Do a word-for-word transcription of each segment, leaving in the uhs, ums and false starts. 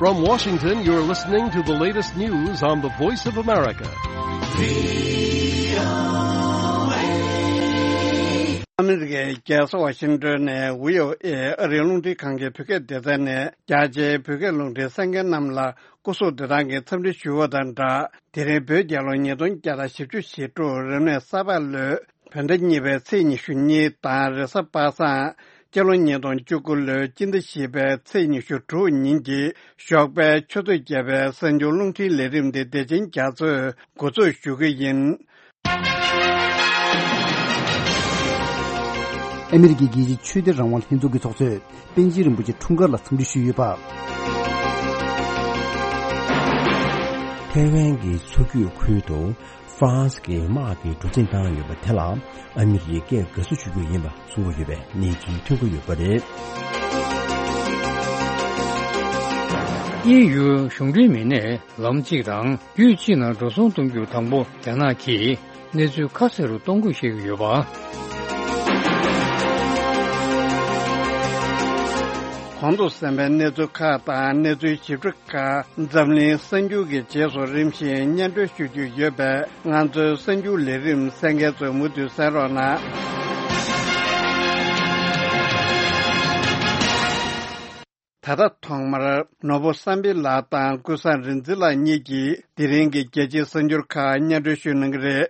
From Washington, you're listening to the latest news on the Voice of America. ཨ་མི་རི་ཀའི་རྒྱལ་ས་ཝ་ཤིང་ཏོན་ནས་ཝི་ཨོ་ཨེ་ཨ་རིའི་རླུང་འཕྲིན་ཁང་གི་བོད་སྐད་སྡེ་ཚན་ནས་རྒྱ་ཆེའི་བོད་སྐད་རླུང་འཕྲིན་གསན་མཁན་རྣམས་ལ་སྐུ་གཟུགས་བདེ་ཐང་གི་འཚམས་འདྲི་ཞུ་བ་དང་སྦྲགས། དེ་རིང་བོད་རྒྱལ་ལོ་ཉིས་སྟོང་བརྒྱ་དང་བཞི་བཅུ་ཞེ་དྲུག་རབ་གནས་གསར་པ་ལོའི་བོད་ཟླ་གཉིས་པའི་ཚེས་ཉི་ཤུ་གཉིས་དང་རེས་གཟའ་པ་སངས་སྤྱི་ལོ་ཉིས་སྟོང་བཅུ་དགུ་ལོའི་སྤྱི་ཟླ་བཞི་པའི་ཚེས་ཉི་ཤུ་དྲུག་ཉིན་གྱི་ཞོགས་པའི་ཆུ་ཚོད་བརྒྱད་པའི་གསར་འགྱུར་རླུང་འཕྲིན་ལས་རིམ་འདི་བདེ་ཆེན་རྒྱ་མཚོས་འགོ་འཛུགས་ཞུ་གི་ཡིན། ཨ་མི་རི་ཀའི་རྒྱལ་སྤྱིའི་ཆོས་དད་རང་དབང་ལྷན་ཚོགས་ཀྱི་ཚོགས་གཙོས་པཎ་ཆེན་རིན་པོ་ཆེ་འཁྲུངས་སྐར་ལ་འཚམས་འདྲི་ཞུས་ཡོད་པ། ཐའེ་ཝན་གྱི་མཚོ་རྒྱུད་ཁུལ་དུ་ཧྥ་རན་སི་གི་དམག་གིས་གྲུ་གཟིངས་བཏང་ཡོད་པ་དེ་ལ་ཨ་མི་རི་ཀས་དགའ་བསུ་ཞུ་རྒྱུ་ཡིན་པ་གསུང་གི་ཡོད་པའི་གནས་ཚུལ་ཐོན་གྱི་ཡོད་པ་རེད། དབྱིན་ཡུལ་གཞུང་འབྲེལ་མི་སྣས་ལམ་གཅིག་དང་རྒྱུད་གཅིག་ནང་འགྲོ་སོང་གཏོང་རྒྱུ་དང་པོ་རྒྱ་ནག་གིས་གནས་ཚུལ་ཁ་གསལ་རུ་གཏོང་དགོས་བཤད་ཀྱི་ཡོད་པ། གོང་དུ་གསན་པའི་གནས་ཚུལ་ཁག་དང་གནས་ཚུལ་ཞིབ་ཕྲ་ཁག་འཛམ་གླིང་གསར་འགྱུར་གྱི་རྗེས་སུ་རིམ་བཞིན་སྙན་སྒྲོན་ཞུ་རྒྱུ་ཡོད་པས། ང་ཚོའི་གསར་འགྱུར་ལས་རིམ་གསན་མཁན་ཚོས་མུ་མཐུད་གསན་རོགས་གནང་། ད་ལྟ་ཐོག་མར་ནོར་བུ་བསམ་འཕེལ་ལགས་དང་ཀུན་བཟང་རིག་འཛིན་ལགས་གཉིས་ཀྱིས་དེ་རིང་གི་རྒྱལ་སྤྱིའི་གསར་འགྱུར་ཁག་སྙན་སྒྲོན་ཞུ་གནང་གི་རེད།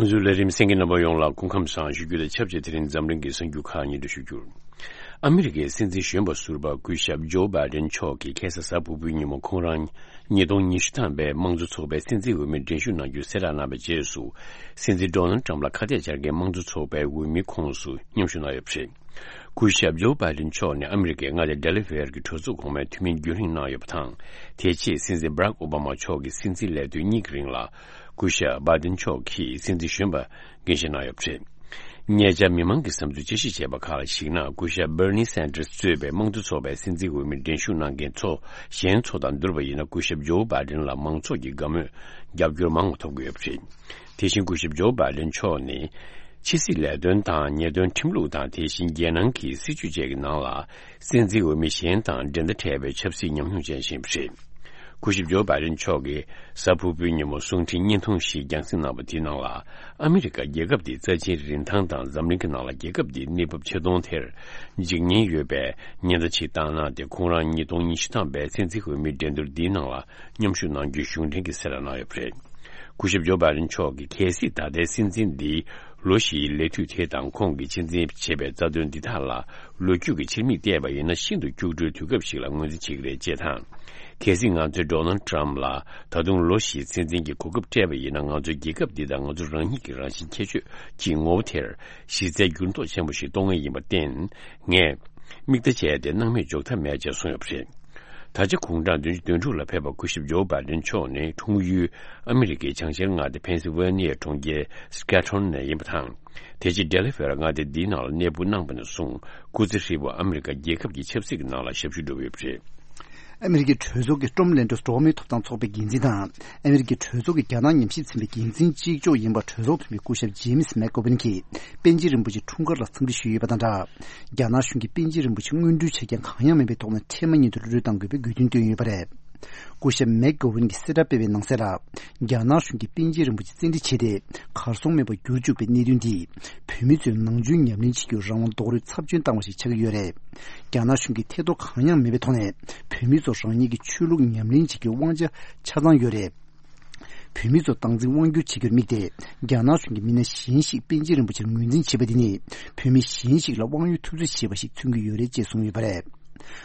ང་ཚོའི་ལས་རིམ་གསན་མཁན་རྣམ་པ་ཡོངས་ལ་སྐུ་ཁམས་བཟང་ཞུ་རྒྱུ་དང་ཆབས་ཅིག་དེ་རིང་འཛམ་གླིང་གི་གསར་འགྱུར་ཁག་སྙན་སྒྲོན་ཞུ་རྒྱུར། ཨ་མི་རི་ཀའི་སྲིད་འཛིན་གཞོན་པ་ཟུར་པ་སྐུ་ཞབས་ཇོ་བྷའི་ཌེན་མཆོག་གིས་ཁ་སང་གཟའ་ཕུར་བུའི་ཉིན་མོ་ཁོང་རང་ཉིས་སྟོང་ཉི་ཤུ་ཐམ་པའི་དམངས་གཙོ་ཚོགས་པའི་སྲིད་འཛིན་འོས་མིར་འགྲན་ཞུགས་གནང་རྒྱུའི་གསལ་བསྒྲགས་གནང་བའི་རྗེས་སུ། སྲིད་འཛིན་ཌོ་ནལ་ཊམ་ལ་ཁ་གཏད་བཅར་མཁན་དམངས་གཙོ་ཚོགས་པའི་འོས་མིའི་ཁོངས་སུ་མཉམ་ཞུགས་གནང་ཡོད་པ་རེད། སྐུ་ཞབས་ཇོ་བྷའི་ཌེན་མཆོག་ནི་ཨ་མི་རི་ཀའི་མངའ་སྡེ་ཌེ་ལ་ཝེར་གྱི་གྲོས་ཚོགས་གོང་མའི་འཐུས་མིའི་རྒྱུན་རིང་གནང་ཡོད་པ་དང་། དེ་རྗེས་སྲིད་འཛིན་བྷ་རག་ཨོ་བྷ་མ་མཆོག་གི་སྲིད་འཛིན་ལས་དོན་གཉིས་ཀྱི་རིང་ལ། སྐུ་ཞབས་བྷའི་ཌེན་མཆོག་གིས་སྲིད་འཛིན་གཞོན་པ་འགན་བཞེས་གནང་ཡོད་པ་རེད། ཉེ་ཆར་མི་མང་གི་བསམ་ཚུལ་དཔྱད་ཞིབ་བྱས་པ་ཁག་ལ་གཞིགས་ན། སྐུ་ཞབས་Bernie Sanders་གཙོས་པའི་དམངས་གཙོ་ཚོགས་པའི་སྲིད་འཛིན་འོས་མིར་འགྲན་ཞུགས་གནང་མཁན་ཚོ་གཞན་ཚོ་དང་བསྡུར་བ་ཡིན་ན། སྐུ་ཞབས་ཇོ་བྷའི་ཌེན་ལ་མང་ཚོགས་ཀྱི་དགའ་མོས་རྒྱབ་སྐྱོར་མང་བ་ཐོབ་ཀྱི་ཡོད་པ་རེད། དེ་བཞིན་སྐུ་ཞབས་ཇོ་བྷའི་ཌེན་མཆོག་ནི་ཕྱི་སྲིད་ལས་དོན་དང་། ཉེས་དོན་ཁྲིམས་ལུགས་དང་། དེ་བཞིན་རྒྱལ་ནང་གི་སྲིད་བྱུས་བཅས་ཀྱི་ནང་ལ། སྲིད་འཛིན་འོས་མི་གཞན་དང་འགྲན་ཟླ་བྲལ་བའི་ཆབ་སྲིད་ཉམས་མྱོང་ཅན་ཞིག་ཡིན་པ་རེད། སྐུ་ཞབས་ཇོ་བྷའི་ཌེན་མཆོག་གིས་གཟའ་ཕུར་བུའི་ཉིན་མོ་གསུང་འཕྲིན་བརྙན་ཐུང་ཞིག་རྒྱང་སྲིང་གནང་བ་དེའི་ནང་ལ། ཨ་མི་རི་ཀ་རྒྱལ་ཁབ་འདིའི་རྩ་ཆེའི་རིན་ཐང་དང་། འཛམ་གླིང་གི་ནང་ལ་རྒྱལ་ཁབ་འདིའི་གནས་བབ་ཆེ་མཐོང་དེར་འཇིགས་ཉེན་ཡོད་པའི་ཉེན་བརྡ་ཅིག་བཏང་གནང་སྟེ། ཁོང་རང་ཉིས་སྟོང་ཉི་ཤུ་ཐམ་པའི་སྲིད་འཛིན་འོས་མིའི་འགྲན་བསྡུར་འདིའི་ནང་ལ་མཉམ་ཞུགས་གནང་རྒྱུའི་གཞུང་འབྲེལ་གྱི་གསལ་བསྒྲགས་གནང་ཡོད་པ་རེད། སྐུ་ཞབས་ཇོ་བྷའི་ཌེན་མཆོག་གིས་གལ་སྲིད་ད་ལྟའི་སྲིད་འཛིན་འདིའི་ལོ་བཞིའི་ལས་དུས་དེ་དང་། ཁོང་གིས་ཆེད་འཛིན་བྱས་པའི་རྩ་དོན་འདི་དག་ལ་ལོ་རྒྱུས་ཀྱི་ཕྱིར་མིག་བལྟས་པ་ཡིན་ན། ཤིན་ཏུ་སྐྱུག་བྲོའི་དུས་སྐབས་ཤིག་ལ་ངོས་འཛིན་བྱེད་ཀྱི་རེད་ཅེས་དང་། གལ་སྲིད་ང་ཚོས་ཌོ་ནལ་ཊམ་ལ་ད་དུང་ལོ་བཞིའི་སྲིད་འཛིན་གྱི་གོ་སྐབས་སྤྲད་པ་ཡིན་ན། ང་ཚོའི་རྒྱལ་ཁབ་འདི་དང་ང་ཚོ་རང་ཉིད་ཀྱི་རང་བཞིན་ཁྱད་ཆོས་ཀྱི་ངོ་བོ་དེར་གཞི་རྩའི་འགྱུར་ལྡོག་ཆེན་པོ་ཞིག་གཏོང་ངེས་ཡིན་པར་བརྟེན། ངས་མིག་ལྟ་བྱས་ཏེ་སྣང་མེད་འཇོག་ཐབས་མེད་ཅེས་གསུངས་ཡོད་པ་རེད། ད་ཆ་དགུང་གྲངས་བདུན་ཅུ་དོན་དྲུག་ལ་ཕེབས་པ་སྐུ་ཞབས་ཇོ་བྷའི་ཌེན་མཆོག་ནི་འཁྲུངས་ཡུལ་ཨ་མི་རི་ཀའི་བྱང་ཤར་མངའ་སྡེ་ཕེན་སིལ་ཝེ་ནི་ཡའི་གྲོང་ཁྱེར་སི་ཀེ་ཊོན་ནས་ཡིན་པ་དང་། དེ་རྗེས་ཌེ་ལ་ཝེར་མངའ་སྡེ་འདིའི་ནང་ལ་གནས་སྤོ་གནང་བ་ནས་བཟུང་། སྐུ་ཚེ་ཧྲིལ་པོ་ཨ་མི་རི་ཀ་རྒྱལ་ཁབ་ཀྱི་ཆབ་སྲིད་ཀྱི་ནང་ལ་ཞབས་ཞུ་བསྒྲུབས་ཡོད་པ་རེད། ཨ་མི་རི་ཀའི་གྲོས་ཚོགས་ཀྱི་ཀྲོམ་ལེན་ཌོས་འགྲོ་བ་མིའི་ཐོབ་ཐང་ཚོགས་པའི་འགན་འཛིན་དང་། ཨ་མི་རི་ཀའི་གྲོས་ཚོགས་ཀྱི་རྒྱ་ནག་ཉམས་ཞིབ་ཚན་པའི་འགན་འཛིན་གཅིག་ལྕོགས་ཡིན་པ་གྲོས་ཚོགས་འཐུས་མི་སྐུ་ཞབས་ཇེ་མིས་མེག་གོ་ཝིན་གྱིས་པཎ་ཆེན་རིན་པོ་ཆེ་འཁྲུངས་སྐར་ལ་འཚམས་འདྲི་ཞུས་ཡོད་པ་དང་སྦྲགས། རྒྱ་ནག་གཞུང་གིས་པཎ་ཆེན་རིན་པོ་ཆེ་དངོས་སྒྲུབ་བྱེད་མཁན་གང་ཡང་མིན་པའི་ཐོག་ནས་འཕྲལ་མ་ཉིད་དུ་རུ་རུ་གཏང་དགོས་པའི་དགོས་འདུན་བཏོན་ཡོད་པ་རེད། སྐུ་ཞབས་མེག་གོ་ཝིན་གྱིས་གསལ་བསྒྲགས་སྤེལ་བའི་ནང་གསལ་ལ། རྒྱ་ནག་གཞུང་གིས་པཎ་ཆེན་རིན་པོ་ཆེ་བཙན་ཁྲིད་བྱས་ཏེ། གར་སོང་མེད་པར་བསྒྱུར་བཅུག་པའི་གནད་དོན་འདིས། བོད་མི་ཚོས་ནང་ཆོས་ཉམས་ལེན་བྱེད་རྒྱུར་རང་དབང་རྡོག་རོལ་ཚབས་ཆེན་བཏང་བ་ཞིག་ཆགས་ཀྱི་ཡོད་རེད། རྒྱ་ནག་གཞུང་གིས་ཐེ་གཏོགས་གང་ཡང་མེད་པའི་ཐོག་ནས། བོད་མི་ཚོ་རང་ཉིད་ཀྱི་ཆོས་ལུགས་ཉམས་ལེན་བྱེད་རྒྱུའི་དབང་ཆ་ཆ་ཚང་ཡོད་རེད། བོད་མི་ཚོ་སྟངས་འཛིན་དབང་སྒྱུར་བྱེད་རྒྱུར་དམིགས་ཏེ། རྒྱ་ནག་གཞུང་གིས་མི་སྣ་གཞན་ཞིག་པཎ་ཆེན་རིན་པོ་ཆེར་ངོས་འཛིན་བྱེད་པ་འདི་ནི། བོད་མི་གཞན་ཞིག་ལ་དབང་ཡོད་ཐུབ་ཚོད་བྱེད་པ་ཞིག་མཚོན་གྱི་ཡོད་རེད་ཅེས་གསུངས་ཡོད་པ་རེད།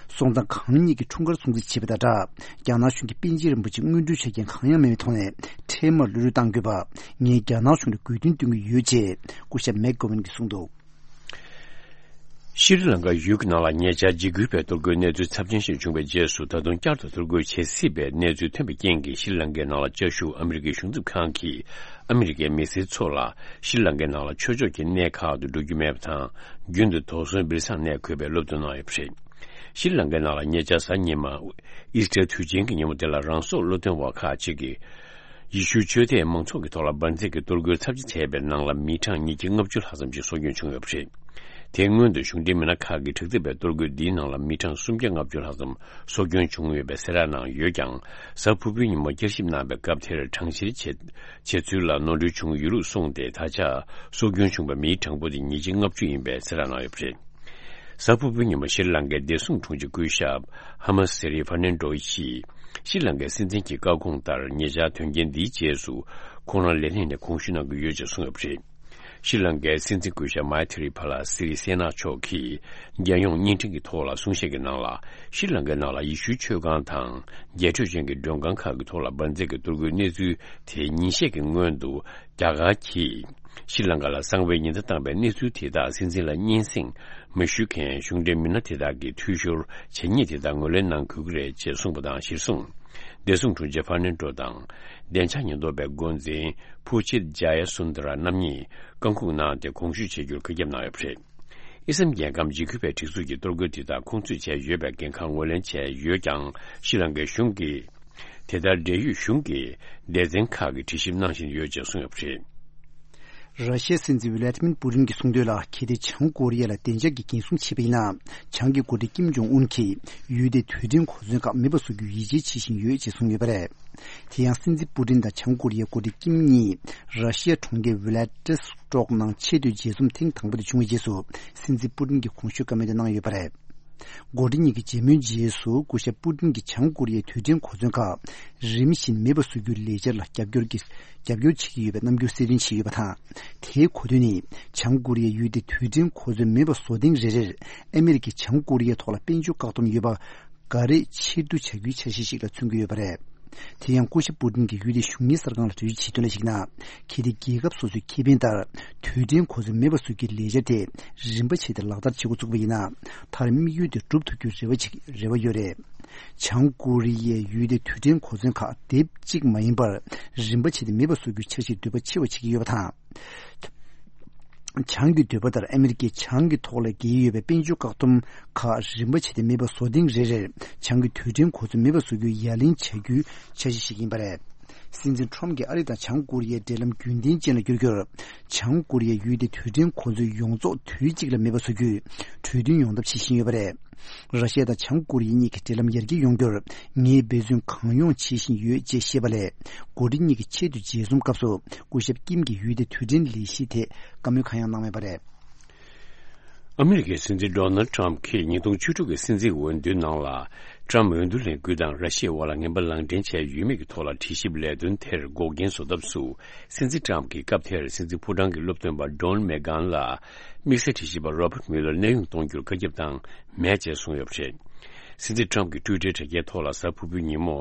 སོང་ཙང་གང་ཉིད་ཀྱི་འཁྲུངས་སྐར་སྲུང་བརྩི་བྱེད་པ་དང་སྦྲགས། རྒྱ་ནག་གཞུང་གིས་པཎ་ཆེན་རིན་པོ་ཆེ་དངོས་སྒྲུབ་བྱེད་མཁན་གང་ཡང་མེད་པའི་ཐོག་ནས་འཕྲལ་མར་གློད་གྲོལ་གཏང་དགོས་པ། ངས་རྒྱ་ནག་གཞུང་ལ་དགོས་འདུན་བཏོན་གྱི་ཡོད་ཅེས་སྐུ་ཞབས་མེག་གོ་ཝིན་གྱིས་གསུངས་འདུག། ཤྲི་ལང་ཀ་ཡུལ་གྱི་ནང་ལ་ཉེ་ཆར་འཇིགས་སྐུལ་བའི་གཏོར་རྒོལ་གནས་ཚུལ་ཚབས་ཆེན་ཞིག་བྱུང་བའི་རྗེས་སུ། ད་དུང་བསྐྱར་དུ་གཏོར་རྒོལ་བྱེད་སྲིད་པའི་གནས་ཚུལ་ཐོན་པའི་རྐྱེན་གྱིས། ཤྲི་ལང་ཀའི་ནང་ལ་བཅའ་བཞུགས་ཨ་མི་རི་ཀའི་གཞུང་ཚབ་ཁང་གིས་ཨ་མི་རི་ཀའི་མི་སེར་ཚོ་ལ་ཤྲི་ལང་ཀའི་ནང་ལ་ཆོས་ཕྱོགས་ཀྱི་གནས་ཁག་ཏུ་འགྲོ་རྒྱུ་མེད་པ་དང་། རྒྱུན་དུ་དོགས་ཟོན་སྦིར་སང་གནས་དགོས་པའི་སློབ་སྟོན་གནང་ཡོད་པ་རེད། ཤྲི་ལང་ཀའི་ནང་ལ་ཉེ་ཆར་གཟའ་ཉི་མ་ཨི་སི་ཊར་དུས་ཆེན་གྱི་ཉིན་མོ་དེ་ལ་རང་སྲོག་བློས་གཏོང་བ་ཁག་ཅིག་གིས། ཡེ་ཤུའི་ཆོས་དད་མང་ཚོགས་ཀྱི་ཐོག་ལ་འབར་རྫས་ཀྱི་གཏོར་རྒོལ་ཚབས་ཆེ་བྱས་པའི་ནང་ལ་མི་གྲངས་ཉིས་བརྒྱ་ལྔ་བཅུ་ལྷག་ཙམ་ཞིག་སྲོག་སྐྱོན་བྱུང་ཡོད་པ་རེད། དེའི་སྔོན་དུ་གཞུང་འབྲེལ་མི་སྣ་ཁག་གིས་དྲག་འཛེགས་པའི་གཏོར་རྒོལ་འདིའི་ནང་ལ་མི་གྲངས་སུམ་བརྒྱ་ལྔ་བཅུ་ལྷག་ཙམ་སྲོག་སྐྱོན་བྱུང་ཡོད་པའི་གསལ་བསྒྲགས་གནང་ཡོད་ཀྱང་། གཟའ་ཕུར་བུའི་ཉིན་མོ་བསྐྱར་ཞིབ་གནང་བའི་སྐབས་དེར་གྲངས་བཤེར་བྱེད་བྱེད་ཚུལ་ལ་ནོར་འཁྲུལ་བྱུང་ཡོད་ལུགས་གསུངས་ཏེ། ད་ཆ་སྲོག་སྐྱོན་བྱུང་བའི་མིའི་གྲངས་འབོར་དེ་ཉིས་བརྒྱ་ལྔ་བཅུ་ཡིན་པའི་གསལ་བསྒྲགས་གནང་ཡོད་པ་རེད། གཟའ་ཕུར་བུའི་ཉིན་མོ་ཤྲི་ལང་ཀའི་བདེ་སྲུང་དྲུང་ཆེ་སྐུ་ཞབས་ཧ་མ་སི་རི་ཧྥ་ནན་ཌོ་ཡིས། ཤྲི་ལང་ཀའི་སྲིད་འཛིན་གྱི་བཀའ་དགོངས་ལྟར། ཉེ་ཆར་དོན་རྐྱེན་འདིའི་རྗེས་སུ་ཁོང་རང་ལས་གནས་ནས་དགོངས་ཞུ་གནང་གི་ཡོད་ཅེས་གསུངས་ཡོད་པ་རེད། ཤྲི་ལང་ཀའི་སྲིད་འཛིན་སྐུ་ཞབས་མཱི་ཐི་རི་པཱ་ལ་སི་རི་སེ་ན་མཆོག་གིས་རྒྱལ་ཡོངས་བརྙན་འཕྲིན་གྱི་ཐོག་ལ་གསུང་བཤད་ཀྱི་ནང་ལ། ཤྲི་ལང་ཀའི་ནང་ལ་ཡེ་ཤུའི་ཆོས་ཁང་དང་རྒྱས་སྤྲོས་ཅན་གྱི་མགྲོན་ཁང་ཁག་གི་ཐོག་ལ་འབར་རྫས་ཀྱི་གཏོར་རྒོལ་གནས་ཚུལ་དེ་ཉིན་ཤས་ཀྱི་སྔོན་དུ། རྒྱ་གར་གྱིས་ཤྲི་ལང་ཀ་ལ་གསང་བའི་ཉེན་བརྡ་བཏང་བའི་གནས་ཚུལ་དེ་དག་སྲིད་འཛིན་ལ་སྙན་སེང་མི་ཞུ་མཁན་གཞུང་འབྲེལ་མི་སྣ་དེ་དག་གིས་འཐུས་ཤོར་བྱེད་ཉེས་དེ་དག་ངོས་ལེན་གནང་དགོས་ཀྱི་རེད་ཅེས་གསུངས་པ་དང་། གཞིར་བཟུང་བདེ་སྲུང་དྲུང་ཆེ་ཧྥ་ནན་ཌོ་དང་བདེ་འཇགས་ཉེན་རྟོག་པའི་འགོ་འཛིན་ཕུ་ཆེད་ཇཱ་ཡ་སུན་དར་རྣམ་གཉིས་བཀའ་འཁུར་གནང་སྟེ་དགོངས་ཞུ་བྱེད་རྒྱུར་བཀའ་ཁྱབ་གནང་ཡོད་པ་རེད། ཨི་སམ་རྒྱལ་ཁམས་འཇིགས་སྐུལ་བའི་སྒྲིག་འཛུགས་ཀྱིས་གཏོར་རྒོལ་དེ་དག་ཁོང་ཚོས་བྱས་ཡོད་པའི་འགན་ཁག་ངོས་ལེན་བྱས་ཡོད་ཀྱང་། ཤྲི་ལང་ཀའི་གཞུང་གིས། དེ་ལྟར་འབྲེལ་ཡོད་གཞུང་གི་སྡེ་ཚན་ཁག་གིས་དྲི་ཞིབ་གནང་བཞིན་ཡོད་ཅེས་གསུངས་ཡོད་པ་རེད། ར་ཤི་ཡའི་སྲིད་འཛིན་ཝི་ལ་ཏི་མིར་པུ་ཏིན་གྱིས་གསུངས་དོན་ལ། གལ་ཏེ་བྱང་ཀོ་རི་ཡ་ལ་བདེ་འཇགས་ཀྱི་འགན་སྲུང་བྱས་པ་ཡིན་ན། བྱང་གི་འགོ་ཁྲིད་ཀིམ་ཇོང་ཨུན་གྱིས་ཡུལ་དེའི་རྡུལ་ཕྲན་གོ་མཚོན་ཁག་མེད་པ་བཟོ་རྒྱུའི་ཡིད་ཆེས་བྱེད་བཞིན་ཡོད་ཅེས་གསུངས་ཡོད་པ་རེད། དེ་ཡང་སྲིད་འཛིན་པུ་ཏིན་དང་བྱང་ཀོ་རི་ཡའི་འགོ་ཁྲིད་ཀིམ་གཉིས་ར་ཤི་ཡའི་གྲོང་ཁྱེར་ཝི་ལ་ཏི་སི་ཏོག་ནང་ཆེས་མཐོའི་མཇལ་འཛོམས་ཐེངས་དང་པོ་དེ་བྱུང་བའི་རྗེས་སུ། སྲིད་འཛིན་པུ་ཏིན་གྱིས་གོང་ཞུས་བཀའ་མོལ་དེ་གནང་ཡོད་པ་རེད། འགོ་ཁྲིད་གཉིས་ཀྱི་མཇལ་མོལ་རྗེས་སུ། སྐུ་ཞབས་པུ་ཏིན་གྱིས་བྱང་ཀོ་རི་ཡའི་རྡུལ་ཕྲན་གོ་མཚོན་ཁག་རིམ་བཞིན་མེད་པ་བཟོ་རྒྱུའི་ལས་འཆར་ལ་རྒྱབ་སྐྱོར་གྱི་རྒྱབ་སྐྱོར་བྱེད་ཀྱི་ཡོད་པའི་རྣམ་འགྱུར་གསལ་སྟོན་བྱས་ཡོད་པ་དང་། དེའི་གོ་དོན་ནི། བྱང་ཀོ་རི་ཡའི་ཡུལ་དེའི་རྡུལ་ཕྲན་གོ་མཚོན་མེད་པ་བཟོ་ཐེངས་རེ་རེར། ཨ་མི་རི་ཀས་བྱང་ཀོ་རི་ཡའི་ཐོག་ལ་དཔལ་འབྱོར་བཀག་སྡོམ་ཡོད་པ་འགའ་རེ་ཕྱིར་བསྡུ་བྱ་རྒྱུའི་འཆར་གཞི་ཞིག་ལ་མཚོན་གྱི་ཡོད་པ་རེད། དེ་ཡང་སྐུ་ཞབས་པུ་ཏིན་གྱིས་ཡུལ་དེའི་གཞུང་གཉེར་གསར་ཁང་ལ་འགྲེལ་བརྗོད་བྱས་དོན་ལ་གཞིགས་ན། གལ་ཏེ་རྒྱལ་ཁབ་སོ་སོའི་ཁེ་ཕན་ལྟར་རྡུལ་ཕྲན་གོ་མཚོན་མེད་པ་བཟོ་རྒྱུའི་ལས་འཆར་དེ་རིམ་པ་བྱས་ཏེ་ལག་བསྟར་བྱེད་འགོ་བཙུགས་པ་ཡིན་ན། མཐར་དམིགས་ཡུལ་དེ་འགྲུབ་ཐུབ་རྒྱུའི་རེ་བ་ཅིག་རེ་བ་ཡོད་རེད། བྱང་ཀོ་རི་ཡས་ཡུལ་དེའི་རྡུལ་ཕྲན་གོ་མཚོན་ཁག་དེབ་གཅིག་མ་ཡིན་པར་རིམ་པ་བྱས་ཏེ་མེད་པ་བཟོ་རྒྱུའི་འཆར་གཞིར་འདོད་པ་ཆེ་བ་བྱེད་ཀྱི་ཡོད་པ་དང་། བྱང་གི་འདོད་པ་ལྟར་ཨ་མི་རི་ཀས་བྱང་གི་ཐོག་ལ་འགེལ་ཡོད་པའི་དཔལ་འབྱོར་བཀག་སྡོམ་ཁག་རིམ་པ་བྱས་ཏེ་མེད་པ་བཟོ་ཐེངས་རེ་རེར་བྱང་གི་རྡུལ་ཕྲན་གོ་མཚོན་མེད་པ་བཟོ་རྒྱུའི་ཡ་ལན་བྱ་རྒྱུའི་འཆར་གཞི་ཞིག་ཡིན་པ་རེད། སྲིད་འཛིན་ཁྲོམ་གྱིས་ཨ་རི་དང་བྱང་ཀོ་རི་ཡའི་འབྲེལ་ལམ་རྒྱུན་ལྡན་ཅན་ལ་བསྒྱུར་རྒྱུར། བྱང་ཀོ་རི་ཡའི་ཡུལ་དེའི་རྡུལ་ཕྲན་གོ་མཚོན་ཡོངས་རྫོགས་དུས་གཅིག་ལ་མེད་པ་བཟོ་རྒྱུའི་གྲོས་མཐུན་ཡོང་ཐབས་བྱེད་བཞིན་ཡོད་པ་རེད། ར་ཤི་ཡ་དང་བྱང་ཀོ་རི་ཡ་གཉིས་ཀྱི་འབྲེལ་ལམ་ཡར་རྒྱས་ཡོང་རྒྱུར་ངས་འབད་བརྩོན་གང་ཡོང་བྱེད་བཞིན་ཡོད་ཅེས་བཤད་པ་ལས། འགོ་ཁྲིད་གཉིས་ཀྱི་ཆེས་མཐོའི་མཇལ་འཛོམས་སྐབས་སུ་སྐུ་ཞབས་ཀིམ་གྱིས་ཡུལ་དེའི་རྡུལ་ཕྲན་ལས་གཞིའི་ཐད་བཀའ་མོལ་གང་ཡང་གནང་མེད་པ་རེད། ཨ་མི་རི་ཀའི་སྲིད་འཛིན་ཌོ་ནལ་ཊམ་གྱིས་ཉིས་སྟོང་བཅུ་དྲུག་གི་སྲིད་འཛིན་འོས་བསྡུའི་ནང་ལ། ཊམ་འོས་བསྡུ་ལས་འགུལ་དང་ར་ཤི་ཡའི་དབར་ལ་ངན་པ་ལག་འབྲེལ་བྱས་ཡོད་མེད་ཀྱི་ཐོག་ལ་དྲི་ཞིབ་ལས་དོན་དེར་འགོག་རྐྱེན་བཟོ་ཐབས་སུ། སྲིད་འཛིན་ཊམ་གྱིས་སྐབས་དེར་སྲིད་འཛིན་ཕོ་བྲང་གི་སློབ་སྟོན་པ་ཌོན་མེག་གྷན་ལ། དམིགས་བསལ་དྲི་ཞིབ་པ་རོ་བར་མུ་ལར་གནས་དབྱུང་གཏོང་རྒྱུར་བཀའ་ཁྱབ་བཏང་མེད་ཅེས་གསུངས་ཡོད་པ་རེད། སྲིད་འཛིན་ཊམ་གྱི་ཊུའི་ཊར་དྲ་རྒྱའི་ཐོག་ལ་གཟའ་ཕུར་བུའི་ཉིན་མོ།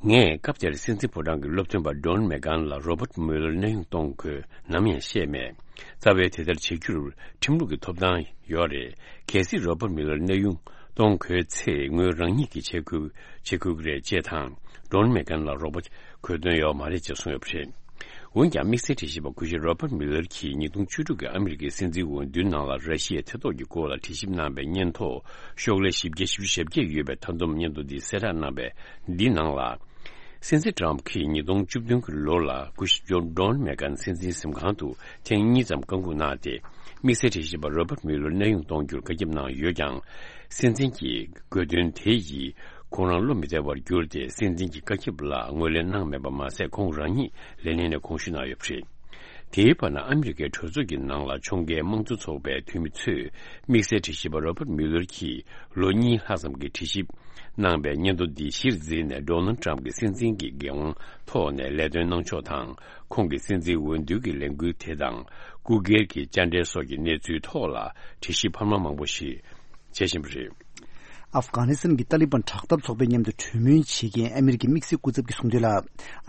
ངས་སྐབས་དེར་སྲིད་འཛིན་ཕོ་བྲང་གི་སློབ་སྟོན་པ་ཌོན་མེ་གྷན་ལ་རོ་བར་མུ་ལར་གནས་དབྱུང་གཏོང་དགོས་ནམ་ཡང་བཤད་མེད། རྩ་བའི་དེ་ལྟར་བྱེད་རྒྱུར་ཁྲིམས་ལུགས་ཀྱི་ཐོབ་ཐང་ཡོད་རེད། གལ་སྲིད་རོ་བར་མུ་ལར་གནས་དབྱུང་གཏོང་དགོས་ཚེ་ངོས་རང་ཉིད་ཀྱིས་བྱེད་དགོས་བྱེད་དགོས་ཀྱི་རེད་ཅེས་དང་། ཌོན་མེ་གྷན་ལ་རོགས་པ་དགོས་དོན་ཡོད་མ་རེད་ཅེས་གསུངས་ཡོད་པ་རེད། འོན་ཀྱང་དམིགས་བསལ་དྲི་ཞིབ་པ་སྐུ་ཞབས་རོ་བར་མུ་ལར་གྱིས་ཉིས་སྟོང་བཅུ་དྲུག་གི་ཨ་མི་རི་ཀའི་སྲིད་འཛིན་འོས་བསྡུའི་ནང་ལ་ར་ཤི་ཡའི་ཐེ་གཏོགས་ཀྱི་སྐོར་ལ་དྲི་ཞིབ་གནང་བའི་སྙན་ཐོ་ཤོག་ལྷེ་བཞི་བརྒྱ་བཞི་བཅུ་ཞེ་བརྒྱད་ཡོད་པའི་མཐའ་སྡོམ་སྙན་ཐོ་འདི་གསལ་བསྒྲགས་གནང་བའི་འདི་ནང་ལ། སྲིད་འཛིན་ཊམ་གྱིས་ཉིས་སྟོང་བཅུ་བདུན་གྱི་ལོ་ལ་སྐུ་ཞབས་ཇོན་ཌོན་མེ་གྷན་སྲིད་འཛིན་གཟིམ་ཁང་དུ་ཐེངས་གཉིས་ཙམ་བཀའ་འགུག་གནང་སྟེ། དམིགས་བསལ་དྲི་ཞིབ་པ་རོ་བར་མུ་ལར་གནས་དབྱུང་གཏོང་རྒྱུར་བཀའ་ཁྱབ་གནང་ཡོད་ཀྱང་། སྲིད་འཛིན་གྱི་དགོས་འདུན་དེ་ཡིས་ཁོང་རང་བློ་མི་བདེ་བར་གྱུར་ཏེ། སྲིད་འཛིན་གྱི་བཀའ་ཁྱབ་ལ་ངོས་ལེན་གནང་མེད་པ་མ་ཟད། ཁོང་རང་ཉིད་ལས་གནས་ནས་དགོངས་ཞུ་གནང་ཡོད་པ་རེད། དེའི་བར་ན། ཨ་མི་རི་ཀའི་གྲོས་ཚོགས་ཀྱི་ནང་ལ་ཕྱོགས་འགལ་དམངས་གཙོ་ཚོགས་པའི་འཐུས་མི་ཚོས་དམིགས་བསལ་དྲི་ཞིབ་པ་རོ་བར་མུ་ལར་གྱིས་ལོ་གཉིས་ལྷག་ཙམ་གྱི་དྲི་ཞིབ་གནང་བའི་སྙན་ཐོ་འདི་གཞིར་འཛིན་ནས། ཌོ་ནལ་ཊམ་གྱི་སྲིད་འཛིན་གྱི་འགན་དབང་ཐོག་ནས་ལས་དོན་གནང་ཕྱོགས་དང་། ཁོང་གི་སྲིད་འཛིན་འོས་བསྡུ་གི་ལས་འགུལ་དེ་དང་། སྐུ་སྒེར་གྱི་བཅར་འདྲི་སོགས་ཀྱི་གནས་ཚུལ་ཐོག་ལ་དྲི་ཞིབ་འཕར་མ་མང་པོ་ཞིག་བྱེད་བཞིན་པ་རེད། ཨབ་གྷ་ནི་སི་ཐན་གྱི་ཏཱ་ལི་བན་དྲག་འཐབ་ཚོགས་པའི་མཉམ་དུ་གྲོས་མོལ་བྱེད་མཁན་ཨ་མི་རི་ཀའི་དམིགས་བསལ་སྐུ་ཚབ་ཀྱིས་གསུངས་དོན་ལ།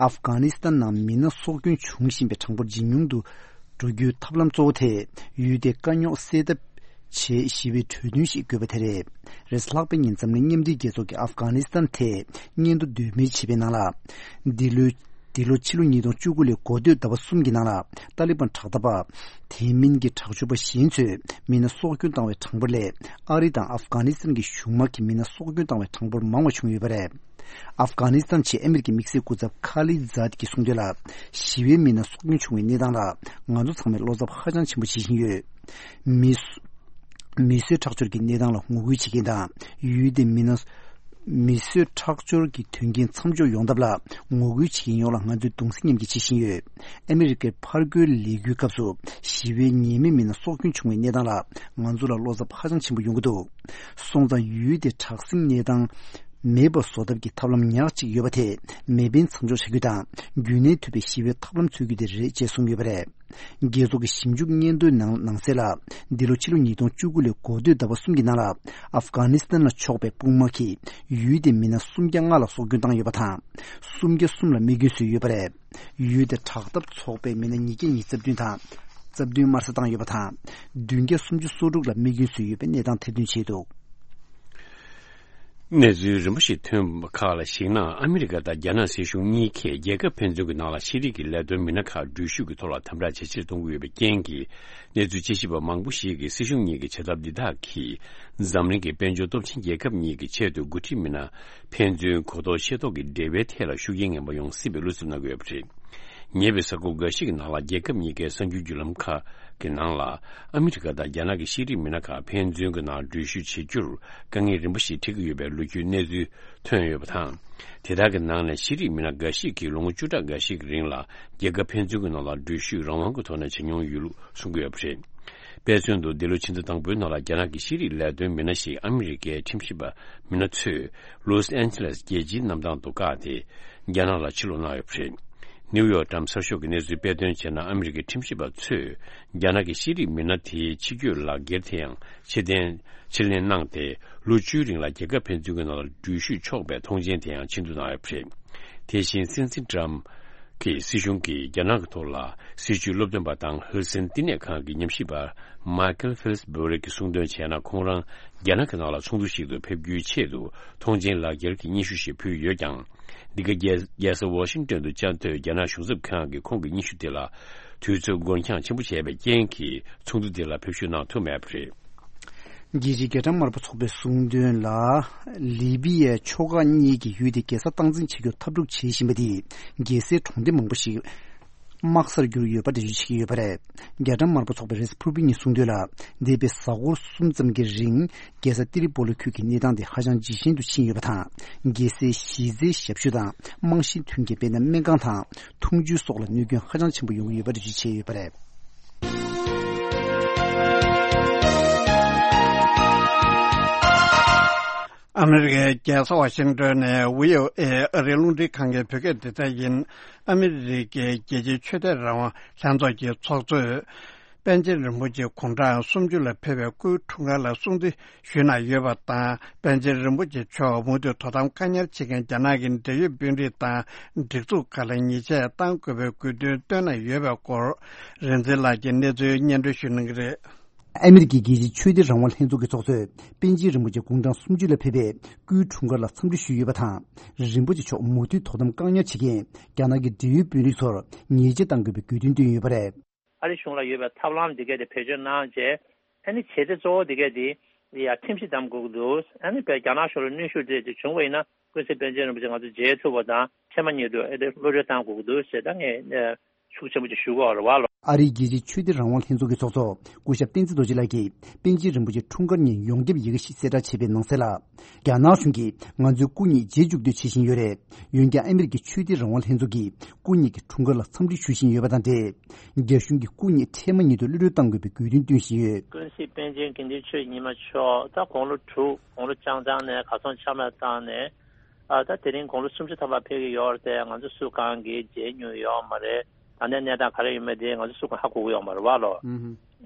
ཨབ་གྷ་ནི་སི་ཐན་ནང་མི་སྣ་སྲོག་སྐྱོན་བྱུང་བཞིན་པའི་གྲངས་འབོར་ཇེ་ཉུང་དུ་འགྲོ་རྒྱུའི་ཐབས་ལམ་གཙོ་བོ་དེ། ཡུལ་དེའི་དཀའ་རྙོག་སེལ་ཐབས་བྱེད་ཞི་བའི་གྲོས་མཐུན་ཞིག་དགོས་པ་དེ་རེད། རེས་ལྷག་པའི་ཉིན་འཛམ་གླིང་མཉམ་འབྲེལ་རྒྱལ་ཚོགས་ཀྱིས་ཨབ་གྷ་ནི་སི་ཐན་ཐད་སྙན་ཐོ་འདོན་སྤེལ་བྱས་པའི་ནང་ལ། འདི་ལོའི་ འདི་ལོ་ཕྱི་ལོ་ཉིས་སྟོང་བཅུ་དགུ་ལོའི་འགོ་སྟོད་ཟླ་བ་གསུམ་གྱི་ནང་ལ་ཏཱ་ལི་བན་དྲག་འཐབ་པ། དེ་མིན་གྱི་དྲག་སྤྱོད་པ་གཞན་ཚོས་མི་སྣ་སྲོག་སྐྱོན་བཏང་བའི་གྲངས་འབོར་ལས་ཨ་རི་དང་ཨབ་གྷ་ནི་སི་ཐན་གྱི་གཞུང་དམག་གིས་མི་སྣ་སྲོག་སྐྱོན་བཏང་བའི་གྲངས་འབོར་མང་བ་བྱུང་ཡོད་པ་རེད། ཨབ་གྷ་ནི་སི་ཐན་ཆེད་ཨ་མི་རི་ཀའི་དམིགས་བསལ་སྐུ་ཚབ་ཁ་ལི་ཛཱད་ཀྱིས་གསུངས་དོན་ལ། ཞི་བའི་མི་སྣ་སྲོག་སྐྱོན་བྱུང་བའི་གནས་སྟངས་ལ་ང་ཚོ་ཚང་མས་བློ་འཚབ་ཧ་ཅང་ཆེན་པོ་བྱེད་བཞིན་ཡོད། མི་སུ། མི་གསོད་ཁྲག་སྦྱོར་གྱི་གནས་སྟངས་ལ་ངོ་རྒོལ་བྱེད་མཁན་དང་ཡུལ་དེའི་མི་སྣ། མི་གསོད་ཁྲག་སྦྱོར་གྱི་དོན་རྐྱེན་མཚམས་འཇོག་ཡོང་ཐབས་ལ་ངོ་རྒོལ་བྱེད་མཁན་ཡོངས་ལ་ང་ཚོས་གདུང་སེམས་མཉམ་སྐྱེད་བྱེད་བཞིན་ཡོད། ཨ་མི་རི་ཀའི་ཕར་རྒོལ་ལས་འགུལ་སྐབས་སུ་ཞི་བའི་ཉེས་མེད་མི་སྣ་སྲོག་སྐྱོན་བྱུང་བའི་གནས་སྟངས་ལ་ང་ཚོ་ལ་བློ་འཚབ་ཧ་ཅང་ཆེན་པོ་ཡོང་གི་འདུག་སོང་ཙང་ཡུལ་དེ་དྲག་ཟིང་གནས་སྟངས་མེད་པ་བཟོ་ཐབས་ཀྱི་ཐབས་ལམ་ཉག་གཅིག་ཡོད་པ་དེ་མེ་འཕེན་མཚམས་འཇོག་བྱ་རྒྱུ་དང་རྒྱུན་གནས་ཐུབ་པའི་ཞི་བའི་ཐབས་ལམ་འཚོལ་རྒྱུ་དེ་རེད་ཅེས་གསུངས་ཡོད་པ་རེད། རྒྱལ་ཚོགས་ཀྱི་ཞིབ་འཇུག་སྙན་ཐོའི་ནང་ནང་གསལ་ལ། འདི་ལོ་ཕྱི་ལོ་ཉིས་སྟོང་བཅུ་དགུ་ལོའི་འགོ་སྟོད་ཟླ་བ་གསུམ་གྱི་ནང་ལ་ཨབ་གྷ་ནི་སི་ཐན་ལ་ཕྱོགས་པའི་དཔུང་དམག་གིས་ཡུལ་དེའི་མི་སྣ་སུམ་བརྒྱ་ལྔ་ལ་སྲོག་སྐྱོན་བཏང་ཡོད་པ་དང་། སུམ་བརྒྱ་གསུམ་ལ་རྨས་སྐྱོན་བཟོས་ཡོད་པ་རེད། ཡུལ་དེ་དྲག་འཐབ་ཚོགས་པའི་མི་སྣ་ཉིས་བརྒྱ་ཉི་ཤུ་རྩ་བདུན་དང་། རྩ་བདུན་དམར་གསོད་བཏང་ཡོད་པ་དང་། བདུན་བརྒྱ་སུམ་ཅུ་སོ་དྲུག་ལ་རྨས་སྐྱོན་བཟོས་ཡོད་པའི་གནས་སྟངས་ཐེར་འདོན་བྱས་འདུག་གནས་ཚུལ་རིམ་པ་ཞིག་ཐོན་པ་ཁག་ལ་གཞིགས་ན། ཨ་མི་རི་ཀ་དང་རྒྱ་ནག་སྲིད་གཞུང་གཉིས་ཀས་རྒྱལ་ཁབ་ཕན་ཚུན་གྱི་ནང་ལ་ཤེས་རིག་གི་ལས་དོན་མི་སྣ་ཁག་འགྲུལ་བཞུད་ཀྱི་ཐོག་ལ་དམ་དྲག་ཇེ་ཆེར་གཏོང་གི་ཡོད་པའི་རྐྱེན་གྱིས། གནས་ཚུལ་དཔྱད་ཞིབ་པ་མང་པོ་ཞིག་གིས་སྲིད་གཞུང་གཉིས་ཀྱི་བྱེད་ཐབས་འདི་དག་གིས་འཛམ་གླིང་གི་དཔལ་འབྱོར་སྟོབས་ཆེན་རྒྱལ་ཁབ་གཉིས་ཀྱི་ཆེད་དུ་འགོ་ཁྲིད་མི་སྣ་ཕན་ཚུན་གོ་རྟོགས་ཤེས་རྟོགས་ཀྱི་འབྲེལ་བའི་ཐད་ལ་ཤུགས་རྐྱེན་ངན་པ་ཡོང་སྲིད་པའི་བློ་འཚབ་གནང་གི་ཡོད་པ་རེད། ཉེ་བའི་གཟའ་འཁོར་འགའ་ཞིག་གི་ནང་ལ་རྒྱལ་ཁབ་གཉིས་ཀའི་གསར་འགྱུར་བརྒྱུད་ལམ་ཁག་གི་ནང་ལ། ཨ་མི་རི་ཀ་དང་རྒྱ་ནག་གི་ཤེས་རིག་མི་སྣ་ཁག་ཕན་ཚུན་གྱི་ནང་འགྲུལ་བཞུད་བྱེད་རྒྱུར་དཀའ་ངལ་རིམ་པ་ཞིག་འཕྲད་ཀྱི་ཡོད་པའི་ལོ་རྒྱུས་གནས་ཚུལ་ཐོན་ཡོད་པ་དང་། དེ་དག་གི་ནང་ནས་ཤེས་རིག་མི་སྣ་འགའ་ཞིག་གིས་ལོ་ངོ་བཅུ་ཕྲག་འགའ་ཞིག་གི་རིང་ལ་རྒྱལ་ཁབ་ཕན་ཚུན་གྱི་ནང་ལ་འགྲུལ་བཞུད་རང་དབང་གི་ཐོག་ནས་བྱེད་མྱོང་ཡོད་ལུགས་གསུང་གི་ཡོད་པ་རེད། དཔེ་མཚོན་དུ། འདི་ལོ་ཕྱི་ཟླ་དང་པོའི་ནང་ལ་རྒྱ་ནག་གི་ཤེས་རིག་ལས་དོན་མི་སྣ་ཞིག་ཨ་མི་རི་ཀའི་ཁྲིམས་ཞིབ་པ་མི་སྣ་ཚོས་ལོས་ཨན་ཇེ་ལེས་རྒྱལ་སྤྱིའི་གནམ་ཐང་དུ་བཀག་སྟེ། རྒྱ་ནག་ལ་ཕྱིར་ལོག་གནང་ཡོད་པ་རེད། ནིའུ་ཡོག་ཊའིམ་གསར་ཤོག་གི་གནས་ཚུལ་དཔེ་སྟོན་བྱས་ན། ཨ་མི་རི་ཀའི་ཁྲིམས་ཞིབ་པ་ཚོས་རྒྱ་ནག་གི་ཤེས་རིག་མི་སྣ་དེའི་ཕྱི་སྐྱོད་ལག་འཁྱེར་དེ་ཡང་ཕྱིར་འཐེན་ཕྱིར་ལེན་གནང་སྟེ། ལོ་བཅུའི་རིང་ལ་རྒྱལ་ཁབ་ཕན་ཚུན་གྱི་ནང་ལ་འགྲུལ་བཞུད་ཆོག་པའི་ཐོངས་མཆན་དེ་ཡང་ཕྱིར་བསྡུ་གནང་ཡོད་པ་རེད། དེ་བཞིན་སྲིད་འཛིན་ཊརམ་གྱི་སྲིད་གཞུང་གིས་རྒྱ་ནག་གི་ཐོག་ལ་སྲིད་བྱུས་སློབ་སྟོན་པ་དང་ཧུར་སེན་བསྟི་གནས་ཁང་གི་ཉམས་ཞིབ་པ་མའི་ཁེལ་ཧྥིལ་སི་བྷོ་རི་གིས་གསུངས་དོན་བྱས་ན། ཁོང་རང་རྒྱ་ནག་གི་ནང་ལ་ཚོགས་འདུ་ཞིག་ཏུ་ཕེབས་རྒྱུའི་ཆེད་དུ་ཐོངས་མཆན་ལག་འཁྱེར་གྱི་སྙན་ཞུ་ཞིག་ཕུལ་ཡོད་ཀྱང་། འདི་ག་རྒྱལ་རྒྱལ་ས་ཝ་ཤིང་ཏོན་དུ་བཅའ་སྡོད་རྒྱ་ནག་གཞུང་ཚབ་ཁང་གིས་ཁོང་གི་སྙན་ཞུ་དེ་ལ་དུས་ཚོད་འགོར་འགྱངས་ཆེན་པོ་བྱས་པའི་རྐྱེན་གྱིས། ཚོགས་འདུ་དེ་ལ་ཕེབས་ཞུགས་གནང་ཐུབ་མེད་པ་རེད། རྒྱལ་སྤྱིའི་རྒྱལ་ཕྲན་དམར་པོ་ཚོགས་པས་གསུངས་དོན་ལ། ལི་བི་ཡའི་ཕྱོགས་ཁག་གཉིས་ཀྱིས་ཡུལ་དེ་རྒྱལ་ས་སྟངས་འཛིན་བྱེད་རྒྱུར་འཐབ་འཁྲུག་བྱེད་བཞིན་པ་དེས་རྒྱལ་སའི་གྲོང་སྡེ་མང་པོ་ཞིག་དམག་སར་གྱུར་ཡོད་པ་འགྲེལ་བརྗོད་བྱེད་ཀྱི་ཡོད་པ་རེད། རྒྱལ་ཕྲན་དམར་པོ་ཚོགས་པའི་རེས་གཟའ་ཕུར་བུ་ཉིན་གསུངས་དོན་ལ། འདས་པའི་གཟའ་འཁོར་གསུམ་ཙམ་གྱི་རིང་རྒྱལ་ས་ཏི་རི་པོ་ལི་ཁུལ་གྱི་གནས་སྟངས་དེ་ཧ་ཅང་ཇེ་ཞན་དུ་ཕྱིན་ཡོད་པ་དང་། རྒྱལ་སའི་གཞི་རྩའི་ཞབས་ཞུ་དང་རྨང་གཞིའི་མཐུན་རྐྱེན། དཔེར་ན། སྨན་ཁང་དང་འཐུང་ཆུ་སོགས་ལ་གནོད་སྐྱོན་ཧ་ཅང་ཆེན་པོ་ཡོང་གི་ཡོད་པ་འགྲེལ་བརྗོད་བྱས་ཡོད་པ་རེད། ཨ་མི་རི་ཀའི་རྒྱལ་ས་ཝ་ཤིང་ཏོན་ནས་བྷི་ཨོ་ཨེ་ཨ་རིའི་རླུང་འཕྲིན་ཁང་གི་བོད་སྐད་སྡེ་ཚན་ཡིན། ཨ་མི་རི་ཀའི་རྒྱལ་སྤྱིའི་ཆོས་དད་རང་དབང་ལྷན་ཚོགས་ཀྱི་ཚོགས་གཙོས། པཎ་ཆེན་རིན་པོ་ཆེ་དགུང་གྲངས་སུམ་ཅུ་ལ་ཕེབས་པའི་སྐུའི་འཁྲུངས་སྐར་ལ་སྲུང་བརྩི་ཞུས་གནང་ཡོད་པ་དང་། པཎ་ཆེན་རིན་པོ་ཆེ་མཆོག་མུ་མཐུད་དོ་དམ་བཀག་ཉར་བྱེད་མཁན་རྒྱ་ནག་གི་འབྲེལ་ཡོད་དཔོན་རིགས་དང་སྒྲིག་འཛུགས་ཁག་ལ་ཉེས་ཆད་གཏང་དགོས་པའི་དགོས་འདུན་བཏོན་གནང་ཡོད་པའི་སྐོར། རིག་འཛིན་ལགས་ཀྱིས་གནས་ཚུལ་སྙན་སྒྲོན་ཞུ་གནང་གི་རེད། ཨ་མི་རི་ཀའི་རྒྱལ་སྤྱིའི་ཆོས་དད་རང་དབང་ལྷན་ཚོགས་ཀྱི་ཚོགས་གཙོས་པཎ་ཆེན་རིན་པོ་ཆེ་དགུང་གྲངས་སུམ་ཅུ་ལ་ཕེབས་པའི་སྐུའི་འཁྲུངས་སྐར་ལ་འཚམས་འདྲི་ཞུས་ཡོད་པ་དང་། རིན་པོ་ཆེ་མཆོག་མུ་མཐུད་དོ་དམ་བཀག་ཉར་བྱེད་མཁན་རྒྱ་ནག་གི་འབྲེལ་ཡོད་དཔོན་རིགས་ཚོར་ཉེས་ཆད་གཏང་དགོས་པའི་དགོས་འདུན་བཏོན་ཡོད་པ་རེད། ཨ་རི་གཞུང་ལ་ཡོད་པའི་ཐབས་ལམ་འདི་གས་དེ་བེད་སྤྱོད་གནང་རྗེས། ཨ་ནི་བྱེད་གཏེ་གཙོ་བོ་འདི་གས་དེ་ཡ་ཁྲིམས་གཞི་བསྡམ་དགོས་ཀྱི་འདུག་ཨ་ནི་བས་རྒྱ་ནག་གཞུང་ལ་གནོན་ཤུགས་སྤྲད་དེ་བྱུང་བ་ཡིན་ན། ཀུན་གཟིགས་པཎ་ཆེན་རིན་པོ་ཆེ་ང་ཚོ་མཇལ་ཐུབ་པ་དང་། ཕྱི་མ་ཉིད་དུ་ཨེ་དེ་གློད་གྲོལ་བཏང་དགོས་ཀྱི་འདུག་ཟེར། ད་ངས་ཤུགས་ཆེན་པོ་ཅིག་ཞུ་དགོས་རེད་བ་ལོ། ཨ་རིའི་རྒྱལ་སྤྱིའི་ཆོས་དད་རང་དབང་ལྷན་ཚོགས་ཀྱི་ཚོགས་གཙོ་སྐུ་ཞབས་བསྟན་འཛིན་རྡོ་རྗེ་ལགས་ཀྱིས་པཎ་ཆེན་རིན་པོ་ཆེའི་འཁྲུངས་སྐར་ཉིན་ཡོངས་ཁྱབ་ཡི་གེ་ཞིག་གསལ་བསྒྲགས་བྱས་པའི་ནང་གསལ་ལ། རྒྱ་ནག་གཞུང་གིས་ང་ཚོའི་སྐུ་ཉིད་མཇལ་བཅུག་འདོད་བྱེད་བཞིན་ཡོད་རེད། འོན་ཀྱང་ཨ་མི་རི་ཀའི་ཆོས་དད་རང་དབང་ལྷན་ཚོགས་ཀྱིས་སྐུ་ཉིད་ཀྱི་འཁྲུངས་སྐར་ལ་འཚམས་འདྲི་ཞུ་བཞིན་ཡོད་པ་དང་འབྲེལ། རྒྱ་གཞུང་གིས་སྐུ་ཉིད་འཕྲལ་མ་ཉིད་དུ་གློད་གྲོལ་གཏང་དགོས་པའི་དགོས་འདུན་བཏོན་བཞིན་ཡོད། ཀུན་གཟིགས་པཎ་ཆེན་དགེ་འདུན་ཆོས་ཉི་མ་མཆོག་ད་དགུང་ལོ་དྲུག་དགུང་ལོ་རྐྱང་རྐྱང་ནས་གར་སོང་ཆ་མེད་བཏང་ནས། ཨ་ད་དེ་རིང་དགུང་ལོ་སུམ་ཅུ་ཐམ་པ་ཕེབས་ཀྱི་ཡོད་རེད་དེ། ང་ཚོ་སུ་གང་གིས་མཇལ་མྱོང་ཡོད་མ་རེད། ད་ལྟའི་གནས་སྟངས་ག་རེ་ཡོད་མེད་དེ་ང་ཚོ་སུ་གང་ཧ་གོ་གི་ཡོད་མ་རེད་བ་ལོ།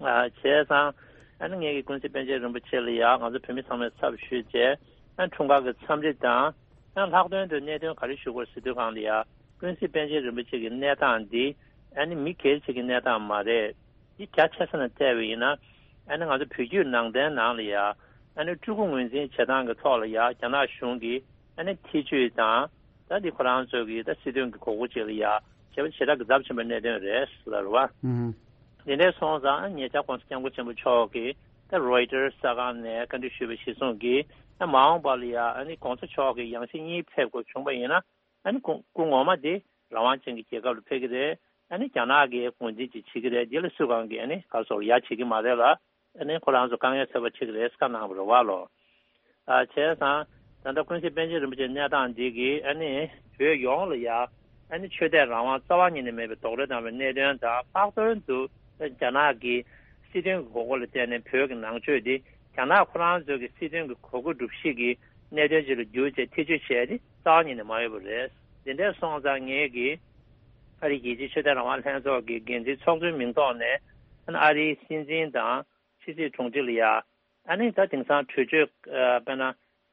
ཨ་བྱས་ཙང་ཨ་ནི་ངེད་ཀྱིས་ཀུན་གཟིགས་པཎ་ཆེན་རིན་པོ་ཆེ་ལ་ཡ་ང་ཚོ་བོད་མི་ཚང་མས་ཚབ་ཞུས་རྗེས། ཨ་འཁྲུངས་སྐར་གྱི་འཚམས་འདྲི་དང་། ཨ་ལྷག་དོན་དུ་གནད་དོན་ག་རེ་ཞུ་དགོས་ཟེར་དུས་སྒང་ལ་ཡ། ཀུན་གཟིགས་པཎ་ཆེན་རིན་པོ་ཆེ་གི་གནས་སྟངས་འདི་ཨ་ནི་མི་སྒེར་གཅིག་གི་གནས་སྟངས་མ་རེད། འདི་རྒྱ་ཆེ་ས་ནས་བལྟས་པ་ཡིན་ན། ཨ་ནི་ང་ཚོ་བོད་བརྒྱུད་ནང་བསྟན་ནང་ལ་ཡ། ཨ་ནི་སྤྲུལ་སྐུ་ངོས་འཛིན་བྱེད་སྟངས་ཀྱི་ཐོག་ལ་ཡ་རྒྱ་ནག་གཞུང་གིས་ཨ་ནི་ཐེ་བྱུས་དང་། ད་འདི་ཁོ་རང་ཚོ་གི་ད་སྲིད་དོན་གྱི་གོ་སྐབས་ཅིག་ལ་ཡ་བྱས་པ་ཞེ་དྲག་གི་ཚབས་ཆེན་པོའི་གནད་དོན་རེད་ལབ་རེད་བ། ཨུམ། དེ་འདྲ་སོང་ཙང་ཉེ་ཆར་༸གོང་ས་༸སྐྱབས་མགོན་ཆེན་པོ་མཆོག་གིས་ད་རོའི་ཊར་གསར་ཁང་ནས་བཀའ་འདྲི་ཞུས་པ་གཞིར་བཟུང་གིས་ད་མ་འོངས་པ་ལ་ཡ་ཨ་ནི་༸གོང་ས་མཆོག་གི་ཡང་སྲིད་གཉིས་ཕེབས་དགོས་བྱུང་བ་ཡིན་ན། ཨ་ནི་སྐུ་སྐུ་ངོ་མ་དེ་རང་དབང་ཅན་གྱི་རྒྱལ་ཁབ་ལ་ཕེབས་ཀྱི་རེད། ཨ་ནི་རྒྱ་ནག་གི་ངོས་འཛིན་ཅིག་བྱེད་ཀྱི་རེད། འདི་ལ་སུ་གང་གིས་ཨ་ནི་ག་རེ་ཟེར་ཡ་བྱེད་ཀྱི་མ་རེད་ལ། ཨ་ནི་ཁོ་རང་ཚོ་དཀའ་ངལ་འཚོད་པ་བྱེད་ཀྱི་རེད་བཀའ་གནང་བ་རེད་བ་ལོ། ཨ་བྱས་ཙང་ད་ལྟ་ཀུན་གཟིགས་པཎ་ཆེན་རིན་པོ་ཆེའི་གནས་སྟངས་འདི་གིས་ཨ་ནི་བོད་ཡོངས་ལ་ཡ་ཨ་ནི་ཆོས་དད་རང་དབང་རྩ་བ་ཉིད་ནས་མེད་པའི་རྡོག་རོལ་བཏང་བའི་གནད་དོན་དང་། ལྷག་དོན་དུ་རྒྱ་ནག་གི་སྲིད་དོན་གྱི་གོ་སྐབས་ལ་བརྟེན་ནས་བོད་ཀྱི་ནང་ཆོས་འདི་རྒྱ་ནག་ཁོ་རང་ཚོའི་གི་སྲིད་དོན་གྱི་གོ་སྐབས་སྒྲུབ་བྱེད་ཀྱི་གནད་དོན་ཅིག་ལ་བསྒྱུར་བྱས་ཐེ་བྱུས་བྱས་ཏེ་རྩ་བ་ཉིད་ནས་མ་ཡོད་པ་རེད། དེ་འདྲ་སོང་ཙང་ངེད་ཀྱིས་ཨ་རིའི་རྒྱལ་སྤྱིའི་ཆོས་དད་རང་དབང་ལྷན་ཚོགས་ཀྱི་འགན་འཛིན་ཚོགས་གཙོའི་མིང་ཐོག་ནས་ཨ་ནི་ཨ་རིའི་སྲིད་འཛིན་དང་ཕྱི་སྲིད་དྲུང་ཆེ་ལ་ཡ་ཨ་ནི་ད་དེང་སང་གྲོས་ཆོད་ཨ་དཔེར་ན་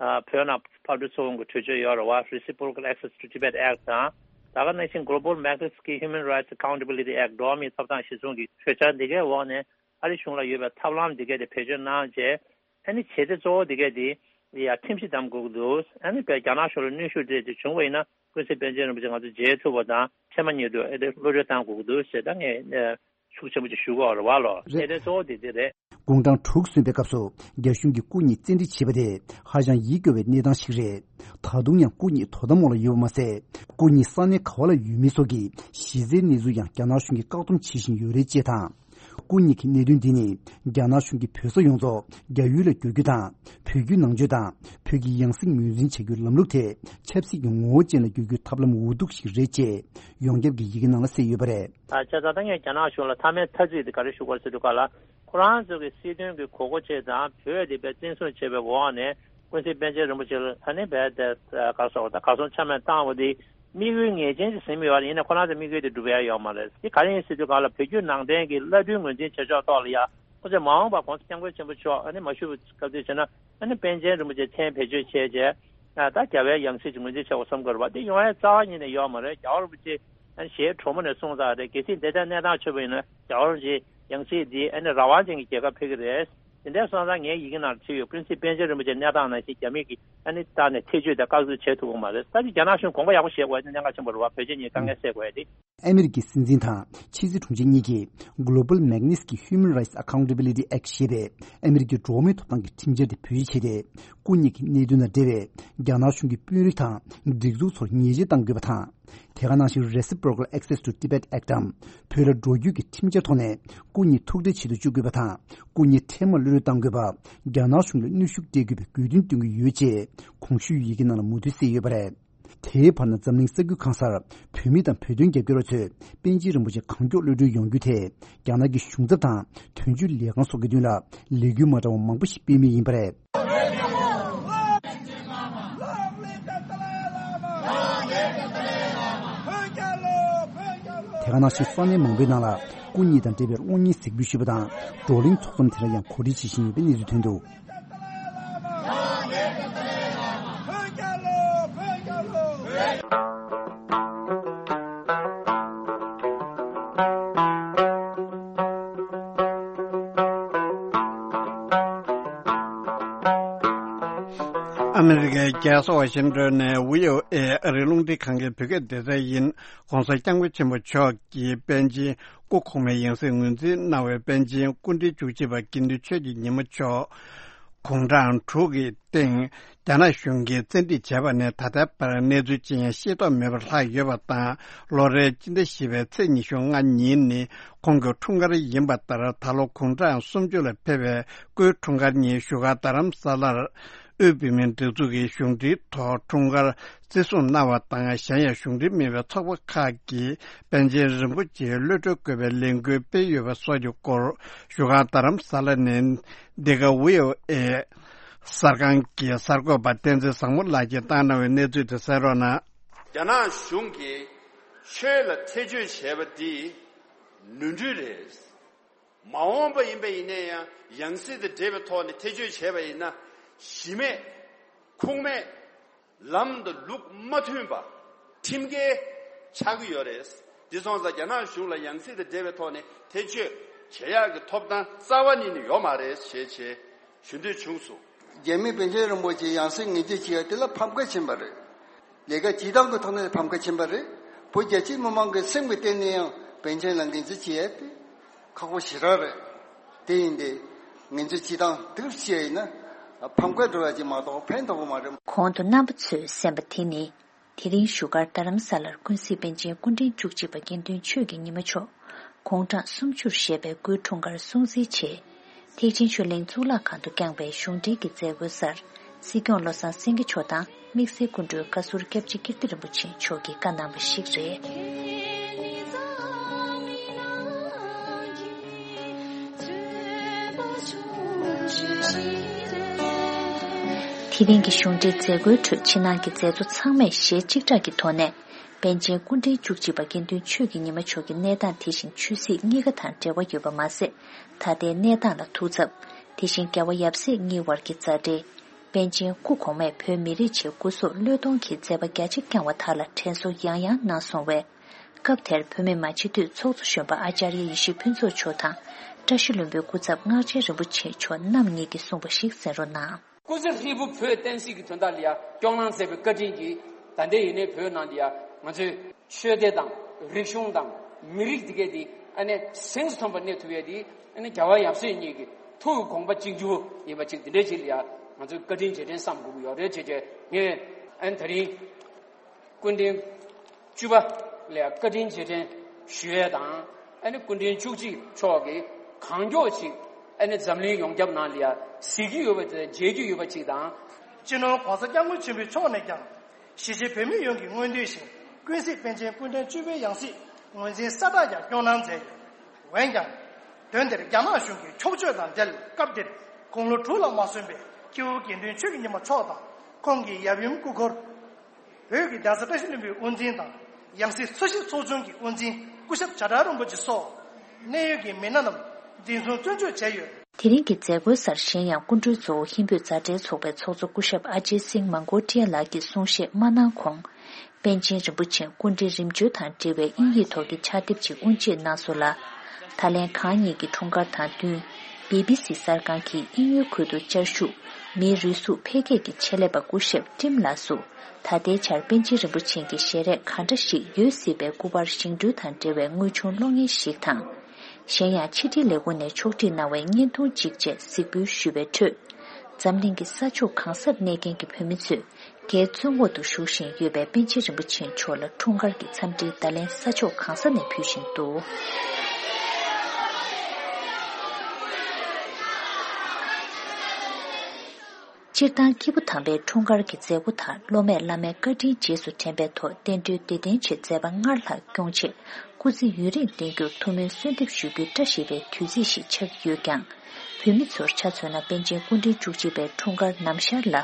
ཨ་བོད་ནང་ཕར་འགྲོ་ཚུར་འོང་གི་གྲོས་ཆོད་ཡོད་རེད་བ། Reciprocal Access to Tibet Act དང་། ད་ག་ནང་བཞིན་Global Magnitsky Human Rights Accountability Act འགྲོ་བ་མིའི་ཐོབ་ཐང་གཞིར་བཟུང་གི་གྲོས་འཆར་འདི་གའི་འོག་ནས་ཨ་རི་གཞུང་ལ་ཡོད་པའི་ཐབས་ལམ་འདི་གའི་དེ་བེད་སྤྱོད་གནང་བྱས། ཨ་ནི་བྱེད་གཏེ་གཙོ་བོ་འདི་གའི་དེ་ཡ་ཁྲིམས་གཞི་བསྡམ་དགོས་ཀྱི་འདུག་ཨ་ནི་བས་རྒྱ་ནག་གཞུང་ལ་གནོན་ཤུགས་སྤྲད་དེ་བྱུང་བ་ཡིན་ན་ཀུན་གཟིགས་པཎ་ཆེན་རིན་པོ་ཆེ་ང་ཚོ་མཇལ་ཐུབ་པ་དང་ཕྱི་མ་ཉིད་དུ་ཨེ་དེ་གློད་གྲོལ་བཏང་དགོས་ཀྱི་འདུག་ཞེས་ད་ངས་ཤུགས་ཆེན་པོ་ཅིག་ཞུ་དགོས་རེད་བ་ལོ། རེད། གནད་དོན་གཙོ་བོ་དེ་དེ་རེད། དགུང་གྲངས་དྲུག་སོན་པའི་སྐབས་སུ་རྒྱ་གཞུང་གིས་སྐུ་ཉིད་བཙན་ཁྲིད་བྱས་པ་དེ་ཧ་ཅང་ཡིད་སྐྱོ་བའི་གནས་སྟངས་ཤིག་རེད། ད་དུང་ཡང་སྐུ་ཉིད་དོ་དམ་འོག་ལ་ཡོད་པ་མ་ཟད། སྐུ་ཉིད་ས་གནས་ག་བ་ལ་ཡོད་མེད་སོགས་ཀྱི་གཞི་རྩའི་གནས་ཚུལ་ཡང་རྒྱ་ནག་གཞུང་གིས་བཀག་སྡོམ་བྱེད་བཞིན་ཡོད་རེད་ཅེས་དང་། སྐུ་ཉིད་ཀྱི་གནད་དོན་འདི་ནི་རྒྱ་ནག་གཞུང་གིས་བོད་ས་ཡོངས་རྫོགས་རྒྱ་ཡུལ་ལ་བསྒྱུར་རྒྱུ་དང་། བོད་བརྒྱུད་ནང་ཆོས་དང་བོད་ཀྱི་ཡང་སྲིད་ངོས་འཛིན་བྱ་རྒྱུའི་ལམ་ལུགས་དེ་ཆབ་སྲིད་ཀྱི་ངོ་བོ་ཅན་ལ་བསྒྱུར་རྒྱུའི་ཐབས་ལམ་འུ་སྡུག་ཞིག་རེད་ཅེས་ཡོངས་ཁྱབ་ཀྱི་ཡི་གེ་ནང་ལ་གསལ་ཡོད་པ་རེད། ད་བྱས་ཙང་ད་ངས་རྒྱ་ནག་གཞུང་ལ་མཐའ་མའི་ཐ་ཚིག་དེ་ག་རེ་ཞུ་དགོས་ཟེར་དུས་ག་ལ། ཁོ་རང་ཚོ་གི་སྲིད་དོན་གྱི་གོ་སྐབས་ཅིག་དང་བོད་དེ་བས་བཙན་བཟུང་བྱས་པའི་འོག་ནས་ཀུན་གཟིགས་པཎ་ཆེན་རིན་པོ་ཆེ་ལ་ཨ་ནི་བས་དེ་ག་རེ་ཟེར་བ་ད་གར་སོང་ཆ་མེད་བཏང་བ་དེ་དམིགས་ཡུལ་ངེས་ཅན་ཅིག་ཟིན་ཡོད་རེད། ཡིན་ནའི་ཁོ་རང་ཚོ་དམིགས་ཡུལ་དེ་འགྲུབ་ཡ་ཡོད་མ་རེད། དེ་ག་རེ་ཡིན་ཟེར་དུས་ག་ལ་བོད་བརྒྱུད་ནང་བསྟན་གྱི་བླ་སྤྲུལ་ངོས་འཛིན་བྱེད་ཕྱོགས་ཐོག་ལ་ཡ་ཁོ་ཚོས་མ་འོངས་པར་༸གོང་ས་༸སྐྱབས་མགོན་ཆེན་པོ་མཆོག་ཨ་ནི་མ་བཞུགས་པའི་སྐབས་དེ་བྱས་ན་ཨ་ནི་པཎ་ཆེན་རིན་པོ་ཆེ་མཚན་བེད་སྤྱོད་བྱས་རྗེས་ད་རྒྱལ་བའི་ཡང་སྲིད་ཅིག་ངོས་འཛིན་བྱེད་དགོས་བསམ་གྱི་རེད་བ། དེ་ཡོང་ཡ་རྩ་བ་ཉིད་ནས་ཡོད་མ་རེད། རྒྱལ་བ་རིན་པོ་ཆེ་ཨ་ནི་ཞལ་དྲོན་མོ་ནས་གསུངས་ཚར་རེད། གལ་སྲིད་འདི་ལྟར་གནས་སྟངས་ཆགས་པ་ཡིན་ན་རྒྱལ་བ་རིན་པོ་ཆེ་ཡང་སྲིད་འདི་ཨ་ནི་རང་དབང་ཅན་གྱི་རྒྱལ་ཁབ་ཕེབས་ཀྱི་རེད། དེ་འདྲའི་སོང་ཙང་ངའི་ཡི་གེ་ནང་བྲིས་ཡོད། ཀུན་གཟིགས་པཎ་ཆེན་རིན་པོ་ཆེ་གནས་སྟངས་ནང་བཞིན་རྒྱ་མི་གིས་ཨ་ནི་བཏང་ནས་ཐེ་བྱུས་དང་བཀག་སྡོམ་བྱེད་ཐུབ་ཀྱི་མ་རེད། ད་ཅི་རྒྱ་ནག་གཞུང་དགོངས་པ་ཡག་པོ་བཞེས་དགོས་ཡ་དེ་གནད་འགག་ཆེན་པོ་རེད་བ། བོད་ཆེ་གཉིས་དཀའ་ངལ་སེལ་དགོས་ཡ་དེ། ཨ་མི་རི་ཀའི་སྲིད་འཛིན་དང་ཕྱི་སྲིད་དྲུང་ཆེ་གཉིས་ཀྱིས་Global Magnitsky Human Rights Accountability Act ཞེས་པའི་ཨ་མི་རི་ཀའི་འགྲོ་བ་མིའི་ཐོབ་ཐང་གི་ཁྲིམས་འཆར་དེ་བོད་ཡིག་བྱས་ཏེ། སྐུ་ཉིད་ཀྱི་གནད་དོན་དང་འབྲེལ་བའི་རྒྱ་ནག་གཞུང་གི་དཔོན་རིགས་དང་སྒྲིག་འཛུགས་ཚོར་ཉེས་ཆད་གཏང་དགོས་པ་དང་། དེ་ག་ནང་བཞིན་Reciprocal Access to Tibet Act འམ་བོད་ལ་འགྲོ་རྒྱུ་གི་ཁྲིམས་འཆར་ཐོག་ནས་སྐུ་ཉིད་ཐུག་འཕྲད་བྱེད་དུ་བཅུག་དགོས་པ་དང་། སྐུ་ཉིད་འཕྲལ་མར་གློད་གྲོལ་གཏང་དགོས་པ། རྒྱ་ནག་གཞུང་ལ་གནོན་ཤུགས་སྤྲད་དགོས་པའི་དགོས་འདུན་བཏོན་གྱི་ཡོད་ཅེས་གོང་ཞུས་ཡི་གེ་ནང་ལ་མུ་མཐུད་གསལ་ཡོད་པ་རེད། དེའི་བར་ན་འཛམ་གླིང་ས་ཁུལ་གང་སར་བོད་མི་དང་བོད་དོན་རྒྱབ་སྐྱོར་བ་ཚོས་པཎ་ཆེན་རིན་པོ་ཆེ་གང་མགྱོགས་གློད་གྲོལ་ཡོང་རྒྱུ་དེ་རྒྱ་ནག་གི་གཞུང་ཚབ་དང་དོན་གཅོད་ལས་ཁང་སོགས་ཀྱི་མདུན་ལ་ལས་འགུལ་མ་འདྲ་བ་མང་པོ་ཞིག་སྤེལ་མུས་ཡིན་པ་རེད། དེ་ག་ནང་བཞིན་ས་གནས་མང་པོའི་ནང་ལ་སྐུ་ཉིད་དང་འབྲེལ་བའི་གློག་བརྙན་གཟིགས་འབུལ་ཞུས་པ་དང་། བགྲོ་གླེང་ཚོགས་འཛོམས་དེ་ལ་ཡང་གོ་སྒྲིག་བྱེད་བཞིན་ཡོད་པའི་གནས་ཚུལ་ཐོན་འདུག། ཨ་མི་རི་ཀའི་རྒྱལ་ས་ཝ་ཤིང་ཏོན་ནས་བྷི་ཨོ་ཨེ་ཨ་རིའི་རླུང་འཕྲིན་ཁང་གི་བོད་སྐད་སྡེ་ཚན་ཡིན། ༸གོང་ས་༸སྐྱབས་མགོན་ཆེན་པོ་མཆོག་གིས་པཎ་ཆེན་སྐུ་གོང་མའི་ཡང་སྲིད་ངོས་འཛིན་གནང་བའི་པཎ་ཆེན་སྐུ་ཕྲེང་བཅུ་གཅིག་པ་དགེ་འདུན་ཆོས་ཀྱི་ཉི་མ་མཆོག་དགུང་གྲངས་དྲུག་གི་སྟེང་རྒྱ་ནག་གཞུང་གིས་བཙན་ཁྲིད་བྱས་པ་ནས་ད་ལྟའི་བར་གནས་ཚུལ་ཅི་ཡང་ཤེས་རྟོགས་མེད་པར་ལྷག་ཡོད་པ་དང་། ལོ་རེའི་སྤྱི་ཟླ་བཞི་པའི་ཚེས་ཉི་ཤུ་ལྔ་ཉིན་ནི་ཁོང་གི་འཁྲུངས་སྐར་ཡིན་པ་ལྟར། ད་ལོ་དགུང་གྲངས་སུམ་ཅུ་ལ་ཕེབས་པའི་སྐུའི་འཁྲུངས་སྐར་ཉིན་བཞུགས་སྒར་རྡ་རམ་ས་ལར་དབུས་བོད་མིའི་སྒྲིག་འཛུགས་ཀྱི་གཞུང་འབྲེལ་ཐོག་འཁྲུངས་སྐར་བརྩི་སྲུང་གནང་བ་དང་། གཞན་ཡང་གཞུང་འབྲེལ་མིན་པའི་ཚོགས་པ་ཁག་གིས་པཎ་ཆེན་རིན་པོ་ཆེའི་གློད་གྲོལ་དགོས་པའི་ལས་འགུལ་སྤེལ་ཡོད་པ་སོགས་ཀྱི་སྐོར་བཞུགས་སྒར་རྡ་རམ་ས་ལ་ནས་འདི་ག་བྷི་ཨོ་ཨེ་གསར་ཁང་གི་གསར་འགོད་པ་བསྟན་འཛིན་བཟང་མོ་ལགས་ཀྱིས་བཏང་གནང་བའི་གནས་ཚུལ་དེ་གསན་རོགས་གནང་། རྒྱ་ནག་གཞུང་གིས་ཆོས་ལ་ཐེ་བྱུས་བྱས་པ་འདི་ནོར་འཁྲུལ་རེད། མ་འོངས་པ་ཡིན་པ་ཡིན་ན་ཡང་ཡང་སྲིད་དང་འབྲེལ་བའི་ཐོག་ནས་ཐེ་བྱུས་བྱས་པ་ཡིན་ན་གཞི་མེད་ཁུངས་མེད་ལམ་དང་ལུགས་མ་མཐུན་པ་ཁྲིམས་འགལ་ཆགས་ཀྱི་ཡོད་རེད། འདི་སོང་ཙང་རྒྱ་ནག་གཞུང་ལ་ཡང་སྲིད་དང་འབྲེལ་བའི་ཐོག་ནས་ཐེ་བྱུས་བྱེད་ཡག་གི་ཐོབ་ཐང་རྩ་བ་ཉིད་ནས་ཡོད་མ་རེད་ཞེས་བྱས་ཞུ་འདོད་བྱུང་སོང་། རྒྱ་མི་པཎ་ཆེན་རིན་པོ་ཆེ་ཡང་སྲིད་ངོས་འཛིན་བྱེད་ཡག་དེ་ལ་ཕམ་ཁ་ཕྱིན་པ་རེད། ལས་ཀ་བྱེད་སྟངས་ཀྱི་ཐོག་ནས་ཕམ་ཁ་ཕྱིན་པ་རེད། བོད་རྒྱ་ཆེའི་མི་མང་གི་སེམས་ཀྱི་གཏིང་ནས་ཡང་པཎ་ཆེན་ལ་ངོས་འཛིན་བྱེད་ཡ་དེ་ཁག་པོ་ཞེ་དྲག་རེད། དེ་ཡིན་ཏེ། ངོས་འཛིན་བྱེད་སྟངས་དེ་བྱས་ཡིན་ན་ཕམ་ཁ་འགྲོ་ཡ་ཅིག་མ་གཏོགས་ཕན་ཐོགས་པ་མ་རེད། གོང་དུ་རྣམ་པ་ཚོས་གསན་པ་དེ་ནི། དེ་རིང་བཞུགས་སྒར་རྡ་རམ་ས་ལར་ཀུན་གཟིགས་པཎ་ཆེན་སྐུ་ཕྲེང་བཅུ་གཅིག་པ་དགེ་འདུན་ཆོས་ཀྱི་ཉི་མ་མཆོག་དགུང་གྲངས་སུམ་ཅུར་བཞེས་པའི་སྐུའི་འཁྲུངས་སྐར་སྲུང་བརྩིའི་ཆེད། ཐེག་ཆེན་ཆོས་གླིང་གཙུག་ལག་ཁང་དུ་བསྐྱངས་པའི་གཞུང་འབྲེལ་གྱི་མཛད་སྒོའི་སར། སྲིད་སྐྱོང་བློ་བཟང་སེང་གེ་མཆོག་དང་དམིགས་བསལ་སྐུ་མགྲོན་བཀའ་ཟུར་སྐྱབས་རྗེ་ཀིརྟི་རིན་པོ་ཆེ་མཆོག་གིས་བཀའ་གནང་བ་ཞིག་རེད། དེ་རིང་གི་གཞུང་འབྲེལ་མཛད་སྒོའི་ཁྲོད་ཕྱི་ནང་གི་མཛད་གཙོ་ཚང་མས་ཞལ་གཅིག་གྲགས་ཀྱི་ཐོག་ནས། པཎ་ཆེན་སྐུ་ཕྲེང་བཅུ་གཅིག་པ་དགེ་འདུན་ཆོས་ཀྱི་ཉི་མ་མཆོག་གི་གནས་སྟངས་དེ་བཞིན་ཆོས་སྲིད་གཉིས་ཀ་དང་འབྲེལ་བ་ཡོད་པ་མ་ཟད། ད་ལྟའི་གནས་སྟངས་ལ་ཐུགས་འཚབ། དེ་བཞིན་རྒྱལ་བ་ཡབ་སྲས་གཉིས་བར་གྱི་མཛའ་འབྲེལ། པཎ་ཆེན་སྐུ་གོང་མས་བོད་མི་རིགས་ཆེད་སྐུ་སྲོག་བློས་གཏོང་གིས་མཛད་པ་རྒྱ་ཆེ་བསྐྱངས་བ་དག་ལ་དྲན་གསོ་ཡང་ཡང་གནང་སོང་བས། སྐབས་དེར་བོད་མི་མང་སྤྱི་འཐུས་ཚོགས་གཙོ་གཞོན་པ་ཨ་ཙརྱ་ཡེ་ཤེས་ཕུན་ཚོགས་མཆོག་དང་། བཀྲ་ཤིས་ལྷུན་པོའི་སྐུ་ཚབ་སྔགས་ཆེན་རིན་པོ་ཆེ་མཆོག་རྣམ་གཉིས་ཀྱིས་གསུངས་པ་ཞིག་གསན་རོགས་གནང་། སྐུ་ཚེ་ཧྲིལ་པོ་བོད་བསྟན་སྲིད་ཀྱི་དོན་དག་ལ་ཡང་སྐྱོང་གནང་མཛད་པའི་བཀའ་དྲིན་གྱིས། ད་ལྟའི་ཡིན་ནའི་བོད་ནང་འདི་ཡང་ང་ཚོའི་ཆོས་སྡེ་དང་རིག་གཞུང་དང་མི་རིགས་འདི་གས་འདི་ཨ་ནི་གཟེངས་སུ་ཐོན་པ་གནས་ཐུབ་ཡས་འདི་ཨ་ནི་རྒྱལ་བ་ཡབ་སྲས་གཉིས་ཀྱི་ཐུགས་ཀྱི་དགོངས་པ་གཅིག་གྱུར་ཡིན་པ་ཅིག་འདི་འདྲའི་ཅིག་ལ་ཡང་ང་ཚོས་བཀའ་དྲིན་རྗེས་དྲན་བསམ་དགོས་ཀྱི་ཡོད་རེད་ཅེས་བྱས། ངས་ཨ་ནི་ད་རིང་སྐུ་ཕྲེང་བཅུ་པ་ལ་ཡང་བཀའ་དྲིན་རྗེས་དྲན་ཞུ་ཡས་དང་། ཨ་ནི་སྐུ་ཕྲེང་བཅུ་གཅིག་མཆོག་གིས་གང་མགྱོགས་ཅིག་ཨ་ནི་འཛམ་གླིང་ཡོངས་ཁྱབ་ནང་ལ་ཡང་གཟིགས་ཀྱི་ཡོད་པ་དེ་མཇལ་རྒྱུ་ཡོད་པ་ཅིག་དང་། སྤྱི་ནོར་༸གོང་ས་༸སྐྱབས་མགོན་ཆེན་པོ་མཆོག་ནས་ཀྱང་གཞིས་བྱེས་བོད་མི་ཡོངས་ཀྱི་མངོན་འདོད་བཞིན་ཀུན་གཟིགས་པཎ་ཆེན་སྐུ་ཕྲེང་བཅུ་པའི་ཡང་སྲིད་ངོས་འཛིན་གསལ་བསྒྲགས་ཀྱང་སྐྱོང་གནང་མཛད་ཡོད། འོན་ཀྱང་། དོན་དེར་རྒྱ་ནག་གཞུང་གིས་འཁྱོག་བརྗོད་དང་འབྲེལ་སྐབས་དེར་དགུང་ལོ་དྲུག་ལ་མ་སོན་པའི་སྐྱེས་བུ་དགེ་འདུན་ཆོས་ཀྱི་ཉི་མ་མཆོག་དང་ཁོང་གི་ཡབ་ཡུམ་སྐུ་འཁོར། བོད་ཀྱི་གདན་ས་བཀྲ་ཤིས་ལྷུན་པོའི་དབུ་འཛིན་དང་ཡང་སྲིད་འཚོ་གཞིས་ཚོགས་ཆུང་གི་དབུ་འཛིན་སྐུ་ཞབས་བྱ་བྲལ་རིན་པོ་ཆེ་སོགས་གནད་ཡོད་ཀྱི་མི་སྣ་རྣམས་འཛིན་བཟུང་བཙོན་འཇུག་བྱས་ཡོད། དེ་རིང་གི་མཛད་སྒོའི་སར་གཞན་ཡང་སྐུ་མགྲོན་གཙོ་བོ་ཧིན་བོད་མཛའ་འབྲེལ་ཚོགས་པའི་ཚོགས་གཙོ་སྐུ་ཞབས་ཨ་ཇེ་སིང་མང་གོ་ཏྲི་ཡ་ལགས་ཀྱིས་གསུང་བཤད་མ་གནང་གོང་། པཎ་ཆེན་རིན་པོ་ཆེའི་སྐུ་ཕྲེང་རིམ་བྱོན་དང་འབྲེལ་བའི་དབྱིན་ཡིག་ཐོག་གི་ཕྱག་དེབ་ཅིག་དབུ་འབྱེད་གནང་སོང་ལ། ད་ལན་གང་ཉིད་ཀྱི་འཁྲུངས་སྐར་དང་བསྟུན། བི་བི་སི་གསར་ཁང་གིས་དབྱིན་ཡུལ་ཁུལ་དུ་བཅའ་བཞུགས་མིའི་རུས་ཟུངས་འཕེལ་རྒྱས་ཀྱི་ཆེད་ལས་པ་སྐུ་ཞབས་ཀྲིམ་ལགས་སུ། ད་ལྟའི་ཆར་པཎ་ཆེན་རིན་པོ་ཆེ་གི་ཞལ་རས་ག་འདྲ་ཞིག་ཡོད་སྲིད་པའི་སྐུ་པར་བཞེངས་སྐྲུན་དང་འབྲེལ་བའི་དངོས་བྱུང་གློག་བརྙན་ཞིག་དང་། གཞན་ཡང་ཕྱི་དྲིལ་ལས་ཁུངས་ནས་ཕྱོགས་སྒྲིག་གནང་བའི་བརྙན་ཐུང་གཅིག་བཅས་གཟིགས་འབུལ་ཞུས་པའི་ཁྲོད། འཛམ་གླིང་གི་ས་ཕྱོགས་གང་སར་གནས་མཁན་གྱི་བོད་མི་ཚོས། རྒྱའི་བཙོན་འོག་ཏུ་བཞུགས་བཞིན་ཡོད་པའི་པཎ་ཆེན་རིན་པོ་ཆེ་མཆོག་ལ་འཁྲུངས་སྐར་གྱི་འཚམས་འདྲིའི་བརྡ་ལན་ས་ཕྱོགས་གང་ས་ནས་ཕུལ་བཞིན་འདུག་སྤྱིར་བཏང་སྐྱེས་བུ་དམ་པའི་འཁྲུངས་སྐར་གྱི་མཛད་སྒོ་དང་སློབ་མས་བླ་མའི་བཀའ་དྲིན་རྗེས་སུ་དྲན་པའི་ཐོག་བསྟན་འགྲོའི་བདེ་ལྡན་ཆེད་མཛད་པ་སྔར་ལྷག་སྐྱོང་ཆེད་སྐུ་ཚེ་ཡུན་རིང་བརྟན་རྒྱུར་ཐུགས་སྨོན་གསོལ་འདེབས་ཞུ་རྒྱུའི་བཀྲ་ཤིས་པའི་དུས་ཚིགས་ཤིག་ཆགས་ཀྱི་ཡོད་ཀྱང་། བོད་མི་ཚོར་ཆ་མཚོན་ན་པཎ་ཆེན་སྐུ་ཕྲེང་བཅུ་གཅིག་པའི་འཁྲུངས་སྐར་ནམ་ཞར་ལ།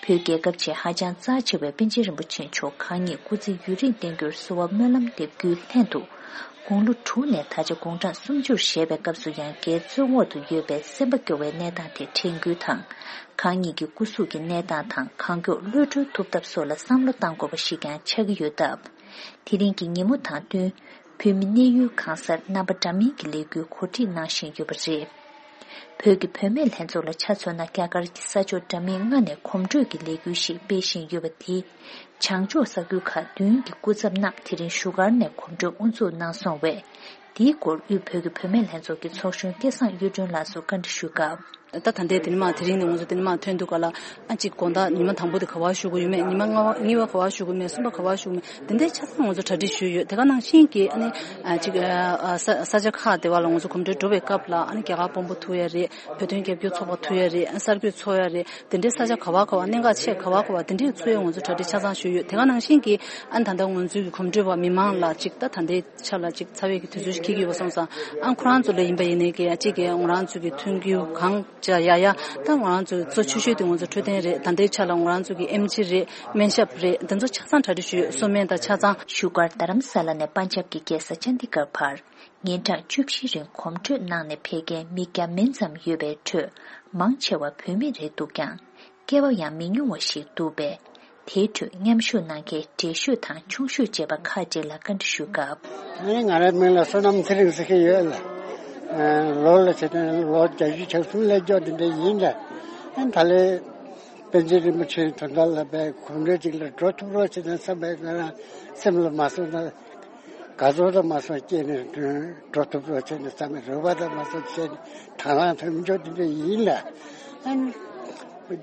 བོད་རྒྱལ་ཁབ་ཆེད་ཧ་ཅང་རྩ་ཆེ་བའི་པཎ་ཆེན་རིན་པོ་ཆེ་མཆོག་གང་ཉིད་སྐུ་ཚེ་ཡུན་རིང་བརྟན་རྒྱུར་གསོལ་བ་སྨོན་ལམ་འདེབས་རྒྱུའི་ལྷན་དུ། དགུང་ལོ་དྲུག་ནས་ད་ཆ་དགུང་གྲངས་སུམ་ཅུར་བཞེས་པའི་སྐབས་སུ་ཡང་རྒྱའི་བཙོན་འོག་ཏུ་ཡོད་པའི་སེམས་པ་སྐྱོ་བའི་གནས་སྟངས་དེ་དྲན་སྐུལ་དང་། གང་ཉིད་ཀྱི་སྐུ་གཟུགས་ཀྱི་གནས་སྟངས་དང་གང་མགྱོགས་གློད་གྲོལ་ཐུབ་ཐབས་སོགས་ལ་བསམ་བློ་གཏང་དགོས་པ་ཞིག་ཀྱང་ཆགས་ཀྱི་ཡོད་སྟབས། དེ་རིང་གི་ཉིན་མོ་དང་བསྟུན། བོད་མི་གནས་ཡུལ་གང་སར་རྣམ་པ་འདྲ་མིན་གྱི་ལས་འགུལ་གོ་སྒྲིག་གནང་བཞིན་ཡོད་པ་རེད། བོད་ཀྱི་བུད་མེད་ལྷན་ཚོགས་ལ་ཆ་མཚོན་ན། རྒྱ་གར་གྱི་ས་ཕྱོགས་འདྲ་མིན་ལྔ་ནས་གོམ་བགྲོད་ཀྱི་ལས་འགུལ་ཞིག་སྤེལ་བཞིན་ཡོད་པ་དེས། བྱང་ཕྱོགས་ས་ཁུལ་ཁག་བདུན་གྱི་སྐུ་ཚབ་རྣམས་དེ་རིང་བཞུགས་སྒར་ནས་གོམ་བགྲོད་དབུ་འཛུགས་གནང་སོང་བས། དེའི་སྐོར་དབུས་བོད་ཀྱི་བུད་མེད་ལྷན་ཚོགས་ཀྱི་ཚོགས་གཞོན་སྐལ་བཟང་གཡུ་སྒྲོན་ལགས་སུ་བཀའ་འདྲི་ཞུས་སྐབས། ད་ད་ལྟའི་དེ་ནི་མ་དེ་རིང་ནས་ང་ཚོ་དེ་ནི་མ་ཐོན་དུས་ག་ལ་ཨ་ཅིག་དགོང་དག་ཉི་མ་དང་པོ་དེ་ག་བར་བཞུགས་དགོས་ཡོད་མེད། ཉི་མ་ལྔ་པ་གཉིས་པ་ག་བར་བཞུགས་དགོས་མེད། གསུམ་པ་ག་བར་བཞུགས་དགོས་མེད། དེ་འདྲའི་ཆ་ཚང་ང་ཚོ་གྲ་སྒྲིག་ཞུས་ཡོད། དེ་ག་ནང་བཞིན་གྱི་ཨ་ནི་ཨ་ཅིག་ཨ་ས་ས་ཆ་ཁག་དེ་བ་ལ་ང་ཚོ་གོམ་བགྲོད་འགྲོ་བའི་སྐབས་ལ་ཨ་ནི་རྒྱ་གར་དཔོན་པོ་ཐུག་ཡ་རེད། བོད་དོན་རྒྱབ་སྐྱོར་ཚོགས་པ་ཐུག་ཡ་རེད། ཨ་གསར་འགོད་ཚོགས་ཡ་རེད། དེ་འདྲའི་ས་ཆ་ག་བ་ག་བ་གནད་འགག་ཆེ་ག་བ་ག་བ་དེ་འདྲའི་ཚོགས་ཡ་ང་ཚོ་གྲ་སྒྲིག་ཆ་ཚང་ཞུས་ཡོད། དེ་ག་ནང་བཞིན་གྱི་ཨ་ནི་ད་ལྟ་ང་ཚོའི་གི་གོམ་བགྲོད་པ་མི་མང་ལ་ཅིག་ད་ད་ལྟའི་ཆ་ལ་ཅིག་ཚ་བའི་གི་དུས་ཚོད་ཞིག་འཁེལ་གྱི་ཡོད་པ་སོང་ཙང་ཨ་ཁོ་རང་ཚོ་ལ་ཡིན་པ་ཡིན་ནའི་གི་ཨ་ཅིག་གི་ང་རང་ཚོ་གི་ཐོན་རྒྱུ་གང་ཅི་ཡ་ཡ་ད་ང་རང་ཚོ་གཙོ་ཆེ་ཤོས་དེ་ང་ཚོ་འཕྲོད་བསྟེན་རེད། ད་ལྟའི་ཆ་ལ་ང་རང་ཚོ་གི་ཨེམ་ཆི་རེད། སྨན་ཞབས་རེད། དེ་ཚོ་ཆ་ཚང་གྲ་སྒྲིག་ཞུས་ཡོད། གསོལ་སྨན་དང་ཆ་ཚང་། བཞུགས་སྒར་རྡ་རམ་ས་ལ་ནས་པན་ཇབ་ཀྱི་རྒྱལ་ས་ཅན་དི་གར་བར། ཉིན་གྲངས་བཅུ་བཞི་རིང་གོམ་བགྲོད་གནང་ནས་ཕེབས་མཁན་མི་བརྒྱ་མན་ཙམ་ཡོད་པའི་ཁྲོད། མང་ཆེ་བ་བུད་མེད་རེད་འདུག་ཀྱང་། སྐྱེ་བ་ཡང་མི་ཉུང་བ་ཞིག་འདུག་པས། དེའི་ཁྲོད་མཉམ་ཞུགས་གནང་མཁན་བགྲེས་ཤོས་དང་ཆུང་ཤོས་བཅས་པ་ཁག་ཅིག་ལ་བཀའ་འདྲི་ཞུས་སྐབས། ཨ་ནི་ང་རའི་མིང་ལ་བསོད་ནམས་ཚེ་རིང་ཟེར་གྱི་ཡོད་ལ། ཨ་ལོ་ལ་བྱས་ན་ལོ་བརྒྱད་ཅུ་གྱ་གསུམ་སླེབས་འཇོག་འདི་འདྲ་ཡིན་ལ། ཨ་ད་ལས། པཎ་ཆེན་རིན་པོ་ཆེ་དོན་དག་ལ་བས་གོམ་བགྲོད་ཅིག་ལ་འགྲོ་ཐུབ་རོགས་བྱས་ན་བསམ་པའི་ང་རང་སེམས་ལ་མ་བཟོད་ན། དགའ་ཚོར་དང་མ་སོང་སྐྱེས་ནས་འགྲོ་ཐུབ་རོགས་བྱས་ནས་བསམ་པའི་རེ་བ་དང་མ་སོང་བྱས་ནས་དང་བླངས་ཐོན་འཇོག་དེ་འདྲ་ཡིན་ལ། ཨ་ནི་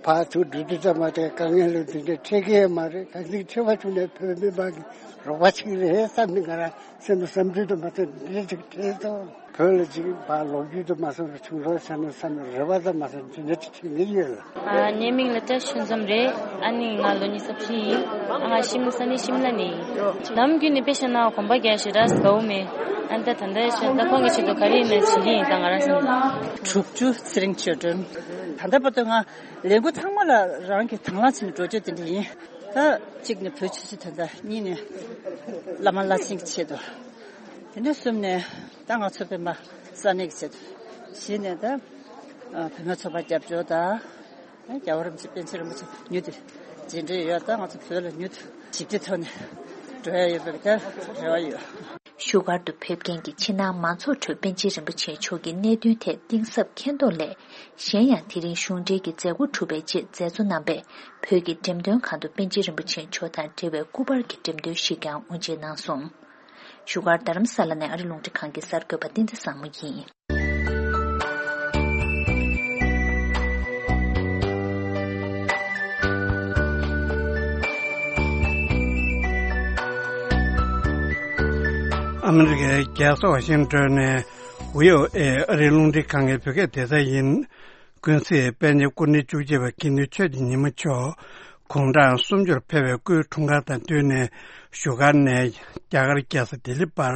ཕར་ཚུར་འགྲོ་དུས་ཙམ་པ་དེ་དཀའ་ངལ་ལ་དེ་འདྲ་འཕྲད་ཀྱི་ཡོད་མ་རེད། གང་ཅིག་འཕྲད་པ་བྱུང་ནས་བོད་མི་མང་གི་རོགས་པ་ཅིག་རེད་བསམ་ནས་ང་རང་སེམས་ལ་བསམ་ཚུལ་དུ་མ་ཚད་འདི་འདྲ་ཅིག་འཕྲད་སོང་། བོད་ལ་ཅིག་ཕར་ལོ་རྒྱུས་དུ་མ་སོང་བ་བྱུང་རོགས་བྱས་ན་བསམ་ནས་རེ་བ་དང་མ་སོང་དེ་འདྲ་ཅིག་བྱེད་ཀྱི་ཡོད་ལ། ཨ། ངའི་མིང་ལ་བཀྲ་ཤིས་ཆོས་འཛོམས་རེད། ཨ་ནི་ང་ལོ་ཉི་ཤུ་རྩ་བཞི་ཡིན། ཨ། ང་ཤིམ་ས་གནས་ཤིམ་ལ་ནས་ཡིན། ནམ་རྒྱུན་ནས་དཔེ་བཤད་ན་གོམ་པ་རྒྱག་ཞེ་དྲག་དགའ་བོ་མེད། ཨ། ད་ད་ལྟ་ཤ་ད་ཁོང་གི་ཆེད་དུ་ག་རེ་ཡིན་ན་བྱེད་ཀྱི་ཡིན། ད་ང་རང་སེམས་ནས། དྲུག་ཅུ་ཚེ་རིང་ཆོས་སྒྲོན། ད་ལྟ་བར་དུ་ང་ལས་འགུལ་ཚང་མ་ལ་རང་གི་དང་བླངས་བྱས་ནས་འགྲོ་བསྐྱོད་དེ་འདྲ་ཡིན། ད་གཅིག་ནས་བོད་ཆོས་སྲིད་དོན་དག་གཉིས་ནས་བླ་མ་བླ་ཆེན་གྱི་ཆེད་དུ། དེ་ནས་གསུམ་ནས་ད་ང་ཚོ་སྤེན་པ་ས་གནས་ཀྱི་ཆེད་དུ། བཞི་ནས་ད་བུད་མེད་ཚོགས་པ་རྒྱབ་སྐྱོར་དང་། རྒྱལ་བ་རིན་པོ་ཆེ་པཎ་ཆེན་རིན་པོ་ཆེ་མྱུར་དུ་མཇལ་འདོད་ཡོད། ད་ང་ཚོ་བོད་ལ་མྱུར་དུ་ཞི་བདེའི་ཐོག་ནས་འགྲོ་ཡ་ཡོད་པའི་ད་རེ་བ་ཡོད། བཞུགས་སྒར་དུ་ཕེབས་མཁན་གྱི་ཕྱི་ནང་མང་ཚོགས་ཁྲོད་པཎ་ཆེན་རིན་པོ་ཆེ་མཆོག་གི་གནད་དོན་ཐད་གཏིང་ཟབ་མཁྱེན་རྟོགས་སླད། གཞན་ཡང་དེ་རིང་གཞུང་འབྲེལ་གྱི་མཛད་སྒོ་གྲུབ་པའི་རྗེས་མཛད་གཙོ་རྣམ་པས་བོད་ཀྱི་འགྲེམས་སྟོན་ཁང་དུ་པཎ་ཆེན་རིན་པོ་ཆེ་མཆོག་དང་འབྲེལ་བའི་སྐུ་པར་གྱི་འགྲེམས་སྟོན་ཞིག་ཀྱང་དབུ་འབྱེད་གནང་སོང་། བཞུགས་སྒར་རྡ་རམ་ས་ལ་ནས་ཨ་རི་རླུང་འཕྲིན་ཁང་གི་གསར་འགོད་པ་བསྟན་འཛིན་བཟང་མོ་ཡིན། ཨ་མི་རི་ཀའི་རྒྱལ་ས་ཝ་ཤིང་ཏོན་ནས་བྷི་ཨོ་ཨེ་ཨ་རིའི་རླུང་འཕྲིན་ཁང་གི་བོད་སྐད་སྡེ་ཚན་ཡིན། ཀུན་གཟིགས་དཔལ་ལྡན་སྐུ་ཕྲེང་བཅུ་གཅིག་པ་དགེ་འདུན་ཆོས་ཀྱི་ཉི་མ་མཆོག་དགུང་གྲངས་སུམ་ཅུར་ཕེབས་པའི་སྐུའི་འཁྲུངས་སྐར་དང་བསྟུན་ནས་བཞུགས་སྒར་ནས་རྒྱ་གར་རྒྱལ་ས་ལྡི་ལི་བར་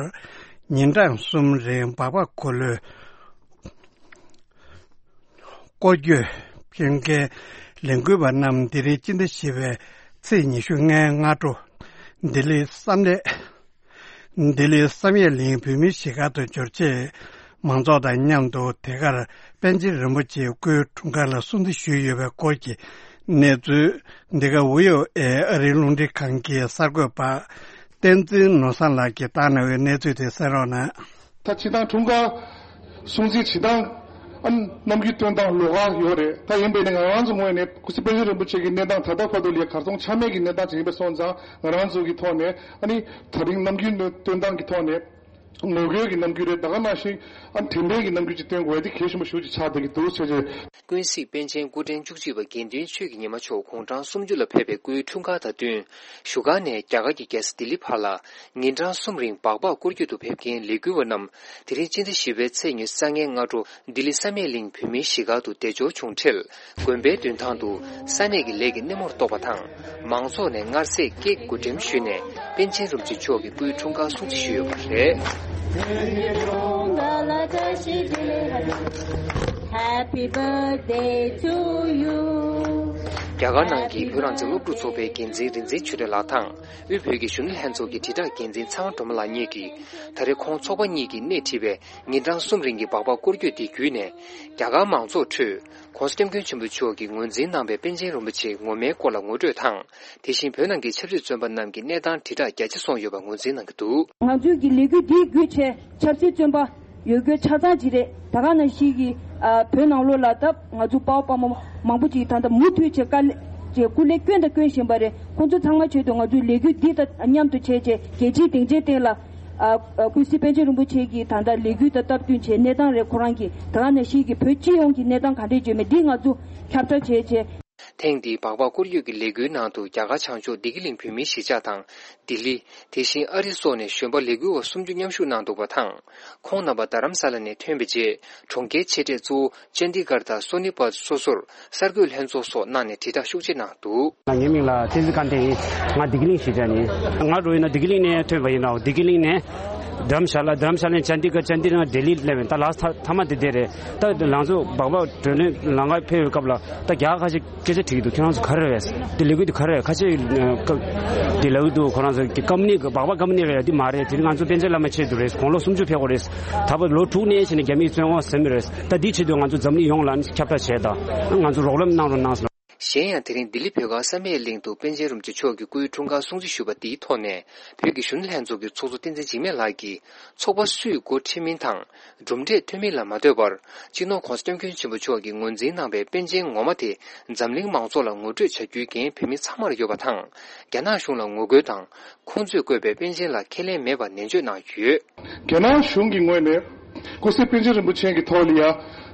ཉིན་གྲངས་གསུམ་རིང་སྦག་སྦག་འཁོར་ལོའི་སྐོར་སྐྱོད་ཕེབས་མཁན་ལས་འགུལ་བ་རྣམས་འདི་རིང་སྤྱི་ཟླ་བཞི་པའི་ཚེས་ཉི་ཤུ་ལྔའི་སྔ་དྲོ་ལྡི་ལི་བསམ་ཡས། ལྡི་ལིའི་བསམ་ཡས་གླིང་བོད་མིའི་གཞིས་སྒར་དུ་འབྱོར་རྗེས། མང་ཚོགས་དང་མཉམ་དུ་དེ་གར་པཎ་ཆེན་རིན་པོ་ཆེའི་སྐུའི་འཁྲུངས་སྐར་ལ་སྲུང་བརྩི་ཞུས་ཡོད་པའི་སྐོར་གྱི་གནས་ཚུལ། འདི་ག་བྷི་ཨོ་ཨེ་ཨ་རིའི་རླུང་འཕྲིན་ཁང་གི་གསར་འགོད་པ་བསྟན་འཛིན་ནོར་བཟང་ལགས་ཀྱིས་བཏང་གནང་བའི་གནས་ཚུལ་དེ་གསན་རོགས་གནང་། ད་སྤྱིར་བཏང་འཁྲུངས་སྐར་སྲུང་བརྩི་བྱེད་སྟངས། ཨ། ནམ་རྒྱུན་སྟོན་སྟངས་ལོགས་ཀ་ཡོད་རེད། ད་ཡིན་པས་ནི་ང་རང་ཚོ་ངོས་ནས་སྐུ་ཚེ་པཎ་ཆེན་རིན་པོ་ཆེ་གི་གནས་སྟངས་ད་ལྟ་བར་དུ་ལ་གར་སོང་ཆ་མེད་ཀྱི་གནས་སྟངས་ཅིག་ཡིན་པ་སོང་ཙང་། ང་རང་ཚོ་གི་ཐོག་ནས། ཨ་ནི་ད་རིང་ནམ་རྒྱུན་སྟོན་སྟངས་ཀྱི་ཐོག་ནས་ངོ་རྒོལ་གྱི་རྣམ་འགྱུར་རེད། ད་ག་ནང་བཞིན། ཨ། དྲན་པའི་གི་རྣམ་འགྱུར་ཅིག་སྟོན་དགོས་ཡ་དེ་གལ་ཆེན་པོ་ཞེ་པོ་ཅིག་ཆགས་བསྡད་ཀྱི་འདུག་ཟེར་བྱས། ཀུན་གཟིགས་པཎ་ཆེན་སྐུ་ཕྲེང་བཅུ་གཅིག་པ་དགེ་འདུན་ཆོས་ཀྱི་ཉི་མ་མཆོག་དགུང་གྲངས་སུམ་ཅུ་ལ་ཕེབས་པའི་སྐུའི་འཁྲུངས་སྐར་དང་བསྟུན། བཞུགས་སྒར་ནས་རྒྱ་གར་གྱི་རྒྱལ་ས་ལྡི་ལི་བར་ལ་ཉིན་གྲངས་གསུམ་རིང་སྦག་སྦག་སྐོར་སྐྱོད་དུ་ཕེབས་མཁན་ལས་འགུལ་བ་རྣམས་དེ་རིང་སྤྱི་ཟླ་བཞི་པའི་ཚེས་ཉི་ཤུ་རྩ་ལྔའི་སྔ་དྲོ་ལྡི་ལི་བསམ་ཡས་གླིང་བོད་མིའི་གཞིས་སྒར་དུ་བདེ་འབྱོར་བྱུང་འཕྲལ། དགོན་པའི་མདུན་ཐང་དུ་ས་གནས་ཀྱི་ལས་ཀྱི་སྣེ་མོར་གཏོགས་པ་དང་། མང་ཚོགས་ནས་མངར་ཟས་ཀྱི་གོ་སྒྲིམ་ཞུས་ནས་པཎ་ཆེན་རིན་པོ་ཆེ་མཆོག་གི་སྐུའི་འཁྲུངས་སྐར་སྲུང་བརྩི་ཞུས་ཡོད་པ་རེད། Happy birthday to you. རྒྱ་གར་ནང་གི་བོད་རང་བཙན་སློབ་ཕྲུག་ཚོགས་པའི་འགན་འཛིན་རིག་འཛིན་ཆོས་སྒྲོན་ལགས་དང་། དབུས་བོད་ཀྱི་གཞོན་ནུ་ལྷན་ཚོགས་ཀྱི་དྲིལ་བསྒྲགས་འགན་འཛིན་ཚེ་དབང་སྒྲོལ་མ་ལགས་གཉིས་ཀྱིས། ད་རེས་ཁོང་ཚོགས་པ་གཉིས་ཀྱིས་སྣེ་ཁྲིད་པའི་ཉིན་གྲངས་གསུམ་རིང་གི་སྦག་སྦག་སྐོར་སྐྱོད་དེ་བརྒྱུད་ནས། རྒྱ་གར་མང་ཚོགས་ཁྲོད། ༸གོང་ས་༸སྐྱབས་མགོན་ཆེན་པོ་མཆོག་གིས་ངོས་འཛིན་གནང་བའི་པཎ་ཆེན་རིན་པོ་ཆེའི་ངོ་མའི་སྐོར་ལ་ངོ་སྤྲོད་དང་། དེ་བཞིན་བོད་ནང་གི་ཆབ་སྲིད་བཙོན་པ་རྣམས་ཀྱི་གནས་སྟངས་དྲིལ་བསྒྲགས་རྒྱ་ཆེ་སོང་ཡོད་པ་ངོས་འཛིན་གནང་གི་འདུག། ང་ཚོའི་གི་ལས་འགུལ་འདིའི་བརྒྱུད་བྱས་ཆབ་སྲིད་བཙོན་པ་ཡོད་རྒྱུ་ཆ་ཚང་ཅིག་རེད། ད་ག་ནང་བཞིན་གི། ཨ། བོད་ནང་ལོགས་ལ་ད་ང་ཚོ་དཔའ་བོ་དཔའ་མོ་མང་པོ་ཅིག་ད་ལྟ་མུ་མཐུད་བྱས་དཀའ་ལས་བྱས་སྐུ་ལས་བསྐྱོན་དང་སྐྱོན་བཞིན་པ་རེད། ཁོང་ཚོ་ཚང་མ་ཆེད་དུ་ང་ཚོའི་ལས་འགུལ་འདི་དང་མཉམ་དུ་བྱས་བྱས་རྒྱལ་སྤྱིའི་སྡིངས་ཆའི་སྟེང་ལ། ཨ། ཨ། ཀུན་གཟིགས་པཎ་ཆེན་རིན་པོ་ཆེ་གི་ད་ལྟ་ལས་འགུལ་དང་སྟབས་བསྟུན་བྱས་གནས་སྟངས་རེད། ཁོ་རང་གི་ད་ག་ནང་བཞིན་གི་བོད་སྤྱི་ཡོངས་ཀྱི་གནས་སྟངས་ག་འདྲས་བརྗོད་མེད་འདི་ང་ཚོ་ཁྱབ་བསྒྲགས་བྱས་བྱས། ཐེངས་འདིའི་སྦག་སྦག་སྐོར་སྐྱོད་ཀྱི་ལས་འགུལ་ནང་དུ་རྒྱ་གར་བྱང་ཕྱོགས་བདེ་སྐྱིད་གླིང་བོད་མིའི་གཞིས་ཆགས་དང་། ལྡི་ལི། དེ་བཞིན་ཨ་རི་སོགས་ནས་གཞོན་པ་ལས་འགུལ་བ་སུམ་ཅུ་མཉམ་ཞུགས་གནང་འདུག་པ་དང་། ཁོང་རྣམ་པ་རྡ་རམ་ས་ལ་ནས་ཐོན་པའི་རྗེས། གྲོང་ཁྱེར་ཆེ་གྲས་གཙོ་བོ་ཅན་དི་གྷར་དང་སོ་ནི་པད་སོ་སོར་གསར་འགོད་ལྷན་ཚོགས་སོགས་གནང་ནས་དྲིལ་བསྒྲགས་ཤུགས་ཆེ་གནང་འདུག། ངའི་མིང་ལ་བསྟན་འཛིན་སྐལ་ལྡན་ཡིན། ང་བདེ་སྐྱིད་གླིང་གཞིས་ཆགས་ཡིན། ང་འགྲོ་ཡིན་ན་བདེ་སྐྱིད་གླིང་ནས་ཐོན་པ་ཡིན་ནོ། བདེ་སྐྱིད་གླིང་ནས་རྡ་རམ་ཤ་ལ། རྡ་རམ་ཤ་ལ་ནས་ཅན་དི་གྷར། ཅན་དི་གྷར་ནས་ལྡི་ལི་སླེབས་ཡིན། ད་ལགས་ཐ་མ་དེ་དེ་རེད། ད་ལང་ཚོ་སྦག་སྦག་བགྲོ་གླེང་ལམ་ཁ་ཕེབས་པའི་སྐབས་ལ་ད་རྒྱ་གར་ཁ་ཤས་སྐད་ཆ་དྲིས་ཀྱི་འདུག། ཁྱོད་རང་ཚོ་ག་རེ་རེད། འདི་ལས་འགུལ་འདི་ག་རེ་རེད། ཁ་ཤས་འདི་ལབ་ཀྱི་འདུག། ཁོ་རང་ཚོ་གི་ཀམ་པ་ནི་གི་སྦག་སྦག་ཀམ་པ་ནི་རེད། འདི་མ་རེད། དེ་ནི་ང་ཚོ་པཎ་ཆེན་བླ་མའི་ཆེད་དུ་རེད། དགུང་ལོ་སུམ་ཅུ་ཕེབས་དགོས་རེད། ད་བར་ལོ་དྲུག་གནས་བྱས་ནས་རྒྱ་མིས་བཙོན་འོག་ཟིན་པ་རེད། ད་འདིའི་ཆེད་དུ་ང་ཚོ་འཛམ་གླིང་ཡོངས་ལ་ནི་ཁྱབ་བསྒྲགས་བྱས། ད་ང་ཚོ་རོགས་རམ་གནང་རོགས་གནང་ཟེར། གཞན་ཡང་། དེ་རིང་ལྡི་ལི་བོད་སྒར་བསམ་ཡས་གླིང་དུ་པཎ་ཆེན་རིན་པོ་ཆེ་མཆོག་གི་སྐུའི་འཁྲུངས་སྐར་སྲུང་བརྩི་ཞུས་པ་དེའི་ཐོག་ནས། བོད་ཀྱི་གཞོན་ནུ་ལྷན་ཚོགས་ཀྱི་ཚོགས་གཙོ་བསྟན་འཛིན་འཇིགས་མེད་ལགས་ཀྱིས། ཚོགས་པ་སུས་འགོ་ཁྲིད་མིན་དང་། གྲུབ་འབྲས་ཐོན་མིན་ལ་མ་ལྟོས་པར། སྤྱི་ནོར་༧གོང་ས་༧སྐྱབས་མགོན་ཆེན་པོ་མཆོག་གིས་ངོས་འཛིན་གནང་པའི་པཎ་ཆེན་ངོ་མ་དེ། འཛམ་གླིང་མང་ཚོགས་ལ་ངོ་སྤྲོད་བྱ་རྒྱུའི་འགན་བོད་མི་ཚང་མར་ཡོད་པ་དང་། རྒྱ་ནག་གཞུང་ལ་ངོ་རྒོལ་དང་། ཁོང་ཚོས་བཀོད་པའི་པཎ་ཆེན་ལ་ཁས་ལེན་མེད་པ་ནན་བརྗོད་གནང་ཡོད། རྒྱ་ནག་གཞུང་གི་ངོས་ནས། སྐུ་ཚེ་པཎ་ཆེན་རིན་པོ་ཆེ་གི་ཐོག་ལ་ཡ།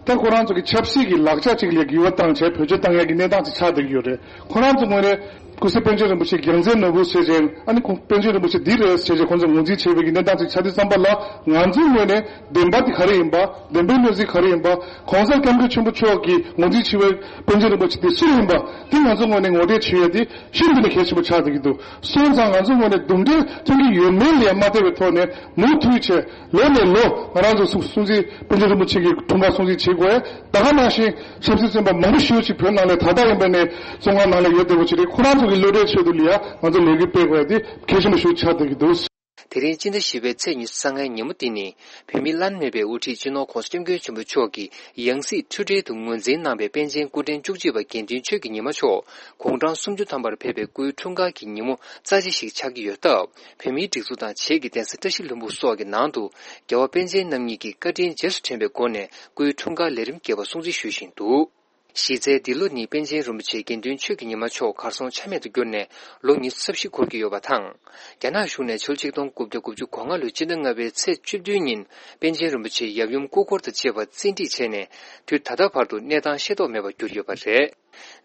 ད་ཁོ་རང་ཚོ་གི་ཆབ་སྲིད་ཀྱི་ལག་ཆ་ཅིག་ལ་འགྱུར་བ་བཏང་བྱས་བེད་སྤྱོད་བཏང་ཡག་གི་གནས་སྟངས་ཅིག་ཆགས་བསྡད་ཀྱི་ཡོད་རེད། ཁོ་རང་ཚོ་ངོས་ནས་སྐུ་ཚེ་པཎ་ཆེན་རིན་པོ་ཆེ་རྒྱལ་མཚན་ནོར་བུ་ཟེར་བྱས། ཨ་ནི་ཁོང་པཎ་ཆེན་རིན་པོ་ཆེ་འདི་རེད་ཟེར་བྱས་ཁོང་ཚོ་ངོས་འཛིན་བྱས་པའི་གི་གནས་སྟངས་ཅིག་ཆགས་དུས་ཙམ་པ་ལ། ང་ཚོའི་ངོས་ནས་བདེན་པ་དེ་ག་རེ་ཡིན་པ། བདེན་པའི་གནས་ཚུལ་ག་རེ་ཡིན་པ། ༸གོང་ས་༸སྐྱབས་མགོན་ཆེན་པོ་མཆོག་གིས་ངོས་འཛིན་བྱས་པའི་པཎ་ཆེན་རིན་པོ་ཆེ་དེ་སུ་ཡིན་པ། དེ་ང་ཚོའི་ངོས་ནས་ངོ་སྤྲོད་བྱེད་ཡ་དེ་ཤིན་ཏུ་ནས་གལ་ཆེན་པོ་ཆགས་བསྡད་ཀྱི་འདུག་སོང་ཙང་ང་ཚོའི་ངོས་ནས་དུམ་གྲ་ཐོན་གྱི་ཡོད་མེད་ལས་མ་བལྟས་པའི་ཐོག་ནས་མུ་མཐུད་བྱས། ལོ་ནས་ལོ་ང་རང་ཚོ་སྲུང་སྲུང་བརྩི་པཎ་ཆེན་རིན་པོ་ཆེ་གི་འཁྲུངས་སྐར་སྲུང་བརྩི་བྱེད་དགོས། ད་ག་ནང་བཞིན་ཆབ་སྲིད་བཙོན་པ་མང་པོ་ཞེ་པོ་ཅིག་བོད་ནང་ལ་ད་ལྟ་ཡིན་པ་ནས་བཙོན་ཁང་ནང་ལ་ཡོད་བསྡད་པ་ཅིག་རེད། ཁོ་རང་ཚོ་གི་བློ་གྲོས་ཆེད་དུ་ལ་ཡ་ང་ཚོ་ལས་འགུལ་སྤེལ་དགོས་ཡ་དེ་གལ་ཆེན་པོ་ཞིག་ཆགས་བསྡད་ཀྱི་འདུག་དེ་རིང་སྤྱི་ཟླ་བཞི་པའི་ཚེས་ཉི་ཤུ་རྩ་ལྔའི་ཉིན་མོ་འདི་ནི། བོད་མིའི་བླ་ན་མེད་པའི་དབུ་ཁྲིད་སྤྱི་ནོར་༸གོང་ས་༸སྐྱབས་མགོན་ཆེན་པོ་མཆོག་གི་ཡང་སྲིད་འཕྲུལ་བྲིས་དུ་ངོས་འཛིན་གནང་པའི་པཎ་ཆེན་སྐུ་ཕྲེང་བཅུ་གཅིག་པ་དགེ་འདུན་ཆོས་ཀྱི་ཉི་མ་མཆོག་དགུང་གྲངས་སུམ་ཅུ་ཐམ་པར་ཕེབས་པའི་སྐུའི་འཁྲུངས་སྐར་གྱི་ཉིན་མོ་རྩ་ཆེ་ཞིག་ཆགས་ཀྱི་ཡོད་སྟབས། བོད་མིའི་སྒྲིག་འཛུགས་དང་བྱེས་ཀྱི་གདན་ས་བཀྲ་ཤིས་ལྷུན་པོ་སོགས་ཀྱི་ནང་དུ། རྒྱལ་བ་པཎ་ཆེན་རྣམ་གཉིས་ཀྱི་བཀའ་དྲིན་རྗེས་སུ་དྲན་པའི་སྒོ་ནས་སྐུའི་འཁྲུངས་སྐར་ལས་རིམ་རྒྱས་པ་སྲུང་བརྩི་ཞུས་བཞིན་འདུག་གཞི་རྩའི་འདི་ལོ་ནི་པཎ་ཆེན་རིན་པོ་ཆེ་དགེ་འདུན་ཆོས་ཀྱི་ཉི་མ་མཆོག་གར་སོང་ཆ་མེད་དུ་གྱུར་ནས་ལོ་ཉི་ཤུ་རྩ་བཞི་འཁོར་གྱི་ཡོད་པ་དང་། རྒྱ་ནག་གཞུང་ནས་ཕྱི་ལོ་ཆིག་སྟོང་དགུ་བརྒྱ་དགུ་བཅུ་གོ་ལྔ་ལོའི་སྤྱི་ཟླ་ལྔ་པའི་ཚེས་བཅུ་བདུན་ཉིན་པཎ་ཆེན་རིན་པོ་ཆེ་ཡབ་ཡུམ་སྐུ་འཁོར་དང་བཅས་པ་བཙན་ཁྲིད་བྱས་ནས། དུས་ད་ལྟ་བར་དུ་གནས་སྟངས་ཤེས་རྟོགས་མེད་པར་གྱུར་ཡོད་པ་རེད།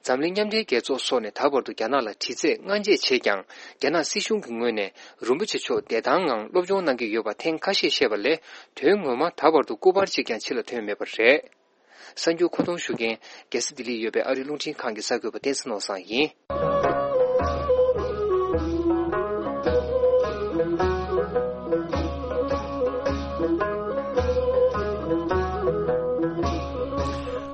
འཛམ་གླིང་མཉམ་འབྲེལ་རྒྱལ་ཚོགས་སོགས་ནས་ད་བར་དུ་རྒྱ་ནག་ལ་དྲི་རྩད་སྔ་འགྱེད་བྱས་ཀྱང་། རྒྱ་ནག་སྲིད་གཞུང་གི་ངོས་ནས་རིན་པོ་ཆེ་མཆོག་བདེ་ཐང་ངང་སློབ་སྦྱོང་གནང་གི་ཡོད་པ་ཐེངས་ཁ་ཤས་བཤད་པ་ལས། དོན་ངོ་མ་ད་བར་དུ་སྐུ་པར་གཅིག་ཀྱང་ཕྱི་ལ་ཐོན་མེད་པ་རེད། གསར་འགྱུར་མཁོ་གཏོང་ཞུ་མཁན། རྒྱལ་ས་ལྡི་ལིར་ཡོད་པའི་ཨ་རིའི་རླུང་འཕྲིན་ཁང་གི་གསར་འགོད་པ་བསྟན་འཛིན་ནོར་བཟང་ཡིན།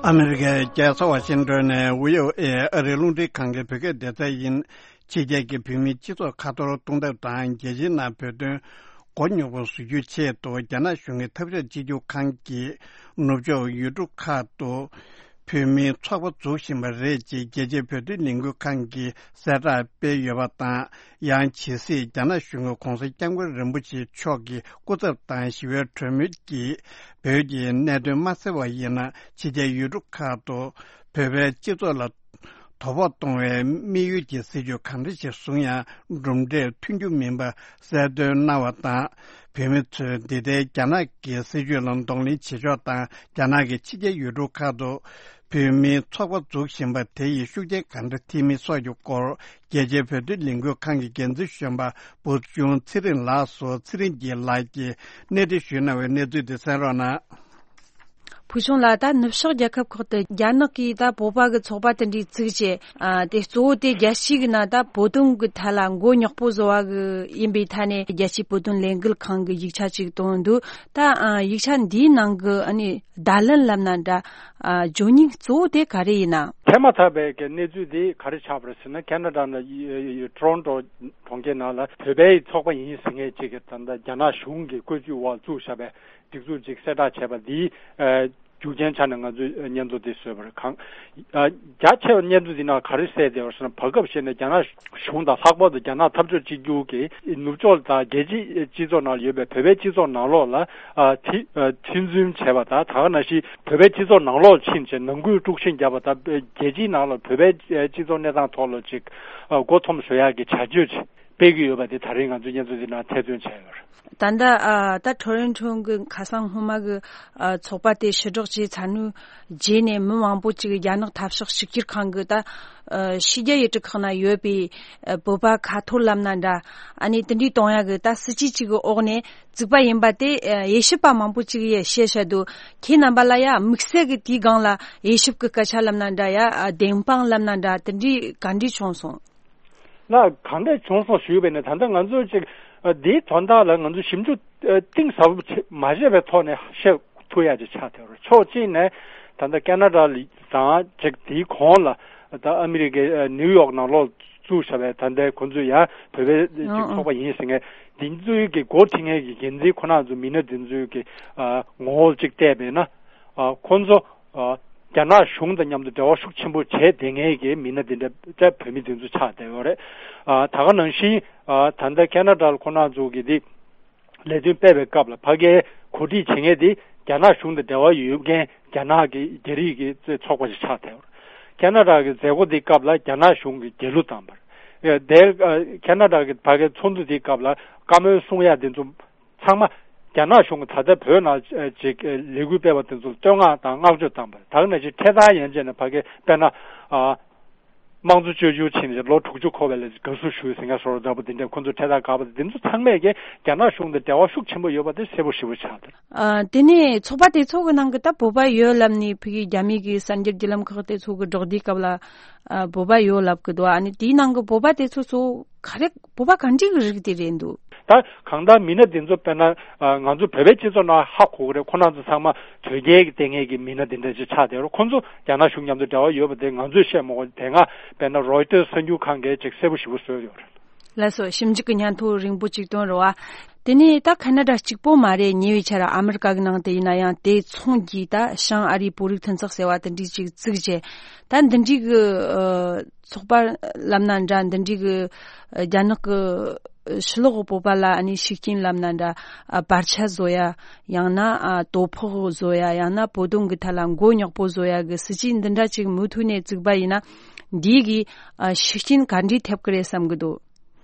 ཨ་མི་རི་ཀའི་རྒྱལ་ས་ཝ་ཤིང་ཏོན་ནས་བྷི་ཨོ་ཨེ་ཨ་རིའི་རླུང་འཕྲིན་ཁང་གི་བོད་སྐད་སྡེ་ཚན་ཡིན། ཕྱི་རྒྱལ་གྱི་བོད་མིའི་སྤྱི་ཚོགས་ཁ་ཐོར་གཏོང་ཐབས་དང་། རྒྱལ་སྤྱིའི་ནང་བོད་དོན་མགོ་རྙོག་པོ་བཟོ་རྒྱུའི་ཆེད་དུ། རྒྱ་ནག་གཞུང་གིས་འཐབ་ཕྱོགས་གཅིག་གྱུར་ཁང་གིས་ནུབ་ཕྱོགས་ཡུལ་གྲུ་ཁག་ཏུ་བོད་མིའི་ཚོགས་པ་འཛུགས་བཞིན་པ་རེད་ཅེས་རྒྱལ་སྤྱིའི་བོད་དོན་ལས་འགུལ་ཁང་གིས་གསལ་བསྒྲགས་སྤེལ་ཡོད་པ་དང་། ཡང་ཇི་སྲིད་རྒྱ་ནག་གཞུང་གིས་༸གོང་ས་༸སྐྱབས་མགོན་རིན་པོ་ཆེ་མཆོག་གི་སྐུ་ཚབ་དང་ཞི་བའི་གྲོས་མོལ་གྱིས་བོད་ཀྱི་གནད་དོན་མ་སེལ་བ་ཡིན་ན། ཕྱི་རྒྱལ་ཡུལ་གྲུ་ཁག་ཏུ་བོད་པའི་སྤྱི་ཚོགས་ལ་དོ་ཕོག་གཏོང་བའི་དམིགས་ཡུལ་གྱི་སྲིད་ཇུས་གང་འདྲ་ཞིག་བཟུང་ཡང་གྲུབ་འབྲས་ཐོན་རྒྱུ་མིན་པ་གསལ་སྟོན་གནང་བ་དང་། བོད་མི་ཚོས་འདི་ལྟའི་རྒྱ་ནག་གི་སྲིད་ཇུས་ལ་གདོང་ལེན་བྱེད་ཕྱོགས་དང་། རྒྱ་ནག་གིས་ཕྱི་རྒྱལ་ཡུལ་གྲུ་ཁག་ཏུ་བོད་མིའི་ཚོགས་པ་འཛུགས་བཞིན་པ་དེ་ཡིས་ཤུགས་རྐྱེན་གང་འདྲ་ཐེབས་མིན་སོགས་ཀྱི་སྐོར། རྒྱལ་སྤྱིའི་བོད་དོན་ལས་འགུལ་ཁང་གི་འགན་འཛིན་གཞོན་པ་བུ་ཆུང་ཚེ་རིང་ལགས་སུ་ཚེ་རིང་སྐྱིད་ལགས་ཀྱིས་གནས་འདྲི་ཞུས་གནང་བའི་གནས་ཚུལ་དེ་གསན་རོགས་གནང་། བུ་ཆུང་ལགས། ད་ནུབ་ཕྱོགས་རྒྱལ་ཁབ་ཁག་ཏུ་རྒྱ་ནག་གིས་ད་བོད་པ་གི་ཚོགས་པ་དེ་འདྲའི་བཙུགས་བྱས། ཨ། དེ་གཙོ་བོ་དེ་རྒྱལ་སྤྱི་གི་ནང་ད་བོད་དོན་གི་ཐད་ལ་མགོ་རྙོག་པོ་བཟོ་བ་གི་ཡིན་པའི་ཐད་ནས་རྒྱལ་སྤྱིའི་བོད་དོན་ལས་འགུལ་ཁང་གི་ཡིག་ཆ་ཅིག་བཏོན་འདུག་ད། ཨ། ཡིག་ཆ་འདིའི་ནང་གི་ཨ་ནི་བརྡ་ལན་ལབ་ན་འདྲ། ཨ། བརྗོད་སྙིང་གཙོ་བོ་དེ་ག་རེ་ཡིན་ན། ཐེངས་མ་ཐག་པའི་གི་གནས་ཚུལ་དེ་ག་རེ་ཆགས་པ་རེད་ཟེར་ན། ཁེ་ན་ཌ་ནང་ཊོ་རོན་ཊོ་གྲོང་ཁྱེར་ནང་ལ་བོད་པའི་ཚོགས་པ་ཡིན་ཟེར་མཁན་ཅིག་གིས་ད་ལྟ་རྒྱ་ནག་གཞུང་གི་བཀོད་ཇུས་འོག་བཙུགས་བཞག་པའི་སྒྲིག་འཛུགས་ཅིག་གསལ་བསྒྲགས་བྱས་པ་འདིའི། ཨ། རྒྱུ་རྐྱེན་ཆ་ནས་ང་ཚོས་སྙན་ཐོ་འདི་བཟོས་པ་རེད། གང་། ཨ། རྒྱ་ཆེ་བ་སྙན་ཐོ་འདི་ནང་ག་རེ་གསལ་བསྡད་པ་ཟེར་ན། བར་སྐབས་ཤིག་ནས་རྒྱ་ནག་གཞུང་དང་། ལྷག་པར་དུ་རྒྱ་ནག་འཐབ་ཕྱོགས་གཅིག་གྱུར་གྱིས་ནུབ་ཕྱོགས་དང་རྒྱལ་སྤྱིའི་སྤྱི་ཚོགས་ནང་ལ་ཡོད་པའི་བོད་པའི་སྤྱི་ཚོགས་ནང་ལོགས་ལ། ཨ། ཐེ། ཨ། ཐེ་ཚོམ་བྱས་པ་དང་། ད་ག་ནང་བཞིན་བོད་པའི་སྤྱི་ཚོགས་ནང་ལོགས་ཕྱིན་བྱས་ནང་ཁུལ་དཀྲུག་ཤིང་བརྒྱབ་པ་དང་། རྒྱལ་སྤྱིའི་ནང་ལ་བོད་པའི་སྤྱི་ཚོགས་གནས་སྟངས་ཐོག་ལ་ཅིག་ཨ། མགོ་འཐོམ་བཟོ་ཡག་གི་བྱ་སྤྱོད་ཅིག་སྤེལ་གྱི་ཡོད་པ་དེ་ད་རེས་ང་ཚོའི་སྙན་ཐོ་འདི་ནང་ཐེར་འདོན་བྱས་ཡོད་རེད། ད་ལྟ། ཨ། ད་ཊོ་རོན་ཊོ་གི་ཁ་སང་སྔོན་མ་གི། ཨ། ཚོགས་པ་དེ་ཕྱིར་བསྒྲགས་བྱས་ཚར་དུས་རྗེས་ནས་མི་མང་པོ་ཅིག་རྒྱ་ནག་འཐབ་ཕྱོགས་གཅིག་གྱུར་ཁང་གི་ད། ཨ། ཕྱི་རྒྱལ་ཡུལ་གྲུ་ཁག་ན་ཡོད་པའི། ཨ། བོད་པ་ཁ་ཐོར་ལབ་ན་འདྲ། ཨ་ནི་དེ་འདྲའི་གཏོང་ཡག་གི་ད་སྲིད་ཇུས་གཅིག་གི་འོག་ནས་བཙུགས་པ་ཡིན་པ་དེ། ཨ། དབྱེ་ཞིབ་པ་མང་པོ་ཅིག་གིས་བཤད་བཤད་འདུག་ཁྱེད་རྣམ་པ་ལ་ཡ་དམིགས་བསལ་གྱི་དེའི་སྒང་ལ་དབྱེ་ཞིབ་ཀྱི་སྐད་ཆ་ལབ་ན་འདྲ། ཡ། ཨ། བདེན་དཔང་ལབ་ན་འདྲ། དེ་འདྲའི་ག་འདྲ་བྱུང་སོང་། ལ་གང་འདྲ་བྱུང་སོང་ཞུས་པས་ནི། ད་ལྟ་ང་ཚོས་ཅིག་ཨ། འདིའི་དོན་དག་ལ་ང་ཚོས་ཞིབ་འཇུག་ཨ། གཏིང་ཟབ་པོ་བྱེད་མ་བྱས་པའི་ཐོག་ནས་བཤད་ཐུབ་ཡ་ཅིག་ཆགས་བསྡད་ཡོད་རེད། ཕྱོགས་གཅིག་ནས་ད་ལྟ་ཁེ་ན་ཌ་དང་ཅིག་དེའི་གོང་ལ་ད་ཨ་མི་རི་ཀའི་ཨ། ནིའུ་ཡོག་ནང་ལོགས་བཙུགས་བཞག་པའི་ད་ལྟའི་ཁོང་ཚོས་ཡང་བོད་པའི་ཅིག་ཨང་ཨང་། ཚོགས་པ་ཡིན་ཟེར་མཁན་འདི་ཚོའི་གི་འགོ་ཁྲིད་མཁན་གྱི་འགན་འཛིན་ཁོ་ན་ཚོ་མི་སྣ་འདི་ཚོའི་གི་ཨ། ངོ་བོ་ཅིག་བལྟས་པས་ན། ཨ། ཁོང་ཚོ། ཨ། རྒྱ་ནག་གཞུང་དང་མཉམ་དུ་འབྲེལ་བ་ཤུགས་ཆེན་པོ་བྱས་བསྡད་མཁན་གྱི་མི་སྣ་དེ་འདྲ་བོད་མི་དེ་ཚོ་ཆགས་བསྡད་ཡོད་རེད། ཨ་ད་ག་ནང་བཞིན་ཨ་ད་ལྟ་ཁེ་ན་ཌ་ལ་ཁོ་རང་ཚོ་གི་དེ་ལས་དོན་སྤེལ་བའི་སྐབས་ལ་ཕ་གིའི་གོ་སྒྲིག་བྱེད་མཁན་དེ་རྒྱ་ནག་གཞུང་དང་འབྲེལ་བ་ཡོད་མཁན་རྒྱ་ནག་གི་རྒྱ་རིགས་ཀྱི་ཚོགས་པ་ཞིག་ཆགས་བསྡད་ཡོད་རེད། ཁེ་ན་ཌ་གི་མཛད་སྒོ་དེའི་སྐབས་ལ་རྒྱ་ནག་གཞུང་གིས་རྒྱལ་གླུ་བཏང་བ་རེད། དེ་ཁེ་ན་ཌ་གི་ཕ་གིའི་ཚོགས་འདུ་དེའི་སྐབས་ལ་བཀའ་མོལ་གསུང་ཡ་དེ་ཚོ་ཚང་མ་རྒྱ་ནག་གཞུང་གིས་ད་ལྟ་བོད་ནང་ཅིག་ལས་འགུལ་སྤེལ་བ་དེ་ཚོར་བསྟོད་བསྔགས་དང་བསྔགས་བརྗོད་བཏང་བ་རེད། ད་ག་ནང་བཞིན་འཕྲེད་དར་ཡན་ཆད་ནས་ཕ་གི་དཔེར་ན་ཨ་དམངས་གཙོ་བཅོས་བསྒྱུར་ཕྱིན་ནས་ལོ་དྲུག་ཅུ་འཁོར་བའི་ལ་དགའ་བསུ་ཞུས་ཟེར་མཁན་བཟོ་འདྲ་འདྲ་པོ་དེ་འདྲ་ཁོང་ཚོ་འཕྲེད་དར་བཀག་པ་དེ་ཚོ་ཚང་མས་ཀྱི་རྒྱ་ནག་གཞུང་དང་འབྲེལ་བ་ཤུགས་ཆེན་པོ་ཡོད་པ་དེ་གསལ་པོ་ཞེ་པོ་ཆགས་འདུག་ཨ་དེ་ནས་ཚོགས་པ་དེ་ཚོ་གི་ནང་གི་ད་བོད་པ་ཡོད་ལབ་ནས་ཕ་གི་རྒྱ་མི་གི་གསར་འགྱུར་བརྒྱུད་ལམ་ཁག་དེ་ཚོ་གི་སྒྲོག་འདིའི་སྐབས་ལ་ཨ་བོད་པ་ཡོད་ལབ་གི་འདུག་ཨ་ནི་དེའི་ནང་གི་བོད་པ་དེ་ཚོ་ཚོ་ག་རེ་བོད་པ་ག་འདྲ་གི་རིགས་དེ་རེད་འདུག་ད་གང་ལྟར་མི་སྣ་དེ་ཚོ་དཔེར་ན་ང་ཚོ་བོད་པའི་སྤྱི་ཚོགས་ནང་ཧ་གོ་གི་རེད། ཁོ་རང་ཚོ་ཚང་མ་དོལ་རྒྱལ་གྱི་ལྟས་ངན་གྱི་མི་སྣ་དེ་འདྲ་ཅིག་ཆགས་བསྡད་རེད། ཁོ་ཚོ་རྒྱ་ནག་གཞུང་མཉམ་དུ་འབྲེལ་བ་ཡོད་པ་དེ་ང་ཚོས་བཤད་མ་དགོས། དེ་སྔ་དཔེར་ན་རོའི་ཊར་གསར་འགྱུར་ཁང་གིས་ཅིག་གསལ་པོ་ཞེ་པོ་བཟོས་ཡོད་རེད། ལགས་སོ། ཞིབ་འཇུག་གི་སྙན་ཐོ་རིང་པོ་གཅིག་བཏོན་རོགས་ཨ། དེ་ནས་ད་ཁ་ན་ཌ་གཅིག་པོ་མ་རེད། ཉེ་བའི་ཆར་ཨ་མི་རི་ཀ་གི་ནང་དུ་ཡིན་ན་ཡང་དེ་མཚུངས་ཀྱིས་ད་བྱང་ཨ་རིའི་བོད་རིགས་མཐུན་ཚོགས་ཟེར་བ་དེ་འདྲས་ཅིག་བཙུགས་རྗེས་ད་འདི་འདྲས་གི་ཚོགས་པ་ལབ་ན་འདྲ། འདི་འདྲས་གི་རྒྱ་ནག་གི་ཕྱི་ལོགས་གི་བོད་པ་ལ་ཨ་ནི་ཤུགས་རྐྱེན་ལབ་ན་འདྲ། བར་ཆད་བཟོ་ཡ། ཡང་ན་དོ་ཕོག་བཟོ་ཡ། ཡང་ན་བོད་དོན་གི་ཐད་ལ་མགོ་ཉོག་པོ་བཟོ་ཡ་གི་སྲིད་ཇུས་འདི་འདྲ་ཅིག་མུ་མཐུད་ནས་བཙུགས་པ་ཡིན་ན་འདིའི་གི་ཤུགས་རྐྱེན་ག་འདྲས་ཐེབས་ཀི་རེད་བསམ་གི་འདུག་